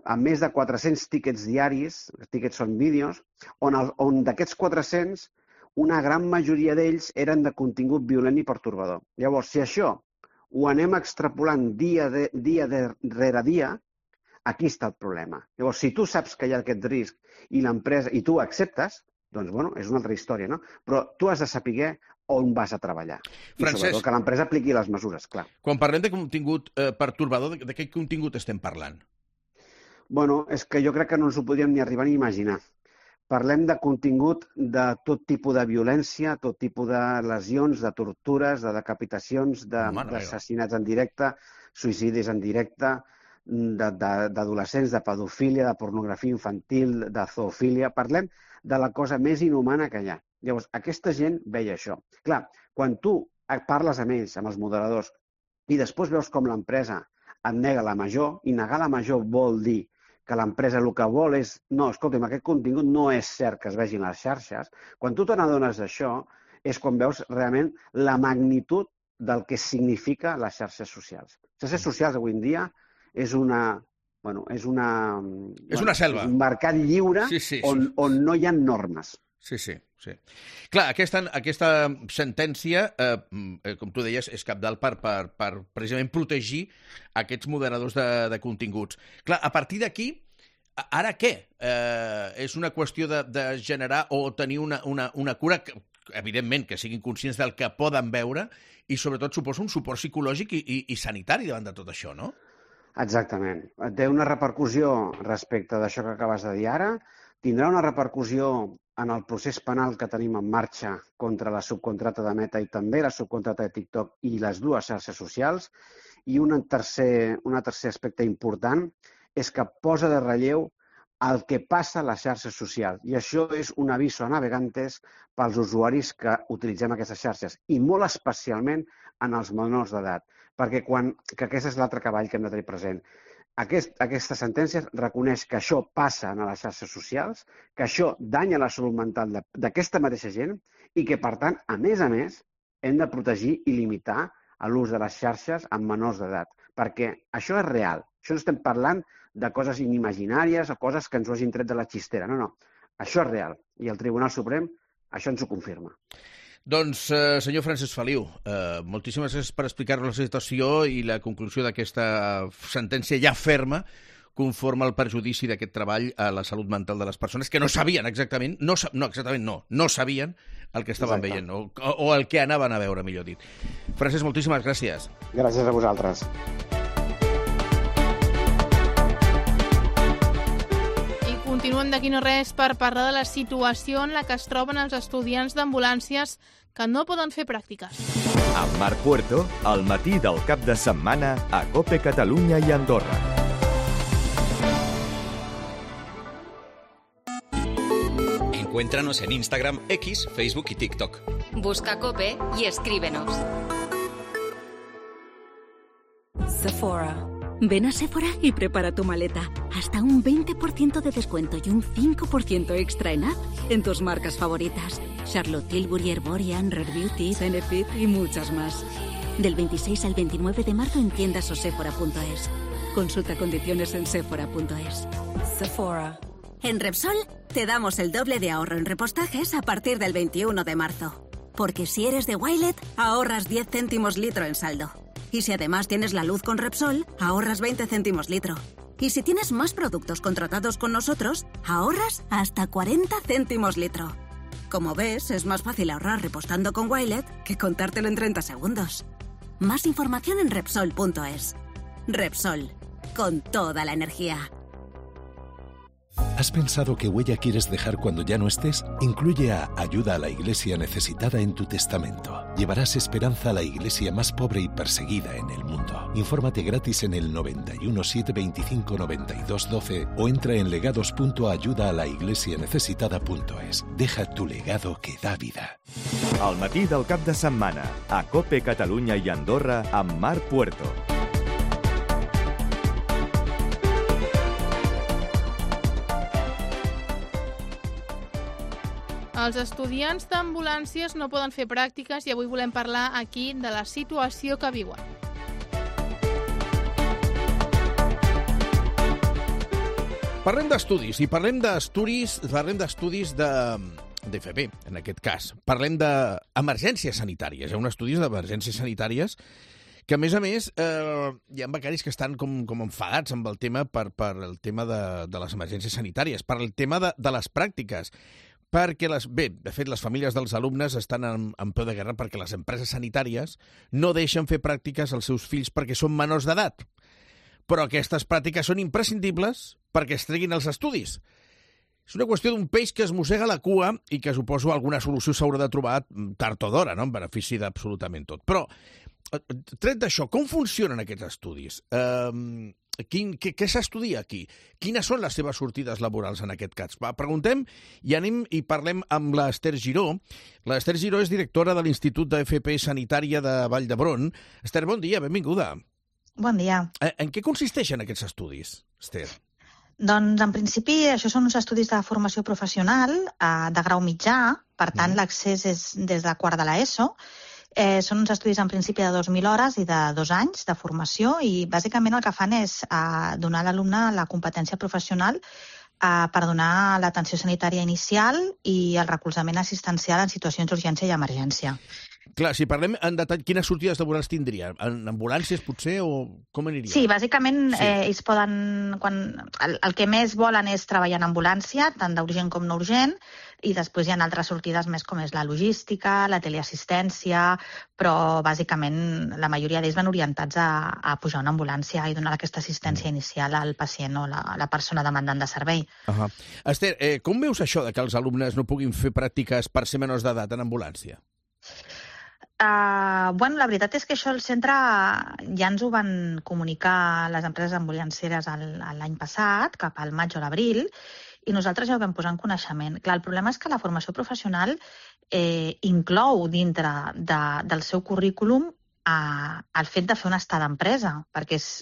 [SPEAKER 6] amb més de quatre-cents tíquets diaris, tíquets són vídeos, on, el, on d'aquests quatre-cents, una gran majoria d'ells eren de contingut violent i pertorbador. Llavors, si això ho anem extrapolant dia, de, dia de, rere dia, aquí està el problema. Llavors, si tu saps que hi ha aquest risc i l'empresa, i tu acceptes, doncs, bueno, és una altra història, no? Però tu has de saber on vas a treballar. I Francesc, sobretot que l'empresa apliqui les mesures, clar.
[SPEAKER 3] Quan parlem de contingut eh, pertorbador, de, de què contingut estem parlant?
[SPEAKER 6] Bueno, és que jo crec que no ens ho podríem ni arribar ni imaginar. Parlem de contingut de tot tipus de violència, tot tipus de lesions, de tortures, de decapitacions, d'assassinats en directe, suïcidis en directe, d'adolescents, de, de, de pedofília, de pornografia infantil, de zoofília. Parlem de la cosa més inhumana que hi ha. Llavors, aquesta gent veia això. Clar, quan tu parles amb ells, amb els moderadors, i després veus com l'empresa et nega la major, i negar la major vol dir que l'empresa el que vol és, no, escolta'm, aquest contingut no és cert que es vegin les xarxes, quan tu te n'adones d'això és quan veus realment la magnitud del que significa les xarxes socials. Les xarxes socials avui en dia és una... Bueno, és una...
[SPEAKER 3] És una selva.
[SPEAKER 6] És un mercat lliure
[SPEAKER 3] sí, sí,
[SPEAKER 6] on,
[SPEAKER 3] sí.
[SPEAKER 6] on no hi ha normes.
[SPEAKER 3] Sí, sí, sí. Clar, aquesta, aquesta sentència, eh, com tu deies, és cabdal per, per, per precisament protegir aquests moderadors de, de continguts. Clar, a partir d'aquí, ara què? Eh, és una qüestió de, de generar o tenir una, una, una cura, que, evidentment, que siguin conscients del que poden veure i, sobretot, suposa un suport psicològic i, i, i sanitari davant de tot això, no?
[SPEAKER 6] Exactament. Té una repercussió respecte d'això que acabes de dir ara, tindrà una repercussió en el procés penal que tenim en marxa contra la subcontrata de Meta i també la subcontrata de TikTok i les dues xarxes socials. I un tercer, un tercer aspecte important és que posa de relleu el que passa a les xarxes socials. I això és un aviso a navegantes pels usuaris que utilitzem aquestes xarxes, i molt especialment en els menors d'edat, perquè quan, que aquest és l'altre cavall que hem de tenir present. Aquest, aquesta sentència reconeix que això passa a les xarxes socials, que això danya la salut mental d'aquesta mateixa gent i que, per tant, a més a més, hem de protegir i limitar l'ús de les xarxes amb menors d'edat, perquè això és real. Això no estem parlant de coses inimaginàries o coses que ens ho hagin tret de la xistera. No, no. Això és real. I el Tribunal Suprem això ens ho confirma.
[SPEAKER 3] Doncs, eh, senyor Francesc Feliu, eh, moltíssimes gràcies per explicar-nos la situació i la conclusió d'aquesta sentència ja ferma conforme al perjudici d'aquest treball a la salut mental de les persones que no sabien exactament, no, no exactament no, no sabien el que estaven Exacte. veient o, o el que anaven a veure, millor dit. Francesc, moltíssimes gràcies.
[SPEAKER 6] Gràcies a vosaltres.
[SPEAKER 2] Continuem d'aquí no res per parlar de la situació en la que es troben els estudiants d'ambulàncies que no poden fer pràctiques.
[SPEAKER 1] Amb Marc Puerto, al matí del cap de setmana a COPE Catalunya i Andorra.
[SPEAKER 16] Encuéntranos en Instagram, X, Facebook y TikTok.
[SPEAKER 17] Busca COPE y escríbenos.
[SPEAKER 8] Sephora. Ven a Sephora y prepara tu maleta. Hasta un veinte por ciento de descuento y un cinco por ciento extra en app en tus marcas favoritas. Charlotte Tilbury, Herborian, Rare Beauty, Benefit y muchas más. Del veintiséis al veintinueve de marzo en tiendas o sephora punto es. Consulta condiciones en sephora punto es. Sephora.
[SPEAKER 7] En Repsol te damos el doble de ahorro en repostajes a partir del veintiuno de marzo. Porque si eres de Wilet, ahorras diez céntimos litro en saldo. Y si además tienes la luz con Repsol, ahorras veinte céntimos litro. Y si tienes más productos contratados con nosotros, ahorras hasta cuarenta céntimos litro. Como ves, es más fácil ahorrar repostando con Wilet que contártelo en treinta segundos. Más información en Repsol punto es. Repsol, con toda la energía.
[SPEAKER 10] ¿Has pensado qué huella quieres dejar cuando ya no estés? Incluye a Ayuda a la Iglesia Necesitada en tu testamento. Llevarás esperanza a la iglesia más pobre y perseguida en el mundo. Infórmate gratis en el noventa y uno, siete veinticinco, noventa y dos, doce o entra en legados punto ayuda a la iglesia necesitada punto es. Deja tu legado que da vida.
[SPEAKER 1] Al matí del cap de setmana, a COPE Catalunya i Andorra amb Marc Puerto.
[SPEAKER 2] Els estudiants d'ambulàncies no poden fer pràctiques i avui volem parlar aquí de la situació que viuen.
[SPEAKER 3] Parlem d'estudis, i parlem d'estudis, parlem d'estudis de d'F P, en aquest cas. Parlem d'emergències sanitàries. Hi ha un estudi d'emergències sanitàries que, a més a més, eh, hi ha becaris que estan com, com enfadats amb el tema per, per el tema de, de les emergències sanitàries, per el tema de, de les pràctiques. Perquè, les, bé, de fet, les famílies dels alumnes estan en, en peu de guerra perquè les empreses sanitàries no deixen fer pràctiques als seus fills perquè són menors d'edat. Però aquestes pràctiques són imprescindibles perquè es treguin els estudis. És una qüestió d'un peix que es mossega la cua i que suposo alguna solució s'haurà de trobar tard o d'hora, no? En benefici d'absolutament tot. Però, tret d'això, com funcionen aquests estudis? Eh... Quin, què què s'estudia aquí? Quines són les seves sortides laborals en aquest cas? Va, preguntem i anem i parlem amb l'Ester Giró. L'Ester Giró és directora de l'Institut d'F P Sanitària de Vall d'Hebron. Ester, bon dia, benvinguda.
[SPEAKER 22] Bon dia.
[SPEAKER 3] En què consisteixen aquests estudis, Ester?
[SPEAKER 22] Doncs, en principi, això són uns estudis de formació professional eh, de grau mitjà, per tant, mm. l'accés és des de quart de l'ESO. Eh, són uns estudis en principi de dos mil hores i de dos anys de formació i bàsicament el que fan és eh, donar a l'alumne la competència professional eh, per donar l'atenció sanitària inicial i el recolzament assistencial en situacions d'urgència i emergència.
[SPEAKER 3] Clar, si parlem en detall, quines sortides laborals tindria? En ambulàncies, potser, o com aniria?
[SPEAKER 22] Sí, bàsicament sí. Eh, ells poden... Quan, el, el que més volen és treballar en ambulància, tant d'urgent com no urgent. i després hi ha altres sortides més com és la logística, la teleassistència, però bàsicament la majoria d'ells van orientats a, a pujar una ambulància i donar aquesta assistència mm. inicial al pacient o la, la persona demandant de servei.
[SPEAKER 3] Uh -huh. Esther, eh, com veus això de que els alumnes no puguin fer pràctiques per ser menors d'edat en ambulància?
[SPEAKER 22] Uh, bueno, la veritat és que això el centre ja ens ho van comunicar les empreses ambulancieres l'any passat, cap al maig o l'abril, i nosaltres ja ho vam posar en coneixement. Clar, el problema és que la formació professional eh, inclou dintre de, del seu currículum eh, el fet de fer una estada d'empresa, perquè és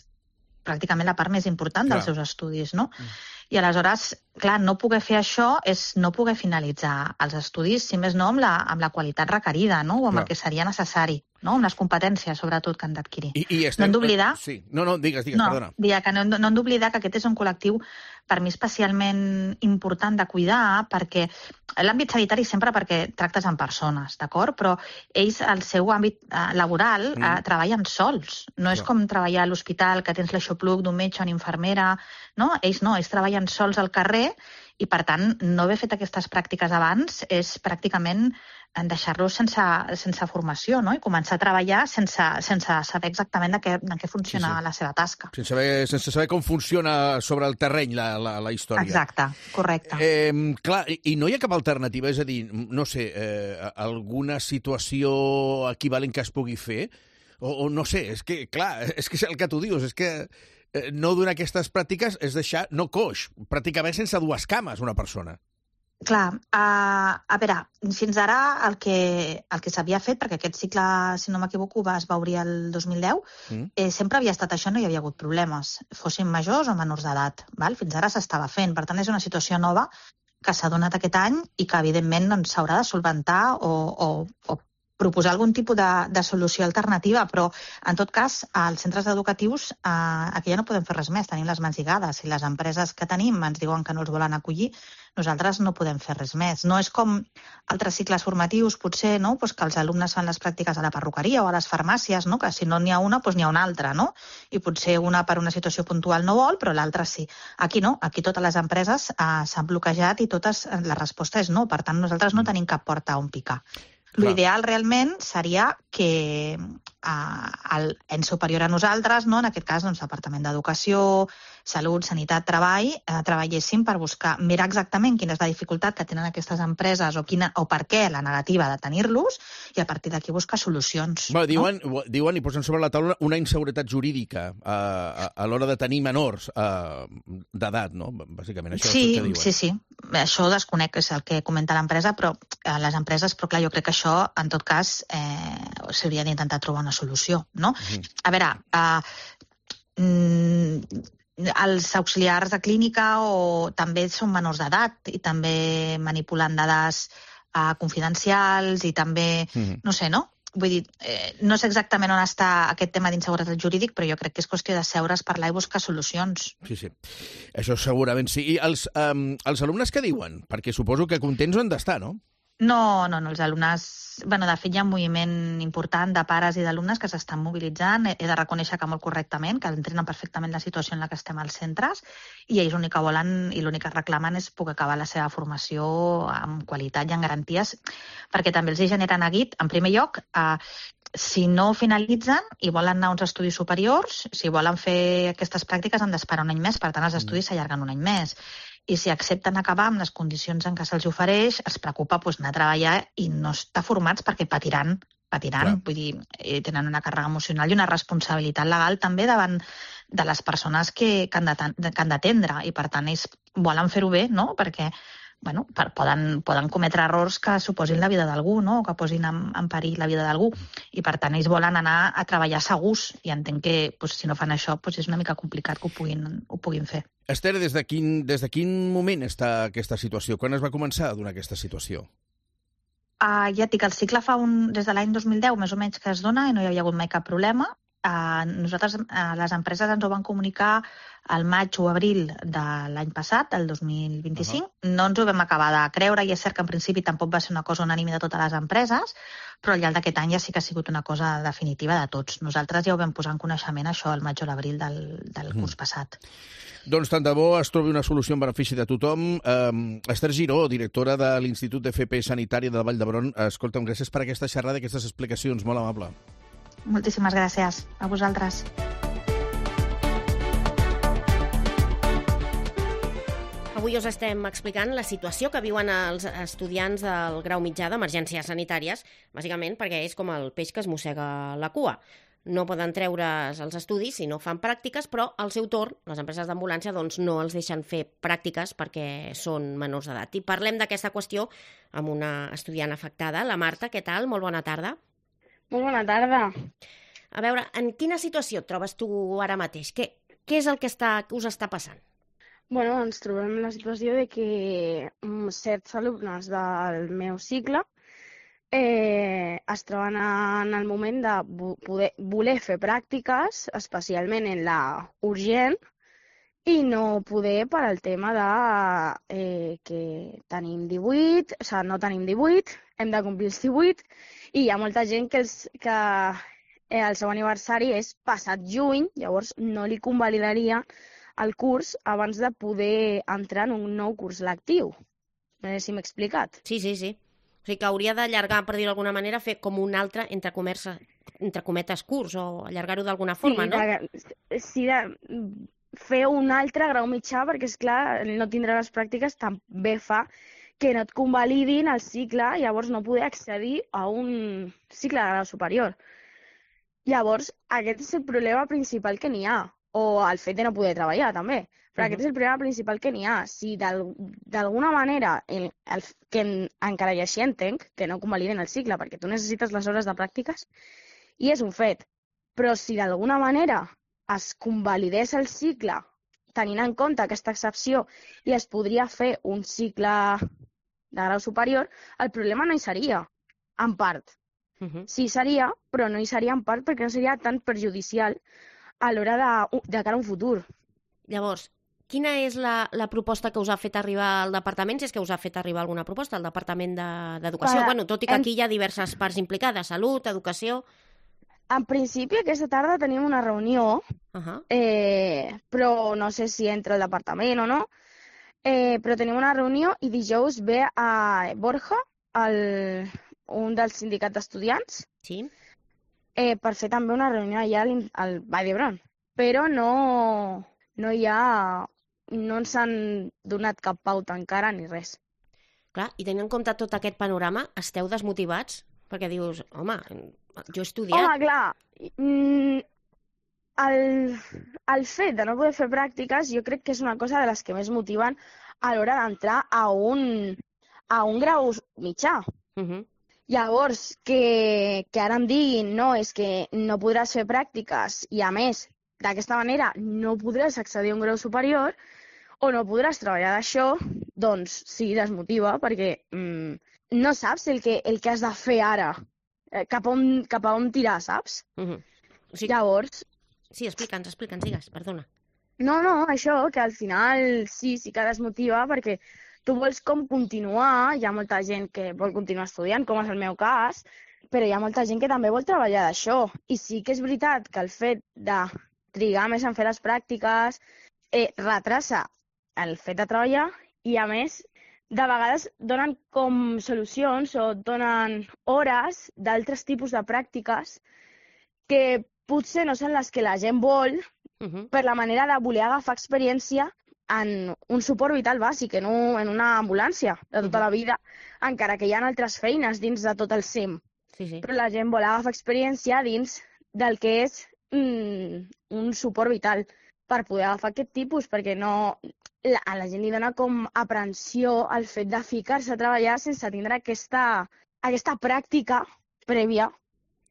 [SPEAKER 22] pràcticament la part més important clar. dels seus estudis, no? Mm. I aleshores, clar, no poder fer això és no poder finalitzar els estudis, si més no, amb la, amb la qualitat requerida, no? O amb clar. el que seria necessari, no? Amb les competències, sobretot, que han d'adquirir.
[SPEAKER 3] I, i
[SPEAKER 22] estem... No hem d'oblidar...
[SPEAKER 3] Sí. No, no, digues, digues,
[SPEAKER 22] no,
[SPEAKER 3] perdona.
[SPEAKER 22] Dia que no, no hem d'oblidar que aquest és un col·lectiu per mi especialment important de cuidar, perquè l'àmbit sanitari sempre perquè tractes amb persones, d'acord? Però ells, al seu àmbit eh, laboral, mm. eh, treballen sols. No és com treballar a l'hospital, que tens l'aixopluc d'un metge o una infermera, no? Ells no, ells treballen sols al carrer i, per tant, no haver fet aquestes pràctiques abans és pràcticament deixar-los sense, sense formació, no? I començar a treballar sense, sense saber exactament de què, de què funciona sí, sí. la seva tasca.
[SPEAKER 3] Sense saber, sense saber com funciona sobre el terreny la, la, la història.
[SPEAKER 22] Exacte, correcte.
[SPEAKER 3] Eh, clar, i, i no hi ha cap alternativa? És a dir, no sé, eh, alguna situació equivalent que es pugui fer? O, o no sé, és que, clar, és que és el que tu dius, és que eh, no donar aquestes pràctiques és deixar, no coix, pràcticament sense dues cames una persona.
[SPEAKER 22] Clar, uh, a veure, fins ara el que, el que s'havia fet, perquè aquest cicle, si no m'equivoco, es va obrir el dos mil deu, mm. eh, sempre havia estat això, no hi havia hagut problemes, fossin majors o menors d'edat. Fins ara s'estava fent, per tant és una situació nova que s'ha donat aquest any i que evidentment doncs, s'haurà de solventar o, o, o proposar algun tipus de, de solució alternativa, però en tot cas als centres educatius eh, aquí ja no podem fer res més, tenim les mans lligades. Si les empreses que tenim ens diuen que no els volen acollir, nosaltres no podem fer res més. No és com altres cicles formatius, potser, no? Pues que els alumnes fan les pràctiques a la perruqueria o a les farmàcies, no? Que si no n'hi ha una, doncs n'hi ha una altra, no? I potser una per una situació puntual no vol, però l'altra sí. Aquí no, aquí totes les empreses eh, s'han bloquejat i totes, la resposta és no. Per tant, nosaltres no tenim cap porta on picar. L'ideal realment seria que eh, el ens superior a nosaltres, no? En aquest cas, doncs, Departament d'Educació, Salut, Sanitat, Treball, eh, treballessin per buscar, mirar exactament quina és la dificultat que tenen aquestes empreses o, quina, o per què la negativa de tenir-los i a partir d'aquí buscar solucions.
[SPEAKER 3] Bueno, diuen, no? diuen i posen sobre la taula una inseguretat jurídica eh, a, a l'hora de tenir menors eh, d'edat, no? Bàsicament, això
[SPEAKER 22] sí,
[SPEAKER 3] és el que diuen.
[SPEAKER 22] Sí, sí. Això desconec, és el que comenta l'empresa, però eh, les empreses, però clar, jo crec que això, en tot cas, eh, s'hauria d'intentar trobar una solució, no? Mm. A veure, eh, mm, els auxiliars de clínica o també són menors d'edat i també manipulant dades eh, confidencials i també, mm. no sé, no? Vull dir, eh, no sé exactament on està aquest tema d'inseguretat jurídic, però jo crec que és qüestió de seure's, parlar i buscar solucions.
[SPEAKER 3] Sí, sí. Això segurament sí. I els, um, els alumnes què diuen? Perquè suposo que contents han d'estar, no?
[SPEAKER 22] No, no, no, els alumnes... Bueno, de fet, hi ha un moviment important de pares i d'alumnes que s'estan mobilitzant. He de reconèixer que molt correctament, que entrenen perfectament la situació en la que estem als centres i ells l'únic que volen i l'únic que reclamen és poder acabar la seva formació amb qualitat i amb garanties, perquè també els hi genera neguit, en primer lloc, eh, si no finalitzen i volen anar a uns estudis superiors, si volen fer aquestes pràctiques han d'esperar un any més, per tant els estudis s'allarguen un any més. I si accepten acabar amb les condicions en què se'ls ofereix, els preocupa doncs, anar a treballar i no estar formats perquè patiran, patiran. Clar. Vull dir, tenen una càrrega emocional i una responsabilitat legal també davant de les persones que, que han d'atendre i per tant ells volen fer-ho bé, no? Perquè bueno, per, poden, poden cometre errors que suposin la vida d'algú, no? O que posin en, en perill la vida d'algú. I per tant ells volen anar a treballar segurs i entenc que pues, si no fan això pues, és una mica complicat que ho puguin, ho puguin fer.
[SPEAKER 3] Esther, des de quin, des de quin moment està aquesta situació? Quan es va començar a donar aquesta situació?
[SPEAKER 22] Uh, ja et dic, el cicle fa un, des de l'any dos mil deu més o menys que es dona i no hi havia hagut mai cap problema. Uh, nosaltres, uh, les empreses ens ho van comunicar al maig o abril de l'any passat, el dos mil vint-i-cinc. Uh-huh. No ens ho vam acabar de creure i és cert que en principi tampoc va ser una cosa unànime de totes les empreses, però al llarg d'aquest any ja sí que ha sigut una cosa definitiva de tots. Nosaltres ja ho vam posar en coneixement, això, al maig o l'abril del, del curs uh-huh. passat.
[SPEAKER 3] Doncs tant de bo es trobi una solució en benefici de tothom. Um, Esther Giró, directora de l'Institut d'F P Sanitari de Vall d'Hebron, escolta'm, gràcies per aquesta xerrada i aquestes explicacions, molt amable.
[SPEAKER 22] Moltíssimes gràcies. A vosaltres.
[SPEAKER 5] Avui us estem explicant la situació que viuen els estudiants del grau mitjà d'emergències sanitàries, bàsicament perquè és com el peix que es mossega la cua. No poden treure's els estudis si no fan pràctiques, però al seu torn, les empreses d'ambulància doncs, no els deixen fer pràctiques perquè són menors d'edat. I parlem d'aquesta qüestió amb una estudiant afectada, la Marta. Què tal? Molt bona tarda.
[SPEAKER 9] Molt bona tarda.
[SPEAKER 5] A veure, en quina situació et trobes tu ara mateix? Què, què és el que, està, que us està passant?
[SPEAKER 9] Bueno, ens trobem en la situació de que certs alumnes del meu cicle eh, es troben en el moment de poder, voler fer pràctiques, especialment en la urgent, i no poder per al tema de eh, que tenim divuit, o sigui, no tenim divuit, hem de complir els divuit, i hi ha molta gent que, els, que eh, el seu aniversari és passat juny, llavors no li convalidaria el curs abans de poder entrar en un nou curs lectiu. No sé si m'he explicat.
[SPEAKER 5] Sí, sí, sí. O sigui que hauria d'allargar, per dir-ho d'alguna manera, fer com un altre, entre, comerça, entre cometes, curs, o allargar-ho d'alguna forma,
[SPEAKER 9] sí,
[SPEAKER 5] no?
[SPEAKER 9] De, sí, de fer un altre grau mitjà, perquè, esclar, no tindrà les pràctiques, també fa que no et convalidin el cicle, llavors no poder accedir a un cicle de grau superior. Llavors, aquest és el problema principal que n'hi ha, o el fet de no poder treballar, també. Però uh-huh. aquest és el problema principal que n'hi ha. Si d'alguna manera, el, el, que en, encara i així entenc, que no convaliden el cicle, perquè tu necessites les hores de pràctiques, i és un fet. Però si d'alguna manera es convalidés el cicle, tenint en compte aquesta excepció, i es podria fer un cicle de grau superior, el problema no hi seria, en part. Uh-huh. Sí seria, però no hi seria en part perquè no seria tan perjudicial a l'hora de, de cara a un futur.
[SPEAKER 5] Llavors, quina és la, la proposta que us ha fet arribar al departament, si és que us ha fet arribar alguna proposta al Departament d'Educació? De, bueno, tot i que en... aquí hi ha diverses parts implicades, salut, educació...
[SPEAKER 9] En principi, aquesta tarda tenim una reunió, uh-huh. eh, però no sé si entra el departament o no, eh, però tenim una reunió i dijous ve a Borja, el, un dels sindicats d'estudiants,
[SPEAKER 5] sí.
[SPEAKER 9] Eh, per fer també una reunió allà al, al Vall d'Hebron. Però no, no hi ha... no ens han donat cap pauta encara ni res.
[SPEAKER 5] Clar, i tenint en compte tot aquest panorama, esteu desmotivats? Perquè dius, home, jo he estudiat...
[SPEAKER 9] Home, clar, mm, el, el fet de no poder fer pràctiques jo crec que és una cosa de les que més motiven a l'hora d'entrar a un, a un grau mitjà. Uh-huh. Llavors, que, que ara em diguin, no, és que no podràs fer pràctiques i, a més, d'aquesta manera no podràs accedir a un grau superior o no podràs treballar d'això, doncs sí, desmotiva, perquè mm, no saps el que, el que has de fer ara, eh, cap, a on, cap a on tirar, saps?
[SPEAKER 5] Uh-huh. O sigui...
[SPEAKER 9] Llavors...
[SPEAKER 5] Sí, explica'ns, explica'ns, digues, perdona.
[SPEAKER 9] No, no, això, que al final sí, sí que desmotiva, perquè tu vols com continuar, hi ha molta gent que vol continuar estudiant, com és el meu cas, però hi ha molta gent que també vol treballar d'això. I sí que és veritat que el fet de trigar més en fer les pràctiques eh, retrasa el fet de treballar i, a més, de vegades donen com solucions o donen hores d'altres tipus de pràctiques que potser no són les que la gent vol uh-huh. per la manera de voler agafar experiència en un suport vital bàsic, en, un, en una ambulància de tota uh-huh. la vida, encara que hi ha altres feines dins de tot el C I M.
[SPEAKER 5] Sí, sí.
[SPEAKER 9] Però la gent vol agafar experiència dins del que és mm, un suport vital per poder agafar aquest tipus, perquè no, la, a la gent li dona com aprensió el fet de ficar-se a treballar sense tindre aquesta, aquesta pràctica prèvia.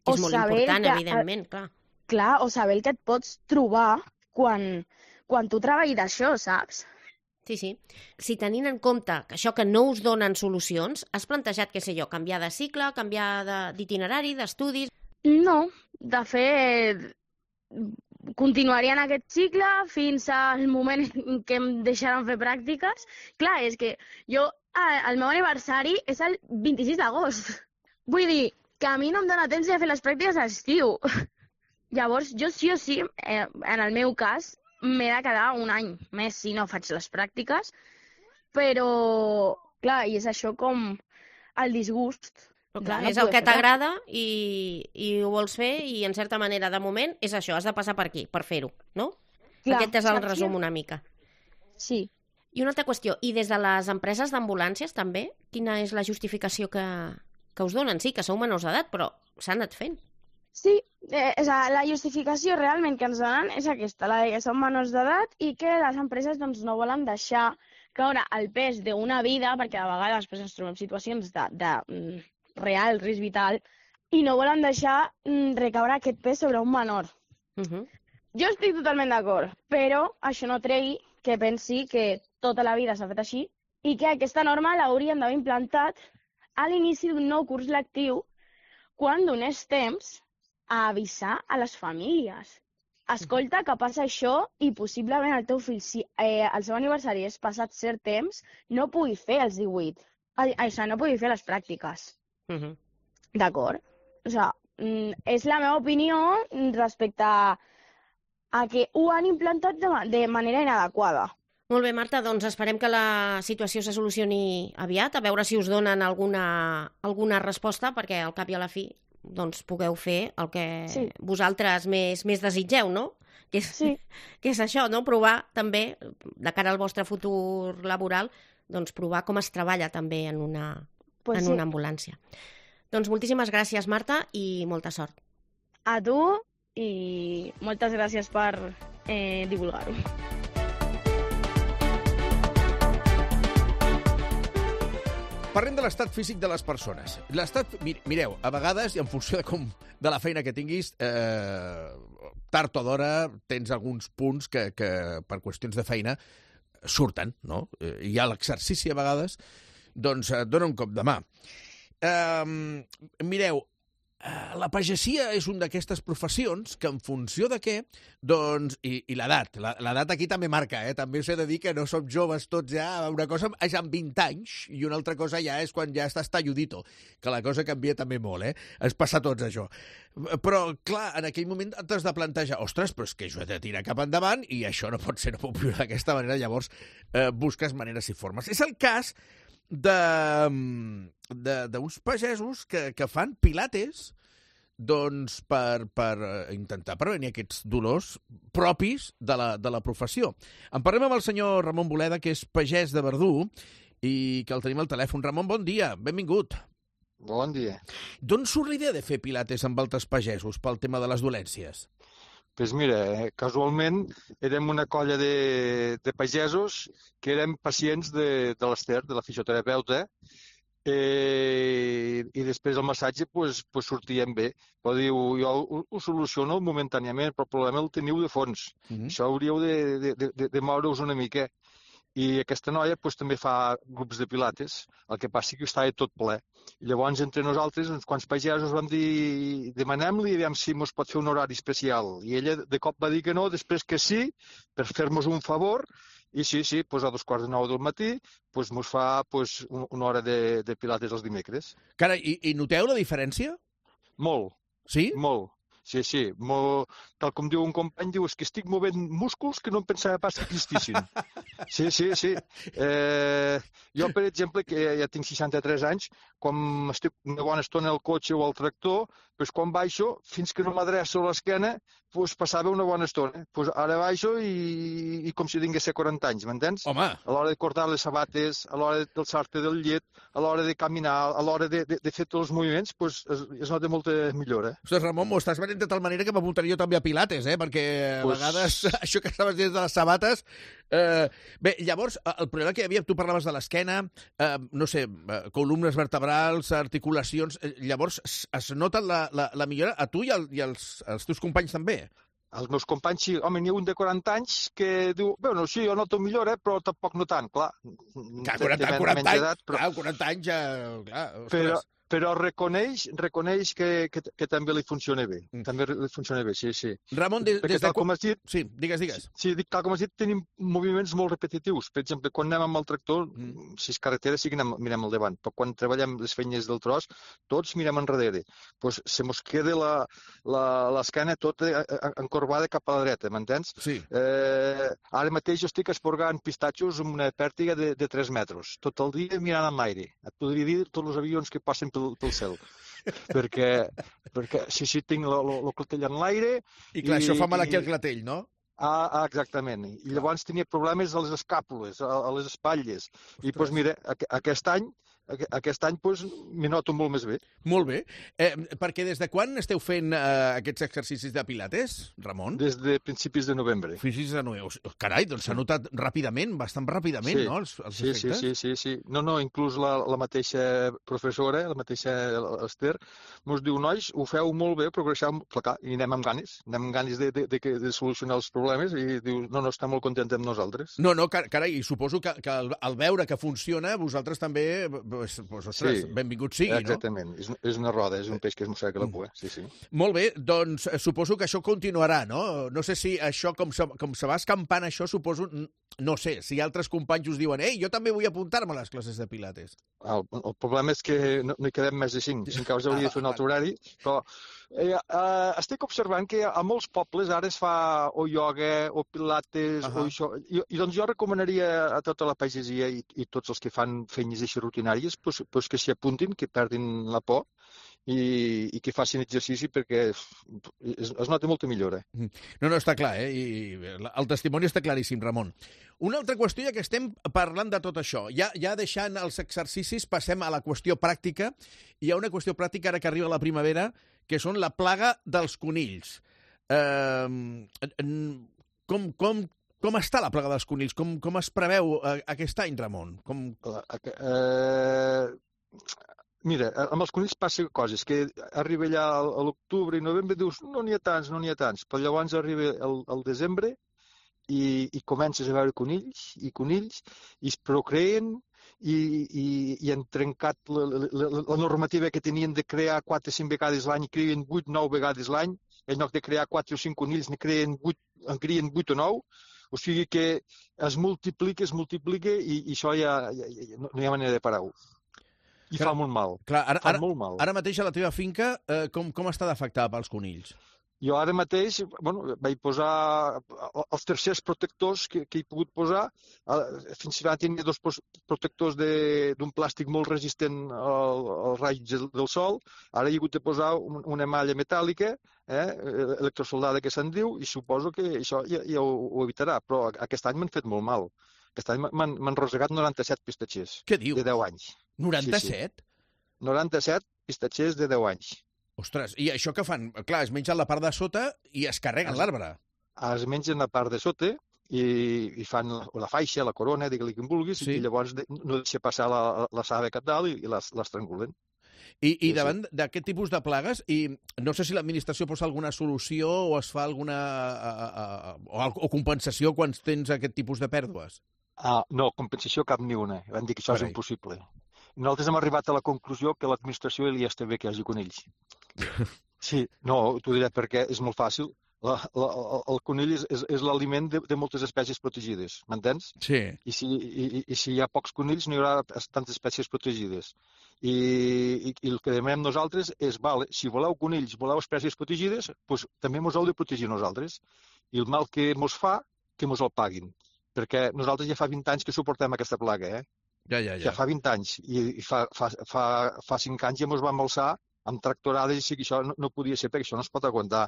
[SPEAKER 5] És molt important, que, evidentment, clar.
[SPEAKER 9] Clar, o saber el que et pots trobar quan... quan tu treballis d'això, saps?
[SPEAKER 5] Sí, sí. Si tenint en compte que això que no us donen solucions, has plantejat, què sé jo, canviar de cicle, canviar d'itinerari, d'estudis?
[SPEAKER 9] No, de fet, continuaria en aquest cicle fins al moment en què em deixaran fer pràctiques. Clar, és que jo, el meu aniversari és el vint-i-sis d'agost. Vull dir que a mi no em dóna temps de fer les pràctiques a l'estiu. Llavors, jo sí o sí, eh, en el meu cas, m'he de quedar un any més si no faig les pràctiques, però, clar, i és això com el disgust.
[SPEAKER 5] Però clar, és el que t'agrada i, i ho vols fer i, en certa manera, de moment, és això, has de passar per aquí, per fer-ho, no? Clar, aquest és el resum una mica.
[SPEAKER 9] Sí.
[SPEAKER 5] I una altra qüestió, i des de les empreses d'ambulàncies també, quina és la justificació que, que us donen? Sí, que sou menors d'edat, però s'ha anat fent.
[SPEAKER 9] Sí, eh, o sea, la justificació realment que ens donen és aquesta, la de que som menors d'edat i que les empreses doncs, no volen deixar caure el pes d'una vida, perquè a vegades després ens trobem situacions de, de mm, real risc vital, i no volen deixar mm, recaure aquest pes sobre un menor.
[SPEAKER 5] Uh-huh.
[SPEAKER 9] Jo estic totalment d'acord, però això no tregui que pensi que tota la vida s'ha fet així i que aquesta norma l'hauríem d'haver implantat a l'inici d'un nou curs lectiu quan donés temps a avisar a les famílies. Escolta, que passa això i possiblement el teu fill, si eh, el seu aniversari és passat cert temps, no pugui fer els divuit. Ai, això, no pugui fer les pràctiques.
[SPEAKER 5] Uh-huh.
[SPEAKER 9] D'acord? O sigui, és la meva opinió respecte a, a que ho han implantat de, de manera inadequada.
[SPEAKER 5] Molt bé, Marta, doncs esperem que la situació se solucioni aviat, a veure si us donen alguna, alguna resposta, perquè al cap i a la fi doncs pugueu fer el que sí. vosaltres més, més desitgeu, no? Que és,
[SPEAKER 9] sí.
[SPEAKER 5] que és això, no? Provar també, de cara al vostre futur laboral, doncs provar com es treballa també en una,
[SPEAKER 9] pues
[SPEAKER 5] en
[SPEAKER 9] sí.
[SPEAKER 5] una ambulància. Doncs moltíssimes gràcies, Marta, i molta sort.
[SPEAKER 9] A tu i moltes gràcies per eh, divulgar-ho.
[SPEAKER 3] Parlem de l'estat físic de les persones. L'estat, mireu, a vegades, i en funció de, com, de la feina que tinguis, eh, tard o d'hora tens alguns punts que, que per qüestions de feina surten, no? Eh, hi ha l'exercici a vegades, doncs et dona un cop de mà. Eh, mireu, la pagesia és una d'aquestes professions que en funció de què, doncs, i, i l'edat, l'edat aquí també marca, eh? També us he de dir que no som joves tots ja, una cosa és amb vint anys i una altra cosa ja és quan ja estàs talludito, que la cosa canvia també molt, eh? Es passa tots això. Però, clar, en aquell moment t'has de plantejar, ostres, però és que jo he de tirar cap endavant i això no pot ser, no puc viure d'aquesta manera, llavors eh, busques maneres i formes. És el cas d'uns pagesos que, que fan pilates doncs per, per intentar prevenir aquests dolors propis de la, de la professió. En parlem amb el senyor Ramon Boleda, que és pagès de Verdú, i que el tenim al telèfon. Ramon, bon dia, benvingut.
[SPEAKER 11] Bon dia.
[SPEAKER 3] D'on surt la idea de fer pilates amb altres pagesos pel tema de les dolències?
[SPEAKER 11] Doncs mira, casualment érem una colla de, de pagesos que érem pacients de, de l'Ester, de la fisioterapeuta, eh, i després el massatge pues, pues sortíem bé. Però diu, jo ho, ho soluciono momentàniament, però el problema el teniu de fons. Mm-hmm. Això hauríeu de, de, de, de moure-us una mica. I aquesta noia pues, també fa grups de pilates, el que passa que estava tot ple. I llavors, entre nosaltres, uns quants pagesos vam dir, demanem-li, aviam si mos pot fer un horari especial. I ella de cop va dir que no, després que sí, per fer-nos un favor, i sí, sí, pues a dos quarts de nou del matí, pues mos fa pues, una hora de, de pilates els dimecres.
[SPEAKER 3] Cara, i, i noteu la diferència?
[SPEAKER 11] Molt.
[SPEAKER 3] Sí?
[SPEAKER 11] Molt. Sí, sí. Mo, tal com diu un company, diu, és que estic movent músculs que no em pensava pas que existissin. Sí, sí, sí. Eh, jo, per exemple, que ja tinc seixanta-tres anys, quan estic una bona estona al cotxe o al tractor, doncs quan baixo, fins que no m'adreço a l'esquena, doncs passava una bona estona. Doncs ara baixo i, i com si tingués quaranta anys, m'entens?
[SPEAKER 3] Home!
[SPEAKER 11] A l'hora de cortar les sabates, a l'hora d'alçar-te del llet, a l'hora de caminar, a l'hora de, de, de fer tots els moviments, doncs es, es nota molta millora.
[SPEAKER 3] Ostres, Ramon, m'ho estàs venent de tal manera que m'apuntaria jo també a pilates, eh? Perquè a pues... vegades això que estaves dins de les sabates... Eh, bé, llavors, el problema que hi havia, tu parlaves de l'esquena, eh, no sé, columnes vertebrals, articulacions... Eh, llavors, es nota la, la, la millora a tu i, el, i als, als teus companys també?
[SPEAKER 11] Els meus companys, sí. Home, n'hi ha un de quaranta anys que diu, bueno, sí, jo noto millora, però tampoc no tant, clar.
[SPEAKER 3] Clar, quaranta, quaranta, anys, edat, però... clar, quaranta anys ja... Clar,
[SPEAKER 11] però, però reconeix, reconeix que, que, que també li funciona bé. Mm. També li funciona bé, sí, sí.
[SPEAKER 3] Ramon, des, des de...
[SPEAKER 11] com has dit...
[SPEAKER 3] Sí, digues, digues.
[SPEAKER 11] Sí, dic, tal com has dit, tenim moviments molt repetitius. Per exemple, quan anem amb el tractor, mm. si és carretera sí que anem, mirem al davant, però quan treballem les feines del tros, tots mirem enrere. Pues se mos queda l'esquena tota encorbada cap a la dreta, m'entens?
[SPEAKER 3] Sí.
[SPEAKER 11] Eh, ara mateix jo estic esporgant pistatxos amb una pèrtiga de, de tres metres. Tot el dia mirant en l'aire. Et podria dir tots els avions que passen pel, pel cel. perquè, perquè sí, sí, tinc el clatell en l'aire...
[SPEAKER 3] I clar, i, això fa mal aquí al clatell, no?
[SPEAKER 11] Ah, ah, exactament. I llavors tenia problemes a les escàpules, a, a les espatlles. Ostres. I doncs mira, aquest any aquest any doncs, m'hi noto molt més bé.
[SPEAKER 3] Molt bé. Eh, perquè des de quan esteu fent eh, aquests exercicis de pilates, Ramon?
[SPEAKER 11] Des de principis de novembre.
[SPEAKER 3] Principis de novembre. Carai, doncs s'ha notat ràpidament, bastant ràpidament,
[SPEAKER 11] sí.
[SPEAKER 3] no, els, els
[SPEAKER 11] sí,
[SPEAKER 3] efectes?
[SPEAKER 11] Sí, sí, sí, sí. No, no, inclús la, la mateixa professora, la mateixa Esther, ens diu, nois, ho feu molt bé, progresseu, clar, i anem amb ganes, anem amb ganes de, de, de, de solucionar els problemes, i diu, no, no, està molt content amb nosaltres.
[SPEAKER 3] No, no, carai, i suposo que, que al, al veure que funciona, vosaltres també... Pues, pues, ostres, sí, benvingut sigui,
[SPEAKER 11] exactament. No? Exactament, és, és una roda, és un peix que es mossega la cua, sí, sí.
[SPEAKER 3] Molt bé, doncs suposo que això continuarà, no? No sé si això, com se, com se va escampant això, suposo, no sé, si altres companys us diuen, ei, jo també vull apuntar-me a les classes de pilates.
[SPEAKER 11] El, el problema és que no, no hi quedem més de cinc, cinc hores hauria de fer un altre horari, però eh, eh, estic observant que a molts pobles ara es fa o ioga o pilates, uh -huh. o això, i, i doncs jo recomanaria a tota la pagesia i, i tots els que fan feines així rutinàries pues, pues que s'hi apuntin, que perdin la por i, i que facin exercici perquè es, es, es nota molta millora.
[SPEAKER 3] No, no, està clar, eh? I el testimoni està claríssim, Ramon. Una altra qüestió, ja que estem parlant de tot això, ja, ja deixant els exercicis, passem a la qüestió pràctica. Hi ha una qüestió pràctica ara que arriba la primavera, que són la plaga dels conills. Eh, com, com, com està la plaga dels conills? Com, com es preveu eh, aquest any, Ramon? Com...
[SPEAKER 11] Eh... Mira, amb els conills passa coses, que arriba allà a l'octubre i novembre i dius, no n'hi ha tants, no n'hi ha tants, però llavors arriba el, el desembre i, i comences a veure conills i conills i es procreen i, i, i han trencat la, la, la normativa que tenien de crear quatre o cinc vegades l'any i creen vuit o nou vegades l'any, en lloc de crear quatre o cinc conills ne creen vuit, en creen vuit o nou, o sigui que es multiplica, es multiplica i, i això ja, ja, ja no, no hi ha manera de parar-ho. I clar, fa molt mal.
[SPEAKER 3] Clar, ara,
[SPEAKER 11] fa
[SPEAKER 3] ara,
[SPEAKER 11] molt mal.
[SPEAKER 3] Ara mateix a la teva finca, eh, com, com està d'afectada pels conills?
[SPEAKER 11] Jo ara mateix bueno, vaig posar els tercers protectors que, que he pogut posar. Fins ara tenia dos protectors d'un plàstic molt resistent al, als raigs del sol. Ara he hagut de posar un, una malla metàl·lica, eh, electrosoldada que se'n diu, i suposo que això ja, ja ho, ho evitarà. Però aquest any m'han fet molt mal. Aquest any m'han rosegat noranta-set pistatxers.
[SPEAKER 3] Què diu?
[SPEAKER 11] De deu anys.
[SPEAKER 3] noranta-set?
[SPEAKER 11] Sí, sí. noranta-set pistatxers de deu anys.
[SPEAKER 3] Ostres, i això que fan? Clar, es mengen la part de sota i es carreguen l'arbre.
[SPEAKER 11] Es mengen la part de sota i, i fan la, la faixa, la corona, digue-li com vulguis, sí. I llavors de, no deixa passar la, la saba cap dalt i, i l'estrangulen.
[SPEAKER 3] I, i sí, davant sí. d'aquest tipus de plagues, i no sé si l'administració posa alguna solució o es fa alguna a, a, a, o, o compensació quan tens aquest tipus de pèrdues?
[SPEAKER 11] Ah, no, compensació cap ni una. Van dir que això Carai. És impossible. Nosaltres hem arribat a la conclusió que l'administració li està bé que hi hagi conills. Sí, no, t'ho diré perquè és molt fàcil. La, la, el conill és, és, és l'aliment de, de moltes espècies protegides, m'entens?
[SPEAKER 3] Sí.
[SPEAKER 11] I si, i, i si hi ha pocs conills no hi haurà tantes espècies protegides. I, i, i el que demanem nosaltres és, vale, si voleu conills, voleu espècies protegides, doncs també mos heu de protegir nosaltres. I el mal que mos fa, que mos el paguin. Perquè nosaltres ja fa vint anys que suportem aquesta plaga, eh?
[SPEAKER 3] Ja, ja, ja.
[SPEAKER 11] Ja fa vint anys. I, i fa, fa, fa, fa cinc anys ja mos vam alçar amb tractorades i sí que això no, no podia ser perquè això no es pot aguantar.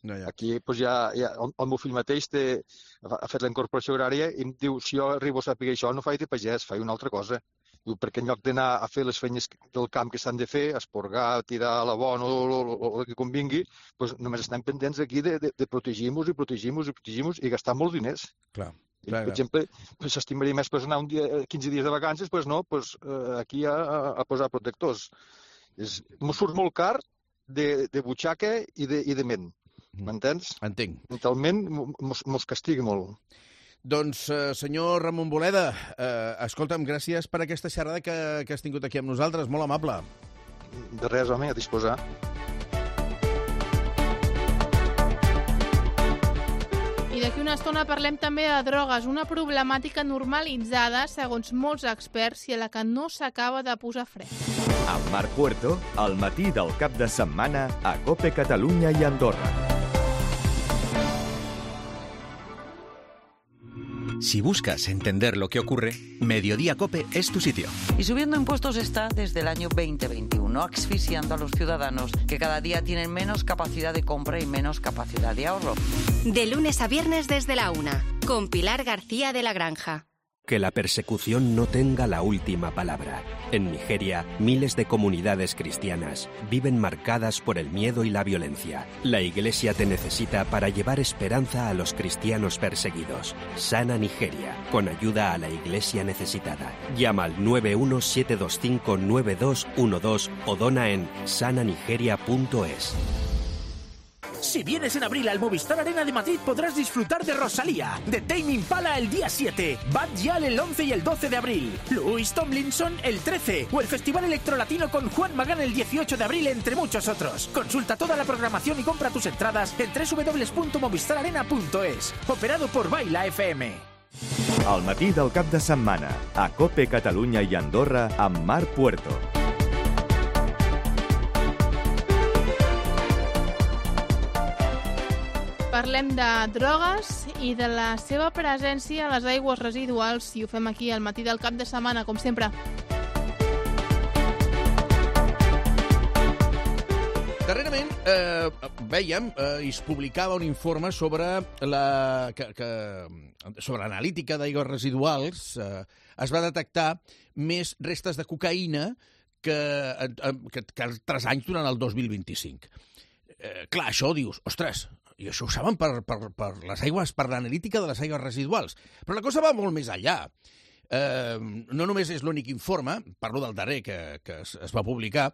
[SPEAKER 3] No, ja.
[SPEAKER 11] Aquí doncs, ja, ja, el, el meu fill mateix té, ha fet la incorporació agrària i em diu, si jo arribo a saber això no faig de pagès, faig una altra cosa. Diu, perquè en lloc d'anar a fer les feines del camp que s'han de fer, esporgar, tirar la bona o el que convingui, doncs només estem pendents aquí de, de, de protegir-nos i protegir-nos i protegir-nos i gastar molts diners.
[SPEAKER 3] Clar.
[SPEAKER 11] I, per exemple, s'estimaria més pues, anar un dia, quinze dies de vacances, doncs no, pues, eh, aquí a, a posar protectors. M'ho surt molt car de, de butxaca i de, i de ment. M'entens?
[SPEAKER 3] Entenc.
[SPEAKER 11] Mentalment mos castiga molt.
[SPEAKER 3] Doncs, eh, senyor Ramon Boleda, eh, escolta'm, gràcies per aquesta xerrada que, que has tingut aquí amb nosaltres, molt amable.
[SPEAKER 11] de res, home, a disposar.
[SPEAKER 2] I d'aquí una estona parlem també de drogues, una problemàtica normalitzada, segons molts experts, i a la que no s'acaba de posar fre.
[SPEAKER 1] Amb Marc Puerto, al matí del cap de setmana a COPE Catalunya i Andorra.
[SPEAKER 16] Si buscas entender lo que ocurre, Mediodía COPE es tu sitio.
[SPEAKER 12] Y subiendo impuestos está desde el año veinte veintiuno, asfixiando a los ciudadanos que cada día tienen menos capacidad de compra y menos capacidad de ahorro.
[SPEAKER 17] De lunes a viernes desde la una, con Pilar García de la Granja.
[SPEAKER 13] Que la persecución no tenga la última palabra. En Nigeria, miles de comunidades cristianas viven marcadas por el miedo y la violencia. La Iglesia te necesita para llevar esperanza a los cristianos perseguidos. Sana Nigeria, con ayuda a la Iglesia necesitada. Llama al nueve uno siete dos cinco nueve dos uno dos o dona en sana nigeria punto es.
[SPEAKER 20] Si vienes en abril al Movistar Arena de Madrid podrás disfrutar de Rosalía, de Tame Impala el día siete, Bad Gyal el once y el doce de abril, Louis Tomlinson el trece o el Festival Electrolatino con Juan Magán el dieciocho de abril, entre muchos otros. Consulta toda la programación y compra tus entradas en doble u doble u doble u punto movistar arena punto es. Operado por Baila F M.
[SPEAKER 1] Al matí del cap de setmana a COPE Catalunya i Andorra amb Marc Puerto.
[SPEAKER 2] Parlem de drogues i de la seva presència a les aigües residuals i ho fem aquí al matí del cap de setmana, com sempre.
[SPEAKER 3] Darrerament eh, vèiem eh, i es publicava un informe sobre la que, que, sobre l'analítica d'aigües residuals. Eh, es va detectar més restes de cocaïna que, eh, que, que altres anys durant el dos mil vint-i-cinc. Eh, clar, això dius, ostres, i això ho saben per, per, per les aigües, per l'analítica de les aigües residuals. Però la cosa va molt més enllà. Eh, no només és l'únic informe, parlo del darrer que, que es, es va publicar,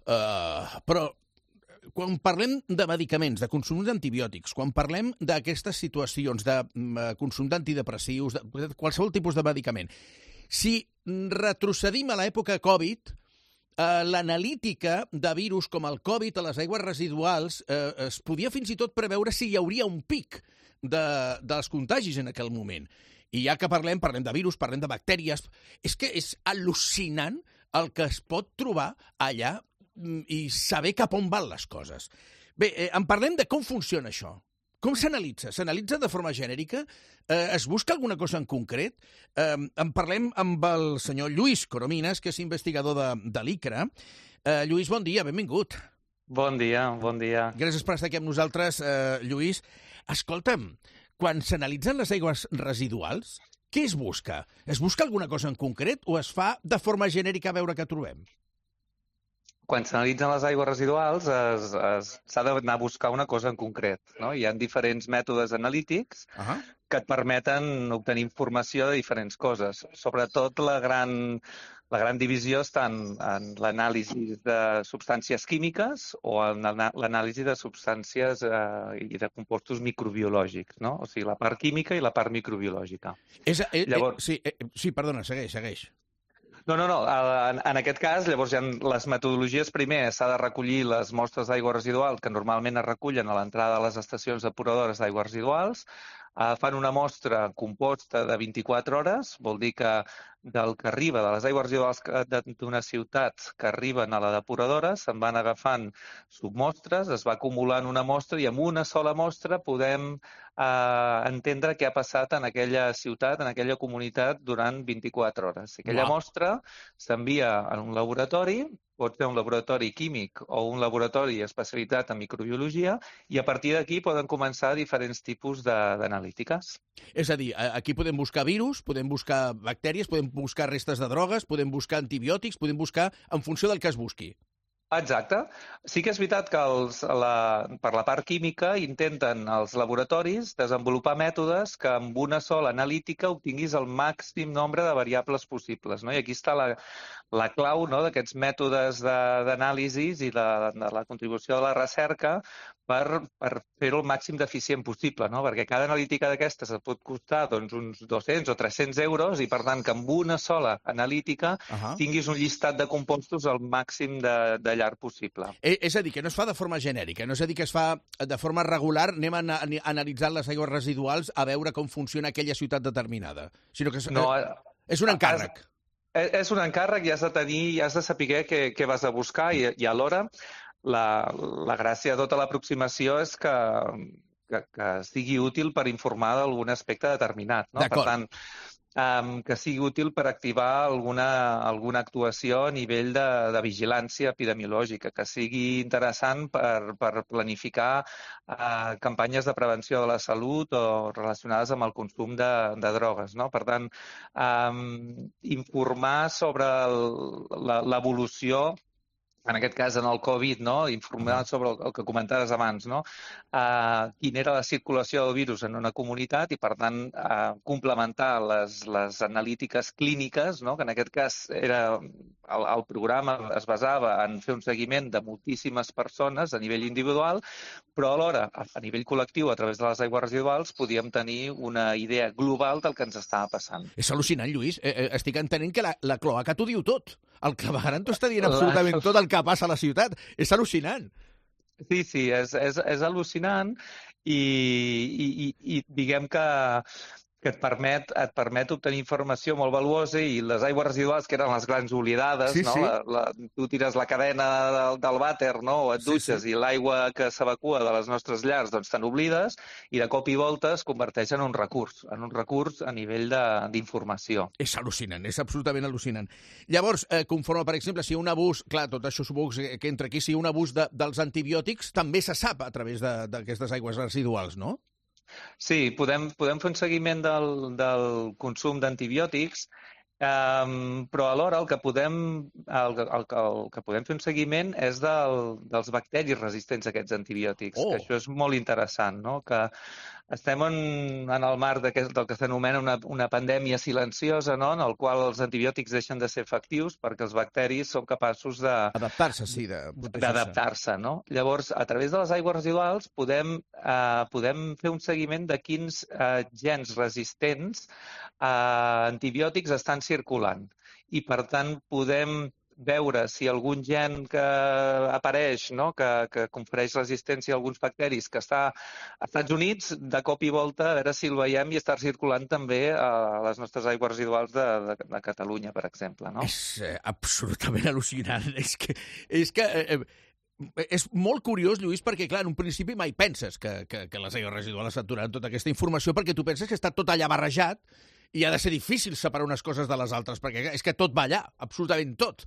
[SPEAKER 3] eh, però quan parlem de medicaments, de consum d'antibiòtics, quan parlem d'aquestes situacions de consum d'antidepressius, de qualsevol tipus de medicament, si retrocedim a l'època Covid, Uh, l'analítica de virus com el Covid a les aigües residuals uh, es podia fins i tot preveure si hi hauria un pic de, dels contagis en aquell moment. I ja que parlem, parlem de virus, parlem de bactèries, és que és al·lucinant el que es pot trobar allà i saber cap on van les coses. Bé, eh, en parlem de com funciona això. Com s'analitza? S'analitza de forma genèrica? Eh, es busca alguna cosa en concret? Eh, en parlem amb el senyor Lluís Coromines, que és investigador de, de l'ICRA. Eh, Lluís, bon dia, benvingut.
[SPEAKER 23] Bon dia, bon dia.
[SPEAKER 3] Gràcies per estar aquí amb nosaltres, eh, Lluís. Escolta'm, quan s'analitzen les aigües residuals, què es busca? Es busca alguna cosa en concret o es fa de forma genèrica a veure què trobem?
[SPEAKER 23] Quan s'analitzen les aigües residuals s'ha d'anar a buscar una cosa en concret. No? Hi ha diferents mètodes analítics uh -huh. que et permeten obtenir informació de diferents coses. Sobretot la gran, la gran divisió està en, en l'anàlisi de substàncies químiques o en l'anàlisi de substàncies eh, i de compostos microbiològics, no? O sigui, la part química i la part microbiològica.
[SPEAKER 3] És, eh, Llavors... eh, sí, eh, sí, perdona, segueix, segueix.
[SPEAKER 23] No, no, no. En, en aquest cas, llavors hi ha les metodologies. Primer, s'ha de recollir les mostres d'aigua residual que normalment es recullen a l'entrada de les estacions depuradores d'aigües residuals. Uh, fan una mostra composta de vint-i-quatre hores, vol dir que del que arriba, de les aigües residuals d'una ciutat que arriben a la depuradora, se'n van agafant submostres, es va acumulant una mostra i amb una sola mostra podem eh, entendre què ha passat en aquella ciutat, en aquella comunitat durant vint-i-quatre hores. Aquella wow. mostra s'envia a un laboratori, pot ser un laboratori químic o un laboratori especialitzat en microbiologia, i a partir d'aquí poden començar diferents tipus d'analítiques.
[SPEAKER 3] És a dir, aquí podem buscar virus, podem buscar bactèries, podem buscar restes de drogues, podem buscar antibiòtics, podem buscar en funció del que es busqui.
[SPEAKER 23] Exacte. Sí que és veritat que els, la, per la part química intenten els laboratoris desenvolupar mètodes que amb una sola analítica obtinguis el màxim nombre de variables possibles. No? I aquí està la, la clau, no?, d'aquests mètodes d'anàlisi i de, de la contribució de la recerca per, per fer-ho el màxim d'eficient possible, no? Perquè cada analítica d'aquestes et pot costar doncs, uns dos-cents o tres-cents euros i, per tant, que amb una sola analítica uh -huh. tinguis un llistat de compostos al màxim de, de llarg possible.
[SPEAKER 3] Eh, és a dir, que no es fa de forma genèrica, no és a dir que es fa de forma regular, anem a, a, a analitzar les aigües residuals a veure com funciona aquella ciutat determinada, sinó que és,
[SPEAKER 23] no,
[SPEAKER 3] eh, és un encàrrec.
[SPEAKER 23] És, és un encàrrec i has de tenir, i has de saber què, què vas a buscar i, i alhora la, la gràcia de tota l'aproximació és que, que, que sigui útil per informar d'algun aspecte determinat. No? Per tant, Um, que sigui útil per activar alguna, alguna actuació a nivell de, de vigilància epidemiològica, que sigui interessant per, per planificar uh, campanyes de prevenció de la salut o relacionades amb el consum de, de drogues. No? Per tant, um, informar sobre l'evolució, en aquest cas en el Covid, no? Informar sobre el, el que comentaves abans, no? Uh, quina era la circulació del virus en una comunitat i, per tant, uh, complementar les, les analítiques clíniques, no? Que en aquest cas era, el, el programa es basava en fer un seguiment de moltíssimes persones a nivell individual, però alhora, a, a nivell col·lectiu, a través de les aigües residuals, podíem tenir una idea global del que ens estava passant.
[SPEAKER 3] És al·lucinant, Lluís. Eh, eh, estic entenent que la, la cloaca t'ho diu tot. El clavegueram t'ho està dient absolutament tot el que passa a la ciutat. És al·lucinant.
[SPEAKER 23] Sí, sí, és, és, és al·lucinant i, i, i, i diguem que que et permet, et permet obtenir informació molt valuosa i les aigües residuals, que eren les grans oblidades, sí, no? Sí. La, la, tu tires la cadena del, del vàter, no? O et dutxes, sí, sí. I l'aigua que s'evacua de les nostres llars doncs te n'oblides i de cop i volta es converteix en un recurs, en un recurs a nivell d'informació.
[SPEAKER 3] És al·lucinant, és absolutament al·lucinant. Llavors, eh, conforme, per exemple, si hi ha un abús, clar, tot això suposo que entra aquí, si hi ha un abús de, dels antibiòtics, també se sap a través d'aquestes aigües residuals, no?
[SPEAKER 23] Sí, podem, podem fer un seguiment del, del consum d'antibiòtics, um, però alhora el que, podem, el, el, el que podem fer un seguiment és del, dels bacteris resistents a aquests antibiòtics, oh. que això és molt interessant, no? Que estem en, en el marc del que s'anomena una, una pandèmia silenciosa, no? En el qual els antibiòtics deixen de ser efectius perquè els bacteris són capaços de...
[SPEAKER 3] Adaptar-se, sí,
[SPEAKER 23] d'adaptar-se, no? Llavors, a través de les aigües residuals podem, eh, podem fer un seguiment de quins eh, gens resistents a antibiòtics estan circulant. I, per tant, podem veure si algun gen que apareix, no? que, que confereix resistència a alguns bacteris que està als Estats Units, de cop i volta, a veure si el veiem i està circulant també a les nostres aigües residuals de, de, de Catalunya, per exemple. No?
[SPEAKER 3] És eh, absolutament al·lucinant. És que... És que eh, és molt curiós, Lluís, perquè, clar, en un principi mai penses que, que, que les aigües residuals saturaran tota aquesta informació, perquè tu penses que està tot allà barrejat i ha de ser difícil separar unes coses de les altres, perquè és que tot va allà, absolutament tot.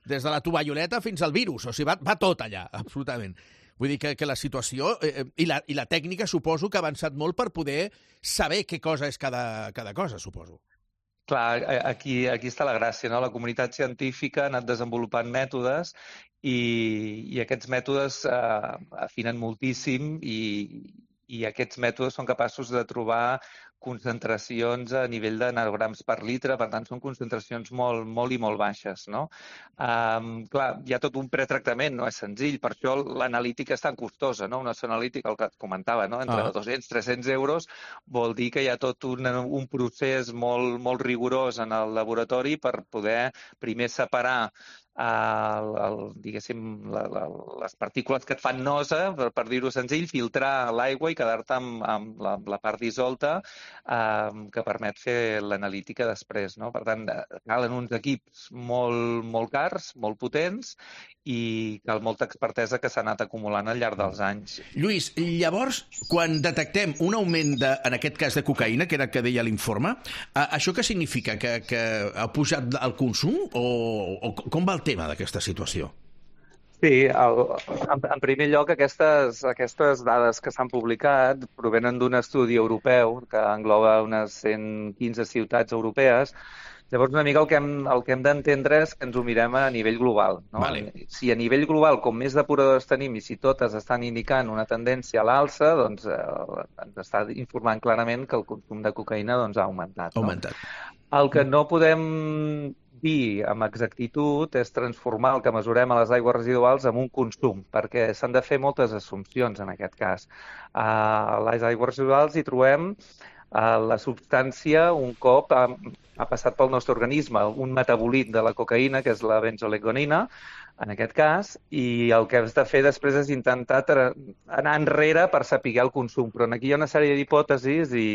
[SPEAKER 3] Des de la tovalloleta fins al virus, o sigui, va, va tot allà, absolutament. Vull dir que, que la situació eh, i, la, i la tècnica suposo que ha avançat molt per poder saber què cosa és cada, cada cosa, suposo.
[SPEAKER 23] Clar, aquí, aquí està la gràcia, no? La comunitat científica ha anat desenvolupant mètodes i, i aquests mètodes eh, afinen moltíssim i, i aquests mètodes són capaços de trobar concentracions a nivell de nanograms per litre, per tant, són concentracions molt, molt i molt baixes, no? Um, clar, hi ha tot un pretractament, no és senzill, per això l'analítica és tan costosa, no? Una sola analítica, el que et comentava, no? Entre ah. dos-cents i tres-cents euros vol dir que hi ha tot un, un procés molt, molt rigorós en el laboratori per poder primer separar El, el, diguéssim, la, la, les partícules que et fan nosa, per, per dir-ho senzill, filtrar l'aigua i quedar-te amb, amb la, la part dissolta eh, que permet fer l'analítica després, no? Per tant, calen uns equips molt, molt cars, molt potents i cal molta expertesa que s'ha anat acumulant al llarg dels anys.
[SPEAKER 3] Lluís, llavors, quan detectem un augment, de, en aquest cas de cocaïna, que era el que deia l'informe, eh, això què significa? Que, que ha pujat el consum o, o com va el tema d'aquesta situació?
[SPEAKER 23] Sí, el, en, en primer lloc, aquestes, aquestes dades que s'han publicat provenen d'un estudi europeu que engloba unes cent quinze ciutats europees Llavors, una mica el que hem, el que hem d'entendre és que ens ho mirem a nivell global. No?
[SPEAKER 3] Vale.
[SPEAKER 23] Si a nivell global, com més depuradores tenim i si totes estan indicant una tendència a l'alça, doncs eh, ens està informant clarament que el consum de cocaïna doncs, ha augmentat.
[SPEAKER 3] Ha
[SPEAKER 23] no?
[SPEAKER 3] augmentat.
[SPEAKER 23] El que no podem dir amb exactitud és transformar el que mesurem a les aigües residuals en un consum, perquè s'han de fer moltes assumpcions en aquest cas. A les aigües residuals hi trobem la substància un cop ha, ha passat pel nostre organisme, un metabolit de la cocaïna, que és la benzolegonina, en aquest cas, i el que has de fer després és intentar anar enrere per saber el consum. Però aquí hi ha una sèrie d'hipòtesis i,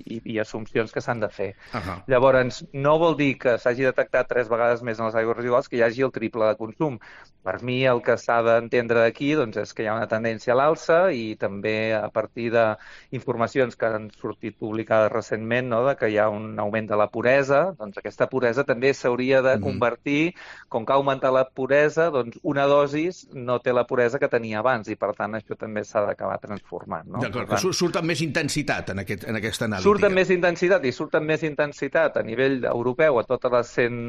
[SPEAKER 23] i, i assumpcions que s'han de fer.
[SPEAKER 3] Uh-huh.
[SPEAKER 23] Llavors, no vol dir que s'hagi detectat tres vegades més en les aigües residuals que hi hagi el triple de consum. Per mi, el que s'ha d'entendre d'aquí doncs, és que hi ha una tendència a l'alça i també a partir d'informacions que han sortit publicades recentment, no?, de que hi ha un augment de la puresa, doncs aquesta puresa també s'hauria de convertir, com que ha augmentat la puresa, doncs una dosis no té la puresa que tenia abans i, per tant, això també s'ha d'acabar transformant. No?
[SPEAKER 3] D'acord, que surt amb més intensitat en, aquest, en aquesta anàlisi.
[SPEAKER 23] Surt amb més intensitat i surt amb més intensitat a nivell europeu a totes les cent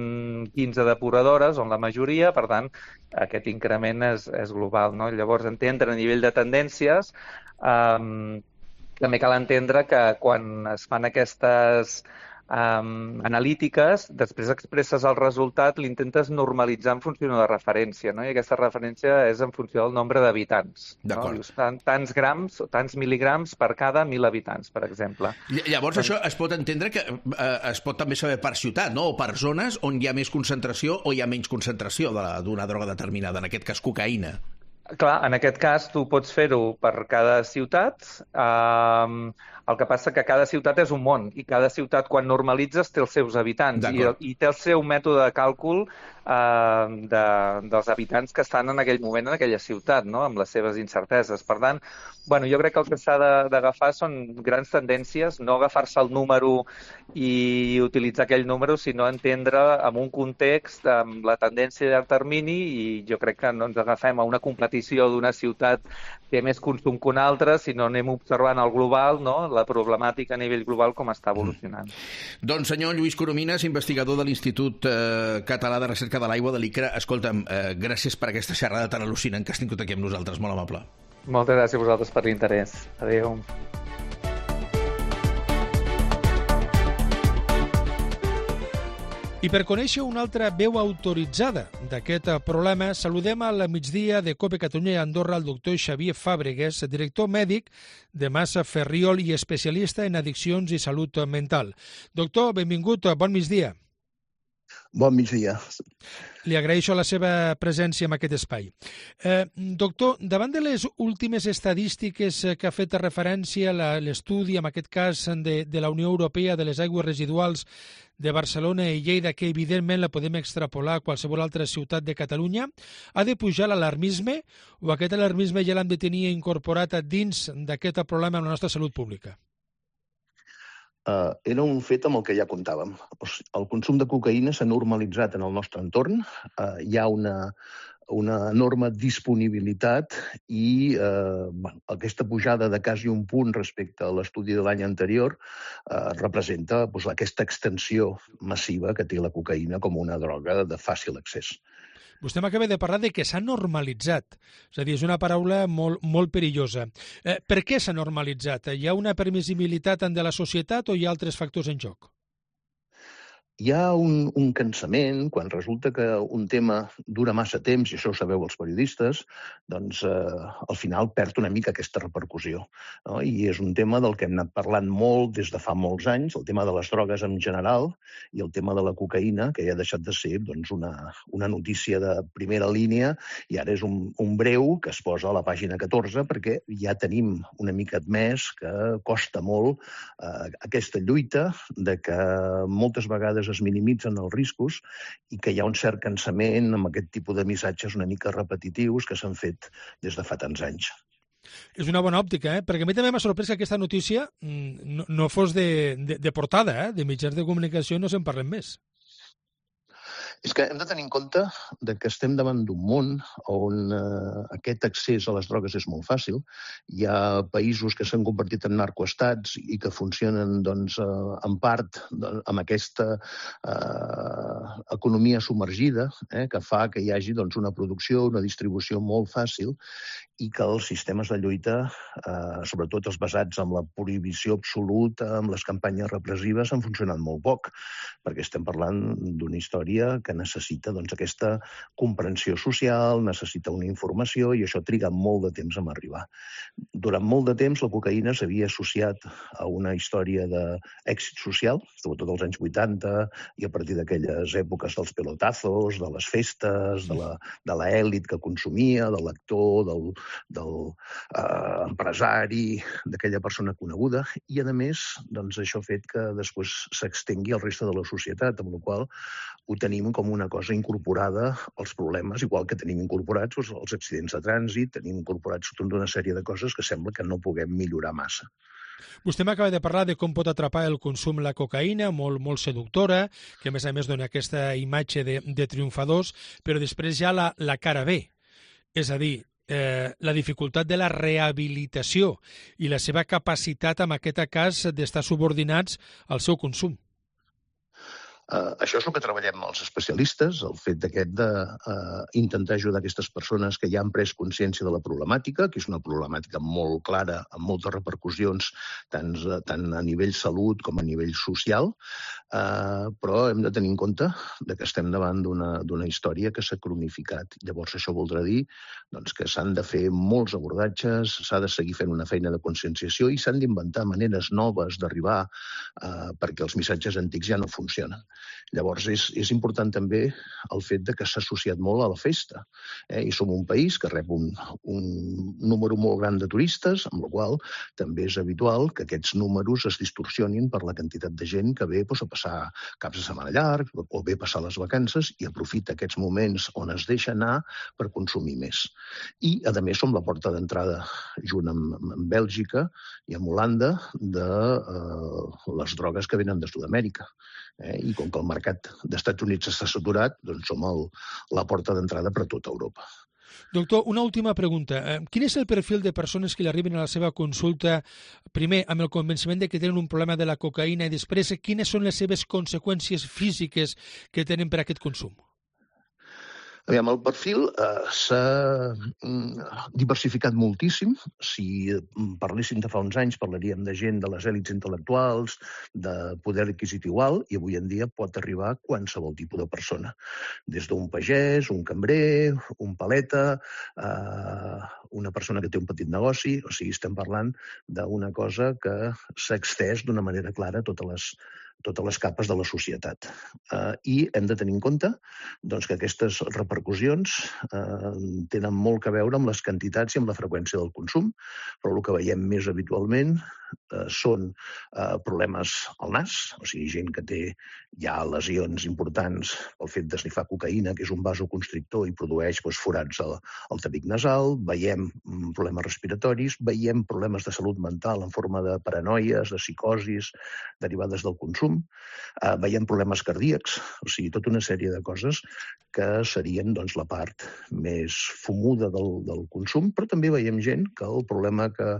[SPEAKER 23] quinze depuradores, on la majoria, per tant, aquest increment és, és global. No? Llavors, entendre a nivell de tendències, eh, també cal entendre que quan es fan aquestes Um, analítiques, després expresses el resultat, l'intentes normalitzar en funció de referència, no? I aquesta referència és en funció del nombre d'habitants. No? Dius, tant, tants grams o tants mil·ligrams per cada mil habitants, per exemple.
[SPEAKER 3] Llavors, doncs... això es pot entendre que eh, es pot també saber per ciutat, no? O per zones on hi ha més concentració o hi ha menys concentració d'una droga determinada, en aquest cas cocaïna.
[SPEAKER 23] Clar, en aquest cas tu pots fer-ho per cada ciutat. Um, el que passa que cada ciutat és un món i cada ciutat, quan normalitzes, té els seus habitants i, i té el seu mètode de càlcul uh, de, dels habitants que estan en aquell moment en aquella ciutat, no?, amb les seves incerteses. Per tant, bueno, jo crec que el que s'ha d'agafar són grans tendències, no agafar-se el número i utilitzar aquell número, sinó entendre en un context, amb la tendència de llarg termini, i jo crec que no ens agafem a una competició d'una ciutat té més consum que una altra, sinó anem observant el global, no?, la problemàtica a nivell global com està evolucionant.
[SPEAKER 3] Mm. Doncs senyor Lluís Coromines, investigador de l'Institut eh, Català de Recerca de l'Aigua de l'I C R A, escolta'm, eh, gràcies per aquesta xerrada tan al·lucinant que has tingut aquí amb nosaltres, molt amable.
[SPEAKER 23] Moltes gràcies a vosaltres per l'interès. Adéu.
[SPEAKER 14] I per conèixer una altra veu autoritzada d'aquest problema, saludem al migdia de COPE Catalunya i Andorra el doctor Xavier Fàbregues, director mèdic de Massa Ferriol i especialista en addiccions i salut mental. Doctor, benvingut, bon migdia.
[SPEAKER 15] Bon migdia.
[SPEAKER 14] Li agraeixo la seva presència en aquest espai. Eh, doctor, davant de les últimes estadístiques que ha fet referència a l'estudi, en aquest cas de, de la Unió Europea de les aigües residuals de Barcelona i Lleida, que evidentment la podem extrapolar a qualsevol altra ciutat de Catalunya, ha de pujar l'alarmisme o aquest alarmisme ja l'hem de tenir incorporat dins d'aquest problema en la nostra salut pública?
[SPEAKER 15] Uh, era un fet amb el que ja comptàvem. El consum de cocaïna s'ha normalitzat en el nostre entorn. Uh, hi ha una, una enorme disponibilitat i uh, bueno, aquesta pujada de quasi un punt respecte a l'estudi de l'any anterior uh, representa pues, aquesta extensió massiva que té la cocaïna com una droga de fàcil accés.
[SPEAKER 14] Vostè m'acaba de parlar de que s'ha normalitzat. És a dir, és una paraula molt, molt perillosa. Eh, per què s'ha normalitzat? Hi ha una permissibilitat de la societat o hi ha altres factors en joc?
[SPEAKER 15] Hi ha un, un cansament, quan resulta que un tema dura massa temps, i això ho sabeu els periodistes, doncs eh, al final perd una mica aquesta repercussió. No? I és un tema del que hem anat parlant molt des de fa molts anys, el tema de les drogues en general i el tema de la cocaïna, que ja ha deixat de ser doncs, una, una notícia de primera línia i ara és un, un breu que es posa a la pàgina catorze perquè ja tenim una mica admès que costa molt eh, aquesta lluita de que moltes vegades es minimitzen els riscos i que hi ha un cert cansament amb aquest tipus de missatges una mica repetitius que s'han fet des de fa tants anys.
[SPEAKER 14] És una bona òptica, eh? Perquè a mi també m'ha sorprès que aquesta notícia no, no fos de, de, de portada, eh? De mitjans de comunicació no se'n parlem més.
[SPEAKER 15] És que hem de tenir en compte de que estem davant d'un món on eh, aquest accés a les drogues és molt fàcil. Hi ha països que s'han convertit en narcoestats i que funcionen doncs, eh, en part doncs, amb aquesta eh, economia submergida eh, que fa que hi hagi doncs, una producció, una distribució molt fàcil i que els sistemes de lluita, eh, sobretot els basats en la prohibició absoluta, amb les campanyes repressives, han funcionat molt poc, perquè estem parlant d'una història que necessita doncs, aquesta comprensió social, necessita una informació i això triga molt de temps en arribar. Durant molt de temps la cocaïna s'havia associat a una història d'èxit social, sobretot als anys vuitanta i a partir d'aquelles èpoques dels pelotazos, de les festes, de la, de l'elit que consumia, del lector, del, del eh, empresari, d'aquella persona coneguda i, a més, doncs, això ha fet que després s'extengui al reste de la societat, amb la qual ho tenim com una cosa incorporada als problemes, igual que tenim incorporats els, els accidents de trànsit, tenim incorporats tota una sèrie de coses que sembla que no puguem millorar massa.
[SPEAKER 14] Vostè m'acaba de parlar de com pot atrapar el consum la cocaïna, molt, molt seductora, que a més a més dona aquesta imatge de, de triomfadors, però després hi ha la, la cara B, és a dir, eh, la dificultat de la rehabilitació i la seva capacitat, en aquest cas, d'estar subordinats al seu consum.
[SPEAKER 15] Uh, això és el que treballem els especialistes, el fet d'aquest d'intentar uh, ajudar aquestes persones que ja han pres consciència de la problemàtica, que és una problemàtica molt clara, amb moltes repercussions, tant, tant a nivell salut com a nivell social, uh, però hem de tenir en compte de que estem davant d'una història que s'ha cronificat. Llavors això voldrà dir doncs, que s'han de fer molts abordatges, s'ha de seguir fent una feina de conscienciació i s'han d'inventar maneres noves d'arribar uh, perquè els missatges antics ja no funcionen. Llavors, és, és important també el fet de que s'ha associat molt a la festa. Eh? I som un país que rep un, un número molt gran de turistes, amb la qual també és habitual que aquests números es distorsionin per la quantitat de gent que ve doncs, a passar caps de setmana llarg o ve a passar les vacances i aprofita aquests moments on es deixa anar per consumir més. I, a més, som la porta d'entrada, junt amb, amb Bèlgica i amb Holanda, de eh, les drogues que venen de Sud-amèrica. Eh? I com que el mercat d'Estats Units està saturat, doncs som el, la porta d'entrada per a tota Europa.
[SPEAKER 14] Doctor, una última pregunta. Quin és el perfil de persones que li arriben a la seva consulta, primer amb el convenciment de que tenen un problema de la cocaïna i després quines són les seves conseqüències físiques que tenen per aquest consum?
[SPEAKER 15] Aviam, el perfil eh, s'ha mm, diversificat moltíssim. Si parléssim de fa uns anys, parlaríem de gent de les èlits intel·lectuals, de poder adquisitiu alt, i avui en dia pot arribar a qualsevol tipus de persona. Des d'un pagès, un cambrer, un paleta, eh, una persona que té un petit negoci, o sigui, estem parlant d'una cosa que s'ha extès d'una manera clara a totes les totes les capes de la societat. Eh, I hem de tenir en compte doncs, que aquestes repercussions eh, tenen molt a veure amb les quantitats i amb la freqüència del consum, però el que veiem més habitualment eh, són eh, problemes al nas, o sigui, gent que té ja lesions importants pel fet d'esnifar cocaïna, que és un vasoconstrictor i produeix doncs, forats al, al tabic nasal, veiem problemes respiratoris, veiem problemes de salut mental en forma de paranoies, de psicosis derivades del consum, Uh, veiem problemes cardíacs, o sigui, tota una sèrie de coses que serien doncs, la part més fumuda del, del consum, però també veiem gent que el problema que,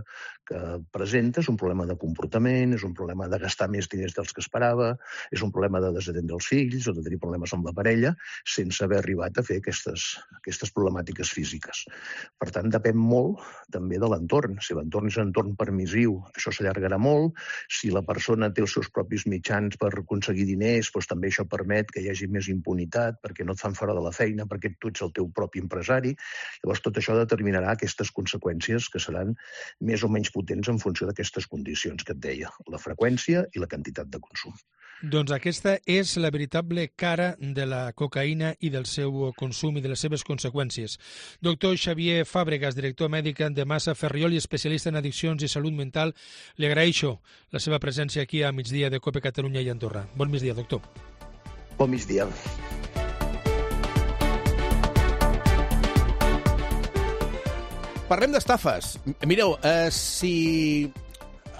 [SPEAKER 15] que presenta és un problema de comportament, és un problema de gastar més diners dels que esperava, és un problema de desatendre els fills o de tenir problemes amb la parella sense haver arribat a fer aquestes, aquestes problemàtiques físiques. Per tant, depèn molt també de l'entorn. Si l'entorn és un entorn permissiu, això s'allargarà molt. Si la persona té els seus propis mitjans per aconseguir diners, doncs també això permet que hi hagi més impunitat perquè no et fan fora de la feina, perquè tu ets el teu propi empresari. Llavors, tot això determinarà aquestes conseqüències que seran més o menys potents en funció d'aquestes condicions que et deia, la freqüència i la quantitat de consum.
[SPEAKER 14] Doncs aquesta és la veritable cara de la cocaïna i del seu consum i de les seves conseqüències. Doctor Xavier Fàbregas, director mèdic de Massa Ferriol i especialista en addiccions i salut mental, li agraeixo la seva presència aquí a migdia de COPE Catalunya i Andorra. Bon migdia, doctor.
[SPEAKER 15] Bon migdia.
[SPEAKER 3] Parlem d'estafes. Mireu, eh, si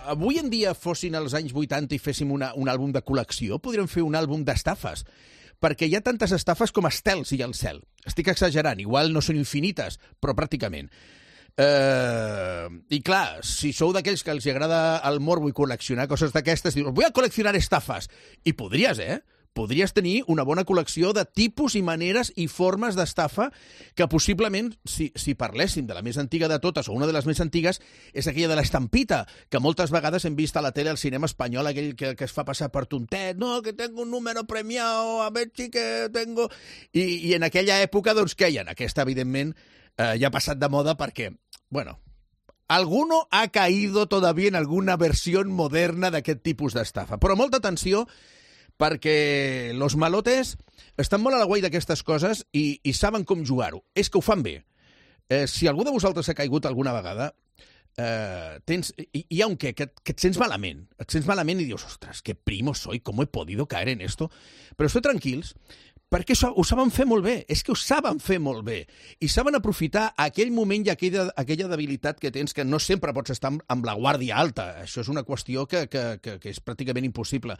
[SPEAKER 3] avui en dia fossin els anys vuitanta i féssim una, un àlbum de col·lecció, podríem fer un àlbum d'estafes. perquè hi ha tantes estafes com estels hi ha al cel. Estic exagerant, igual no són infinites, però pràcticament. Uh, I clar, si sou d'aquells que els agrada el morbo i col·leccionar coses d'aquestes, dius, vull a col·leccionar estafes. I podries, eh? Podries tenir una bona col·lecció de tipus i maneres i formes d'estafa que possiblement, si, si parléssim de la més antiga de totes, o una de les més antigues, és aquella de l'estampita, que moltes vegades hem vist a la tele al cinema espanyol, aquell que, que es fa passar per tontet, no, que tengo un número premiado, a ver si que tengo... I, i en aquella època, doncs, què hi ha? Aquesta, evidentment, eh, ja ha passat de moda perquè, bueno... Alguno ha caído todavía en alguna versión moderna d'aquest tipus d'estafa. Però molta atenció, perquè los malotes estan molt a la guai d'aquestes coses i, i saben com jugar-ho. És que ho fan bé. Eh, si algú de vosaltres ha caigut alguna vegada, eh, tens, hi, hi ha un què, que, que et sents malament. Et sents malament i dius, ostres, que primo soy, com he podido caer en esto? Però esteu tranquils, perquè això ho saben fer molt bé, és que ho saben fer molt bé, i saben aprofitar aquell moment i aquella, aquella debilitat que tens, que no sempre pots estar amb, amb la guàrdia alta. Això és una qüestió que, que, que, que és pràcticament impossible.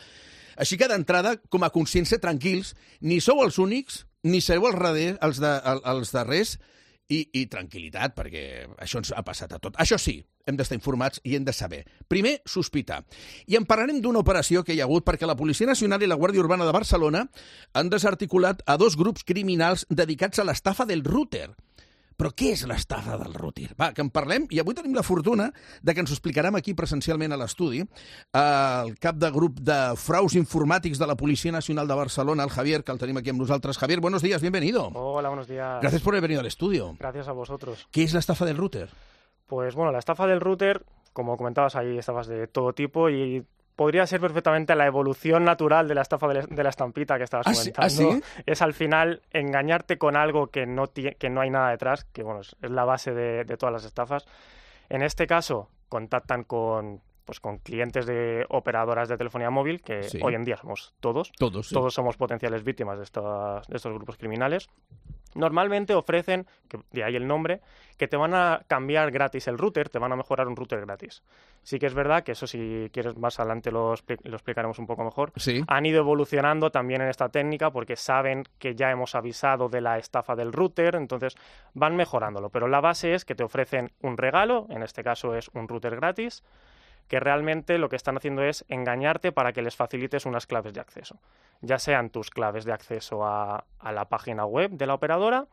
[SPEAKER 3] Així que d'entrada, com a consciència, tranquils, ni sou els únics, ni sereu els, darrers, els, de, els darrers, i, i tranquil·litat, perquè això ens ha passat a tot. Això sí, hem d'estar informats i hem de saber. Primer, sospitar. I en parlarem d'una operació que hi ha hagut perquè la Policia Nacional i la Guàrdia Urbana de Barcelona han desarticulat a dos grups criminals dedicats a l'estafa del router. Però què és l'estafa del router? Va, que en parlem, i avui tenim la fortuna de que ens ho explicarem aquí presencialment a l'estudi el cap de grup de fraus informàtics de la Policia Nacional de Barcelona, el Javier, que el tenim aquí amb nosaltres. Javier, buenos días, bienvenido.
[SPEAKER 18] Hola, buenos días. Gracias por haber venido al estudio. Gracias a vosotros. ¿Qué es la estafa del router? Pues bueno, la estafa del router, como comentabas, hay estafas de todo tipo y podría ser perfectamente la evolución natural de la estafa de la estampita que estabas comentando.
[SPEAKER 3] ¿Ah, sí?
[SPEAKER 18] Es al final engañarte con algo que no, que no hay nada detrás, que bueno, es la base de, de todas las estafas. En este caso, contactan con, pues, con clientes de operadoras de telefonía móvil, que sí. Hoy en día somos todos.
[SPEAKER 3] Todos, sí.
[SPEAKER 18] Todos somos potenciales víctimas de, estas, de estos grupos criminales. Normalmente ofrecen, que de ahí el nombre, que te van a cambiar gratis el router, te van a mejorar un router gratis. Sí que es verdad que eso, si quieres más adelante lo, lo explicaremos un poco mejor.
[SPEAKER 3] Sí.
[SPEAKER 18] Han ido evolucionando también en esta técnica porque saben que ya hemos avisado de la estafa del router, entonces van mejorándolo. Pero la base es que te ofrecen un regalo, en este caso es un router gratis, que realmente lo que están haciendo es engañarte para que les facilites unas claves de acceso, ya sean tus claves de acceso a, a la página web de la operadora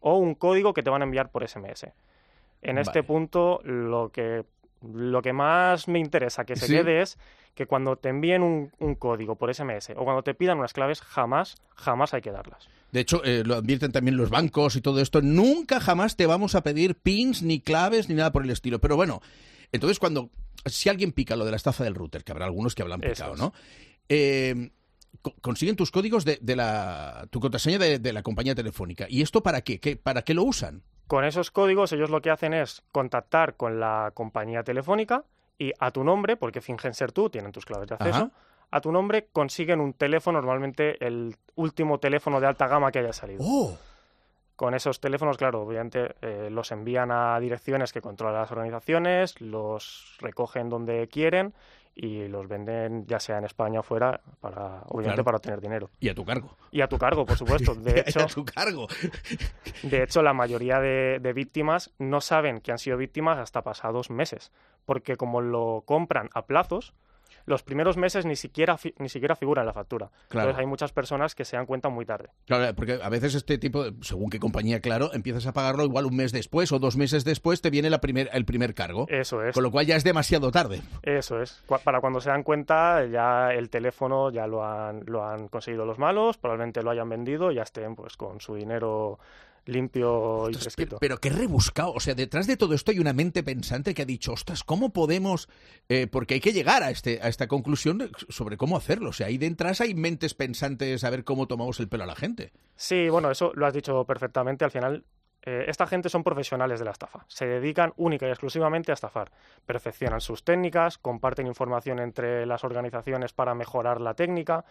[SPEAKER 18] o un código que te van a enviar por ese eme ese. En este
[SPEAKER 3] Vale.
[SPEAKER 18] punto, lo que, lo que más me interesa que se
[SPEAKER 3] ¿Sí?
[SPEAKER 18] quede es que cuando te envíen un, un código por ese eme ese o cuando te pidan unas claves, jamás, jamás hay que darlas.
[SPEAKER 3] De hecho, eh, lo advierten también los bancos y todo esto. Nunca jamás te vamos a pedir pins, ni claves, ni nada por el estilo. Pero bueno, entonces cuando... Si alguien pica lo de la estafa del router, que habrá algunos que habrán picado,
[SPEAKER 18] es.
[SPEAKER 3] ¿no? Eh, co- consiguen tus códigos de, de la... tu contraseña de, de la compañía telefónica. ¿Y esto para qué? ¿Qué? ¿Para qué lo usan?
[SPEAKER 18] Con esos códigos ellos lo que hacen es contactar con la compañía telefónica y a tu nombre, porque fingen ser tú, tienen tus claves de acceso,
[SPEAKER 3] Ajá.
[SPEAKER 18] a tu nombre consiguen un teléfono, normalmente el último teléfono de alta gama que haya salido.
[SPEAKER 3] ¡Oh!
[SPEAKER 18] Con esos teléfonos, claro, obviamente eh, los envían a direcciones que controlan las organizaciones, los recogen donde quieren y los venden ya sea en España o fuera, para, obviamente
[SPEAKER 3] Claro.
[SPEAKER 18] para obtener dinero.
[SPEAKER 3] Y a tu cargo.
[SPEAKER 18] Y a tu cargo, por supuesto. De hecho,
[SPEAKER 3] a tu cargo.
[SPEAKER 18] De hecho, la mayoría de, de víctimas no saben que han sido víctimas hasta pasados meses, porque como lo compran a plazos, los primeros meses ni siquiera fi- ni siquiera figura en la factura.
[SPEAKER 3] Claro.
[SPEAKER 18] Entonces hay muchas personas que se dan cuenta muy tarde.
[SPEAKER 3] Claro, porque a veces este tipo, según qué compañía, claro, empiezas a pagarlo igual un mes después o dos meses después te viene la primer, el primer cargo.
[SPEAKER 18] Eso es.
[SPEAKER 3] Con lo cual ya es demasiado tarde.
[SPEAKER 18] Eso es. Cu- Para cuando se dan cuenta, ya el teléfono ya lo han, lo han conseguido los malos, probablemente lo hayan vendido y ya estén pues con su dinero limpio y fresquito.
[SPEAKER 3] Pero qué rebuscado. O sea, detrás de todo esto hay una mente pensante que ha dicho, ostras, ¿cómo podemos...? Eh, porque hay que llegar a, este, a esta conclusión sobre cómo hacerlo. O sea, ahí detrás hay mentes pensantes a ver cómo tomamos el pelo a la gente.
[SPEAKER 18] Sí, bueno, eso lo has dicho perfectamente. Al final, eh, esta gente son profesionales de la estafa. Se dedican única y exclusivamente a estafar. Perfeccionan sus técnicas, comparten información entre las organizaciones para mejorar la técnica.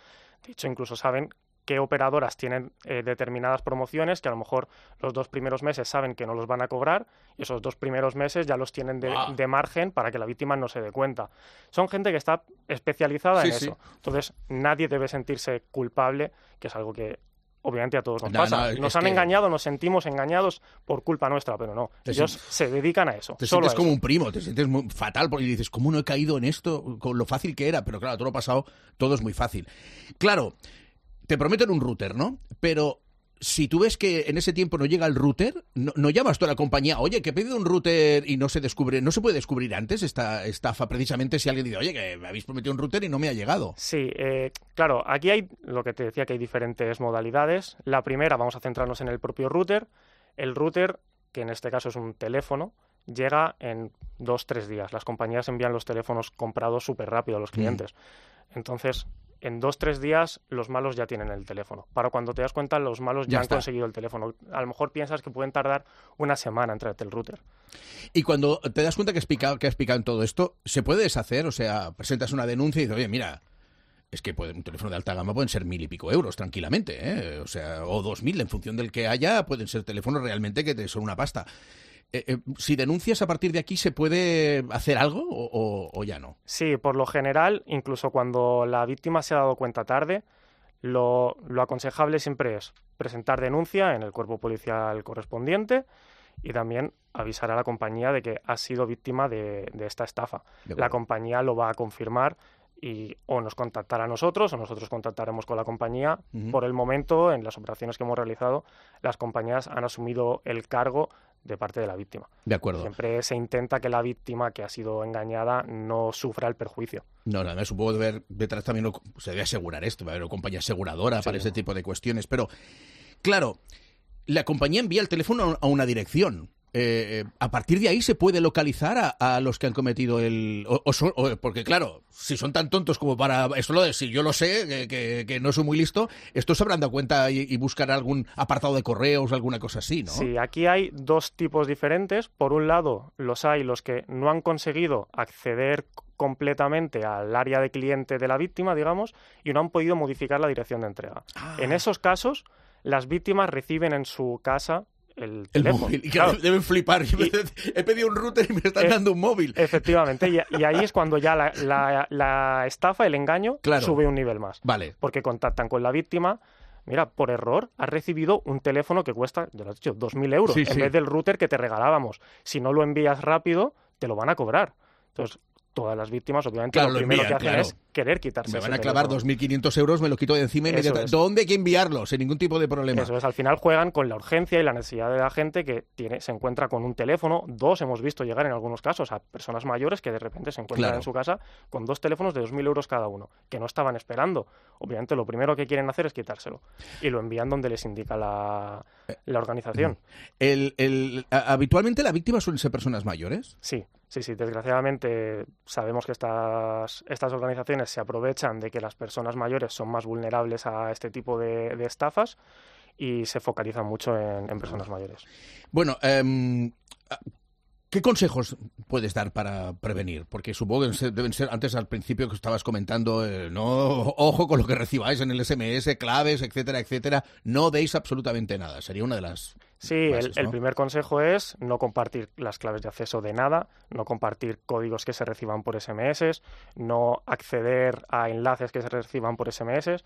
[SPEAKER 18] De hecho, incluso saben qué operadoras tienen eh, determinadas promociones que a lo mejor los dos primeros meses saben que no los van a cobrar y esos dos primeros meses ya los tienen de, wow. de margen para que la víctima no se dé cuenta. Son gente que está especializada sí, en sí. eso. Entonces, nadie debe sentirse culpable, que es algo que obviamente a todos nos no, pasa. No, nos han que... engañado, nos sentimos engañados por culpa nuestra, pero no. Te Ellos sientes... se dedican a eso.
[SPEAKER 3] Te
[SPEAKER 18] solo
[SPEAKER 3] sientes
[SPEAKER 18] a
[SPEAKER 3] como
[SPEAKER 18] eso.
[SPEAKER 3] un primo, te sientes muy fatal porque dices, ¿cómo no he caído en esto? Con lo fácil que era. Pero claro, todo lo pasado, todo es muy fácil. Claro, te prometen un router, ¿no? Pero si tú ves que en ese tiempo no llega el router, no, no llamas tú a la compañía, oye, que he pedido un router y no se descubre, no se puede descubrir antes esta estafa, precisamente si alguien dice, oye, que me habéis prometido un router y no me ha llegado.
[SPEAKER 18] Sí, eh, claro, aquí hay lo que te decía, que hay diferentes modalidades. La primera, vamos a centrarnos en el propio router. El router, que en este caso es un teléfono, llega en dos, tres días. Las compañías envían los teléfonos comprados súper rápido a los clientes. Mm. Entonces, en dos, tres días los malos ya tienen el teléfono. Para cuando te das cuenta, los malos ya, ya han está. conseguido el teléfono. A lo mejor piensas que pueden tardar una semana en traerte el router.
[SPEAKER 3] Y cuando te das cuenta que has picado, que has picado en todo esto, ¿se puede deshacer? O sea, presentas una denuncia y dices, oye, mira, es que puede, un teléfono de alta gama pueden ser mil y pico euros tranquilamente, ¿eh? O sea, o dos mil, en función del que haya, pueden ser teléfonos realmente que te son una pasta. Eh, eh, si denuncias a partir de aquí, ¿se puede hacer algo o, o, o ya no?
[SPEAKER 18] Sí, por lo general, incluso cuando la víctima se ha dado cuenta tarde, lo, lo aconsejable siempre es presentar denuncia en el cuerpo policial correspondiente y también avisar a la compañía de que ha sido víctima de, de esta estafa. La compañía lo va a confirmar y o nos contactará a nosotros o nosotros contactaremos con la compañía. Uh-huh. Por el momento, en las operaciones que hemos realizado, las compañías han asumido el cargo de parte de la víctima.
[SPEAKER 3] De acuerdo.
[SPEAKER 18] Siempre se intenta que la víctima que ha sido engañada no sufra el perjuicio.
[SPEAKER 3] No, nada, me supongo de ver detrás también lo, se debe asegurar esto, va a haber una compañía aseguradora sí. para este tipo de cuestiones, pero claro, la compañía envía el teléfono a una dirección. Eh, a partir de ahí se puede localizar a, a los que han cometido el... O, o son, o, porque claro, si son tan tontos como para... Esto lo de si yo lo sé, que, que, que no soy muy listo, estos se habrán dado cuenta y, y buscar algún apartado de correos, alguna cosa así, ¿no?
[SPEAKER 18] Sí, aquí hay dos tipos diferentes. Por un lado, los hay los que no han conseguido acceder completamente al área de cliente de la víctima, digamos, y no han podido modificar la dirección de entrega. Ah. En esos casos, las víctimas reciben en su casa el teléfono.
[SPEAKER 3] El móvil. Y claro, deben flipar. Y, he pedido un router y me están eh, dando un móvil.
[SPEAKER 18] Efectivamente. Y, y ahí es cuando ya la, la, la estafa, el engaño, claro. sube un nivel más.
[SPEAKER 3] Vale.
[SPEAKER 18] Porque contactan con la víctima. Mira, por error has recibido un teléfono que cuesta, ya lo has dicho, dos mil euros. Sí, en sí. vez del router que te regalábamos. Si no lo envías rápido, te lo van a cobrar. Entonces, todas las víctimas, obviamente,
[SPEAKER 3] claro,
[SPEAKER 18] lo primero
[SPEAKER 3] lo envían,
[SPEAKER 18] que hacen
[SPEAKER 3] claro.
[SPEAKER 18] es querer quitarse.
[SPEAKER 3] Me van a clavar dos mil quinientos euros, me lo quito de encima inmediatamente. ¿Dónde hay que enviarlo? Sin ningún tipo de problema.
[SPEAKER 18] Eso es, al final juegan con la urgencia y la necesidad de la gente que tiene, se encuentra con un teléfono. Dos hemos visto llegar en algunos casos a personas mayores que de repente se encuentran claro. en su casa con dos teléfonos de dos mil euros cada uno, que no estaban esperando. Obviamente, lo primero que quieren hacer es quitárselo. Y lo envían donde les indica la, la organización.
[SPEAKER 3] El, el, ¿Habitualmente la víctima suelen ser personas mayores?
[SPEAKER 18] Sí. Sí, sí, desgraciadamente sabemos que estas, estas organizaciones se aprovechan de que las personas mayores son más vulnerables a este tipo de, de estafas y se focalizan mucho en, en personas mayores.
[SPEAKER 3] Bueno, eh, ¿qué consejos puedes dar para prevenir? Porque supongo que deben ser, antes al principio que estabas comentando, eh, no, ojo con lo que recibáis en el ese eme ese, claves, etcétera, etcétera. No deis absolutamente nada. Sería una de las...
[SPEAKER 18] Sí,
[SPEAKER 3] bases,
[SPEAKER 18] el,
[SPEAKER 3] ¿no?
[SPEAKER 18] el primer consejo es no compartir las claves de acceso de nada, no compartir códigos que se reciban por ese eme ese, no acceder a enlaces que se reciban por ese eme ese,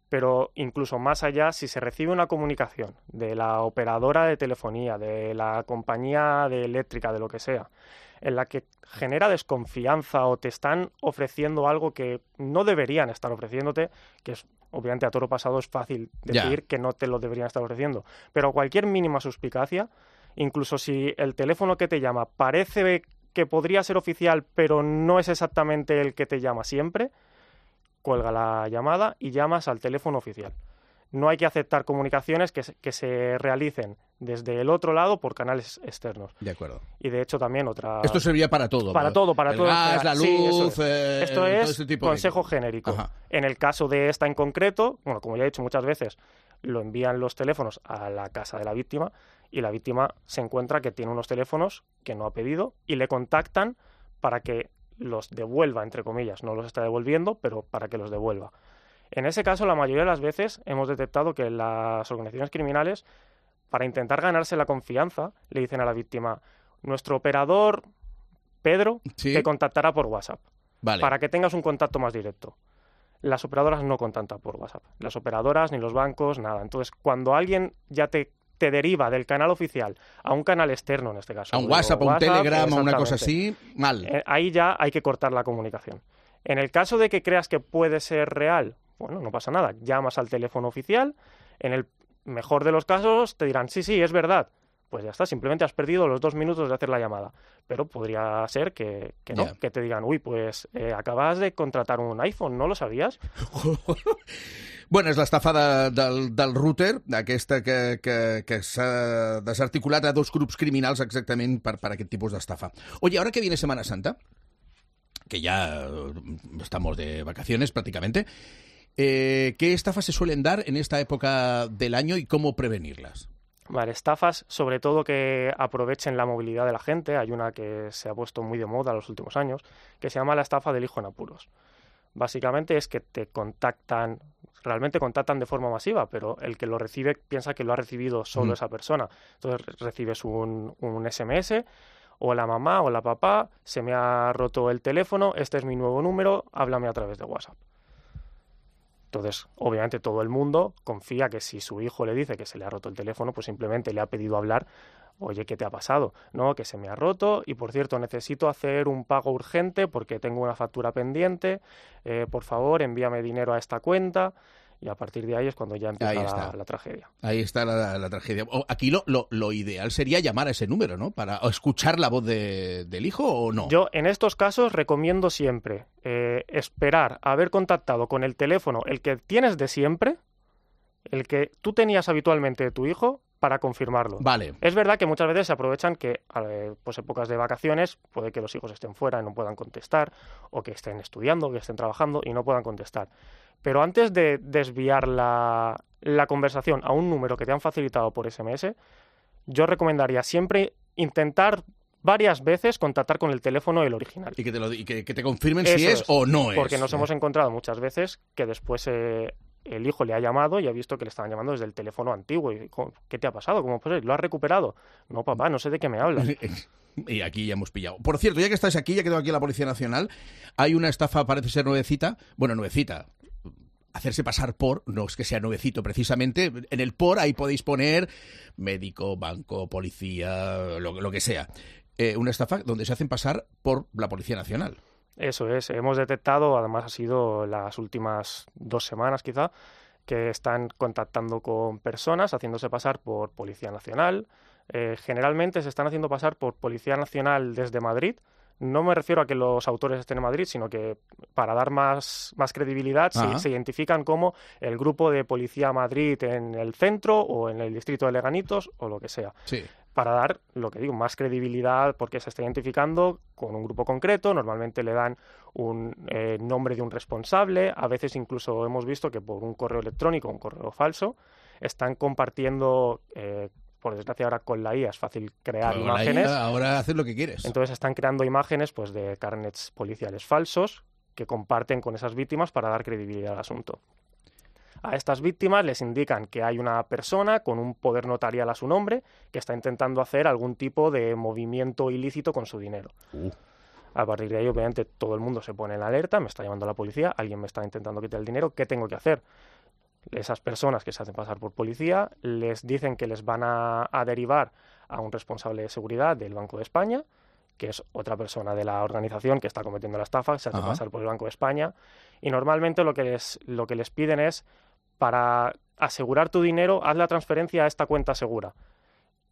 [SPEAKER 18] pero incluso más allá, si se recibe una comunicación de la operadora de telefonía, de la compañía de eléctrica, de lo que sea, en la que genera desconfianza o te están ofreciendo algo que no deberían estar ofreciéndote, que es obviamente a toro pasado es fácil decir ya. que no te lo deberían estar ofreciendo, pero cualquier mínima suspicacia, incluso si el teléfono que te llama parece que podría ser oficial, pero no es exactamente el que te llama siempre, cuelga la llamada y llamas al teléfono oficial. No hay que aceptar comunicaciones que se, que se realicen desde el otro lado por canales externos.
[SPEAKER 3] De acuerdo.
[SPEAKER 18] Y de hecho también otra...
[SPEAKER 3] Esto servía para todo.
[SPEAKER 18] Para todo, para
[SPEAKER 3] el
[SPEAKER 18] todo.
[SPEAKER 3] Gas, la luz...
[SPEAKER 18] Sí, es.
[SPEAKER 3] Eh,
[SPEAKER 18] Esto es
[SPEAKER 3] este tipo
[SPEAKER 18] consejo
[SPEAKER 3] de...
[SPEAKER 18] genérico.
[SPEAKER 3] Ajá.
[SPEAKER 18] En el caso de esta en concreto, bueno, como ya he dicho muchas veces, lo envían los teléfonos a la casa de la víctima y la víctima se encuentra que tiene unos teléfonos que no ha pedido y le contactan para que los devuelva, entre comillas. No los está devolviendo, pero para que los devuelva. En ese caso, la mayoría de las veces hemos detectado que las organizaciones criminales, para intentar ganarse la confianza, le dicen a la víctima, nuestro operador Pedro
[SPEAKER 3] ¿Sí?
[SPEAKER 18] te contactará por WhatsApp,
[SPEAKER 3] vale.
[SPEAKER 18] para que tengas un contacto más directo. Las operadoras no contactan por WhatsApp. Las operadoras, ni los bancos, nada. Entonces, cuando alguien ya te, te deriva del canal oficial a un canal externo, en este caso.
[SPEAKER 3] A un WhatsApp, a un Telegram, a una cosa así, mal.
[SPEAKER 18] Eh, ahí ya hay que cortar la comunicación. En el caso de que creas que puede ser real, bueno, no pasa nada. Llamas al teléfono oficial. En el mejor de los casos te dirán, sí, sí, es verdad. Pues ya está, simplemente has perdido los dos minutos de hacer la llamada. Pero podría ser que, que no, yeah. que te digan, uy, pues eh, acabas de contratar un iPhone, ¿no lo sabías?
[SPEAKER 3] Bueno, és l'estafa de, del, del router, aquesta que, que, que s'ha desarticulat a dos grups criminals exactament per, per aquest tipus d'estafa. Oye, ahora que viene Semana Santa, que ya estamos de vacaciones prácticamente, Eh, ¿qué estafas se suelen dar en esta época del año y cómo prevenirlas?
[SPEAKER 18] Vale, estafas, sobre todo que aprovechen la movilidad de la gente. Hay una que se ha puesto muy de moda en los últimos años, que se llama la estafa del hijo en apuros. Básicamente es que te contactan, realmente contactan de forma masiva, pero el que lo recibe piensa que lo ha recibido solo mm. esa persona. Entonces recibes un, un ese eme ese, o la mamá o la papá, se me ha roto el teléfono, este es mi nuevo número, háblame a través de WhatsApp. Entonces, obviamente, todo el mundo confía que si su hijo le dice que se le ha roto el teléfono, pues simplemente le ha pedido hablar, oye, ¿qué te ha pasado? No, que se me ha roto y, por cierto, necesito hacer un pago urgente porque tengo una factura pendiente, eh, por favor, envíame dinero a esta cuenta. Y a partir de ahí es cuando ya empieza la, la tragedia.
[SPEAKER 3] Ahí está la, la tragedia. Aquí lo, lo, lo ideal sería llamar a ese número, ¿no? Para escuchar la voz de, del hijo, ¿o no?
[SPEAKER 18] Yo en estos casos recomiendo siempre eh, esperar a haber contactado con el teléfono, el que tienes de siempre, el que tú tenías habitualmente de tu hijo, para confirmarlo.
[SPEAKER 3] Vale.
[SPEAKER 18] Es verdad que muchas veces se aprovechan que, eh, pues épocas de vacaciones, puede que los hijos estén fuera y no puedan contestar, o que estén estudiando, que estén trabajando y no puedan contestar. Pero antes de desviar la, la conversación a un número que te han facilitado por ese eme ese, yo recomendaría siempre intentar varias veces contactar con el teléfono el original.
[SPEAKER 3] Y que te, lo, y que, que te confirmen Eso si es, es o no es.
[SPEAKER 18] Porque nos hemos encontrado muchas veces que después eh, el hijo le ha llamado y ha visto que le estaban llamando desde el teléfono antiguo. Y, ¿qué te ha pasado? ¿Cómo puede ser? ¿Lo has recuperado? No, papá, no sé de qué me hablas.
[SPEAKER 3] Y aquí ya hemos pillado. Por cierto, ya que estás aquí, ya que tengo aquí a la Policía Nacional, hay una estafa, parece ser nuevecita, bueno, nuevecita, hacerse pasar por, no es que sea nuevecito precisamente, en el por ahí podéis poner médico, banco, policía, lo, lo que sea. Eh, una estafa donde se hacen pasar por la Policía Nacional.
[SPEAKER 18] Eso es, hemos detectado, además ha sido las últimas dos semanas quizá, que están contactando con personas, haciéndose pasar por Policía Nacional. Eh, generalmente se están haciendo pasar por Policía Nacional desde Madrid. No me refiero a que los autores estén en Madrid, sino que para dar más, más credibilidad se, se identifican como el grupo de Policía Madrid en el centro o en el distrito de Leganitos o lo que sea.
[SPEAKER 3] Sí.
[SPEAKER 18] Para dar, lo que digo, más credibilidad porque se está identificando con un grupo concreto. Normalmente le dan un eh, nombre de un responsable. A veces incluso hemos visto que por un correo electrónico, un correo falso, están compartiendo... Eh, por desgracia ahora con la I A es fácil crear
[SPEAKER 3] Pero
[SPEAKER 18] imágenes.
[SPEAKER 3] La I A ahora haces lo que quieres.
[SPEAKER 18] Entonces están creando imágenes pues de carnets policiales falsos que comparten con esas víctimas para dar credibilidad al asunto. A estas víctimas les indican que hay una persona con un poder notarial a su nombre que está intentando hacer algún tipo de movimiento ilícito con su dinero. Uh. A partir de ahí, obviamente, todo el mundo se pone en alerta, me está llamando la policía, alguien me está intentando quitar el dinero, ¿qué tengo que hacer? Esas personas que se hacen pasar por policía les dicen que les van a, a derivar a un responsable de seguridad del Banco de España, que es otra persona de la organización que está cometiendo la estafa, se hace Ajá. pasar por el Banco de España, y normalmente lo que les, lo que les piden es, para asegurar tu dinero, haz la transferencia a esta cuenta segura.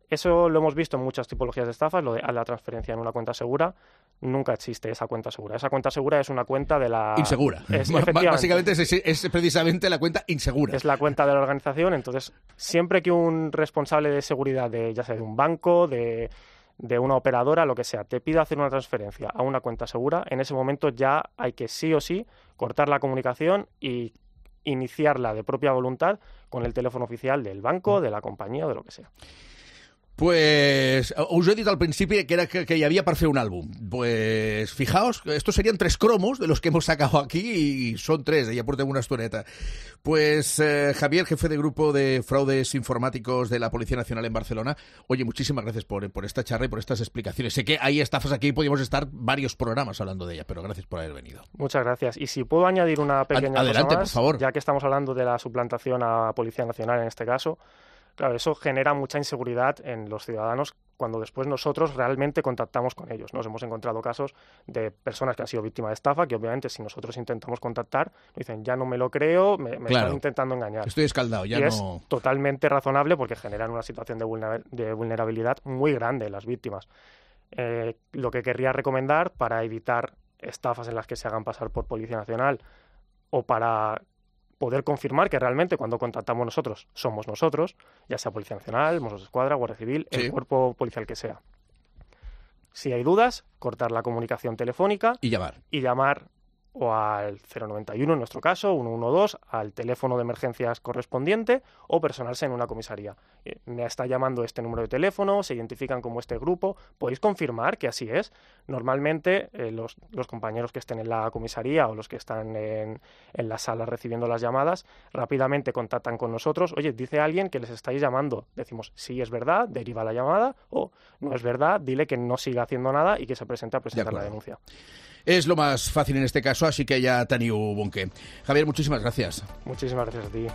[SPEAKER 18] Eso lo hemos visto en muchas tipologías de estafas, lo de haz la transferencia en una cuenta segura. Nunca existe esa cuenta segura. Esa cuenta segura es una cuenta de la...
[SPEAKER 3] Insegura.
[SPEAKER 18] Es,
[SPEAKER 3] Básicamente es, es precisamente la cuenta insegura.
[SPEAKER 18] Es la cuenta de la organización. Entonces, siempre que un responsable de seguridad, de ya sea de un banco, de, de una operadora, lo que sea, te pida hacer una transferencia a una cuenta segura, en ese momento ya hay que sí o sí cortar la comunicación y iniciarla de propia voluntad con el teléfono oficial del banco, de la compañía o de lo que sea.
[SPEAKER 3] Pues us he dit al principi que, era que, que hi havia per fer un àlbum. Pues fijaos, estos serían tres cromos de los que hemos sacado aquí y son tres, ya portem una estoneta. Pues eh, Javier, jefe de grupo de fraudes informáticos de la Policía Nacional en Barcelona, oye, muchísimas gracias por, por esta charla y por estas explicaciones. Sé que hay estafas aquí y podríamos estar varios programas hablando de ella, pero gracias por haber venido.
[SPEAKER 18] Muchas gracias. Y si puedo añadir una pequeña
[SPEAKER 3] Adelante,
[SPEAKER 18] cosa más,
[SPEAKER 3] por favor.
[SPEAKER 18] Ya que estamos hablando de la suplantación a Policía Nacional en este caso, claro, eso genera mucha inseguridad en los ciudadanos cuando después nosotros realmente contactamos con ellos. Nos hemos encontrado casos de personas que han sido víctimas de estafa, que obviamente si nosotros intentamos contactar, dicen, ya no me lo creo, me, me
[SPEAKER 3] claro.
[SPEAKER 18] están intentando engañar.
[SPEAKER 3] Estoy escaldado, ya
[SPEAKER 18] y
[SPEAKER 3] no...
[SPEAKER 18] es totalmente razonable porque generan una situación de, vulner- de vulnerabilidad muy grande en las víctimas. Eh, lo que querría recomendar para evitar estafas en las que se hagan pasar por Policía Nacional o para poder confirmar que realmente cuando contactamos nosotros somos nosotros, ya sea Policía Nacional, Mossos d'Esquadra, Guardia Civil, sí. el cuerpo policial que sea. Si hay dudas, cortar la comunicación telefónica
[SPEAKER 3] y llamar.
[SPEAKER 18] Y llamar o al cero noventa y uno, en nuestro caso, ciento doce, al teléfono de emergencias correspondiente o personarse en una comisaría. Eh, me está llamando este número de teléfono, se identifican como este grupo. ¿Podéis confirmar que así es? Normalmente eh, los, los compañeros que estén en la comisaría o los que están en, en la sala recibiendo las llamadas rápidamente contactan con nosotros. Oye, dice alguien que les estáis llamando. Decimos, sí, es verdad, deriva la llamada, o no es verdad, dile que no siga haciendo nada y que se presente a presentar la denuncia.
[SPEAKER 3] Es lo más fácil en este caso, así que ya teniu bon què. Javier, muchísimas gracias.
[SPEAKER 18] Muchísimas gracias a ti.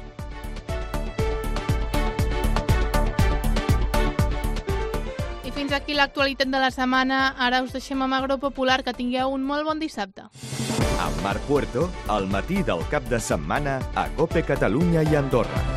[SPEAKER 2] I fins aquí l'actualitat de la setmana. Ara us deixem amb Agro Popular. Que tingueu un molt bon dissabte.
[SPEAKER 1] Amb Marc Puerto, al matí del cap de setmana a COPE Catalunya i Andorra.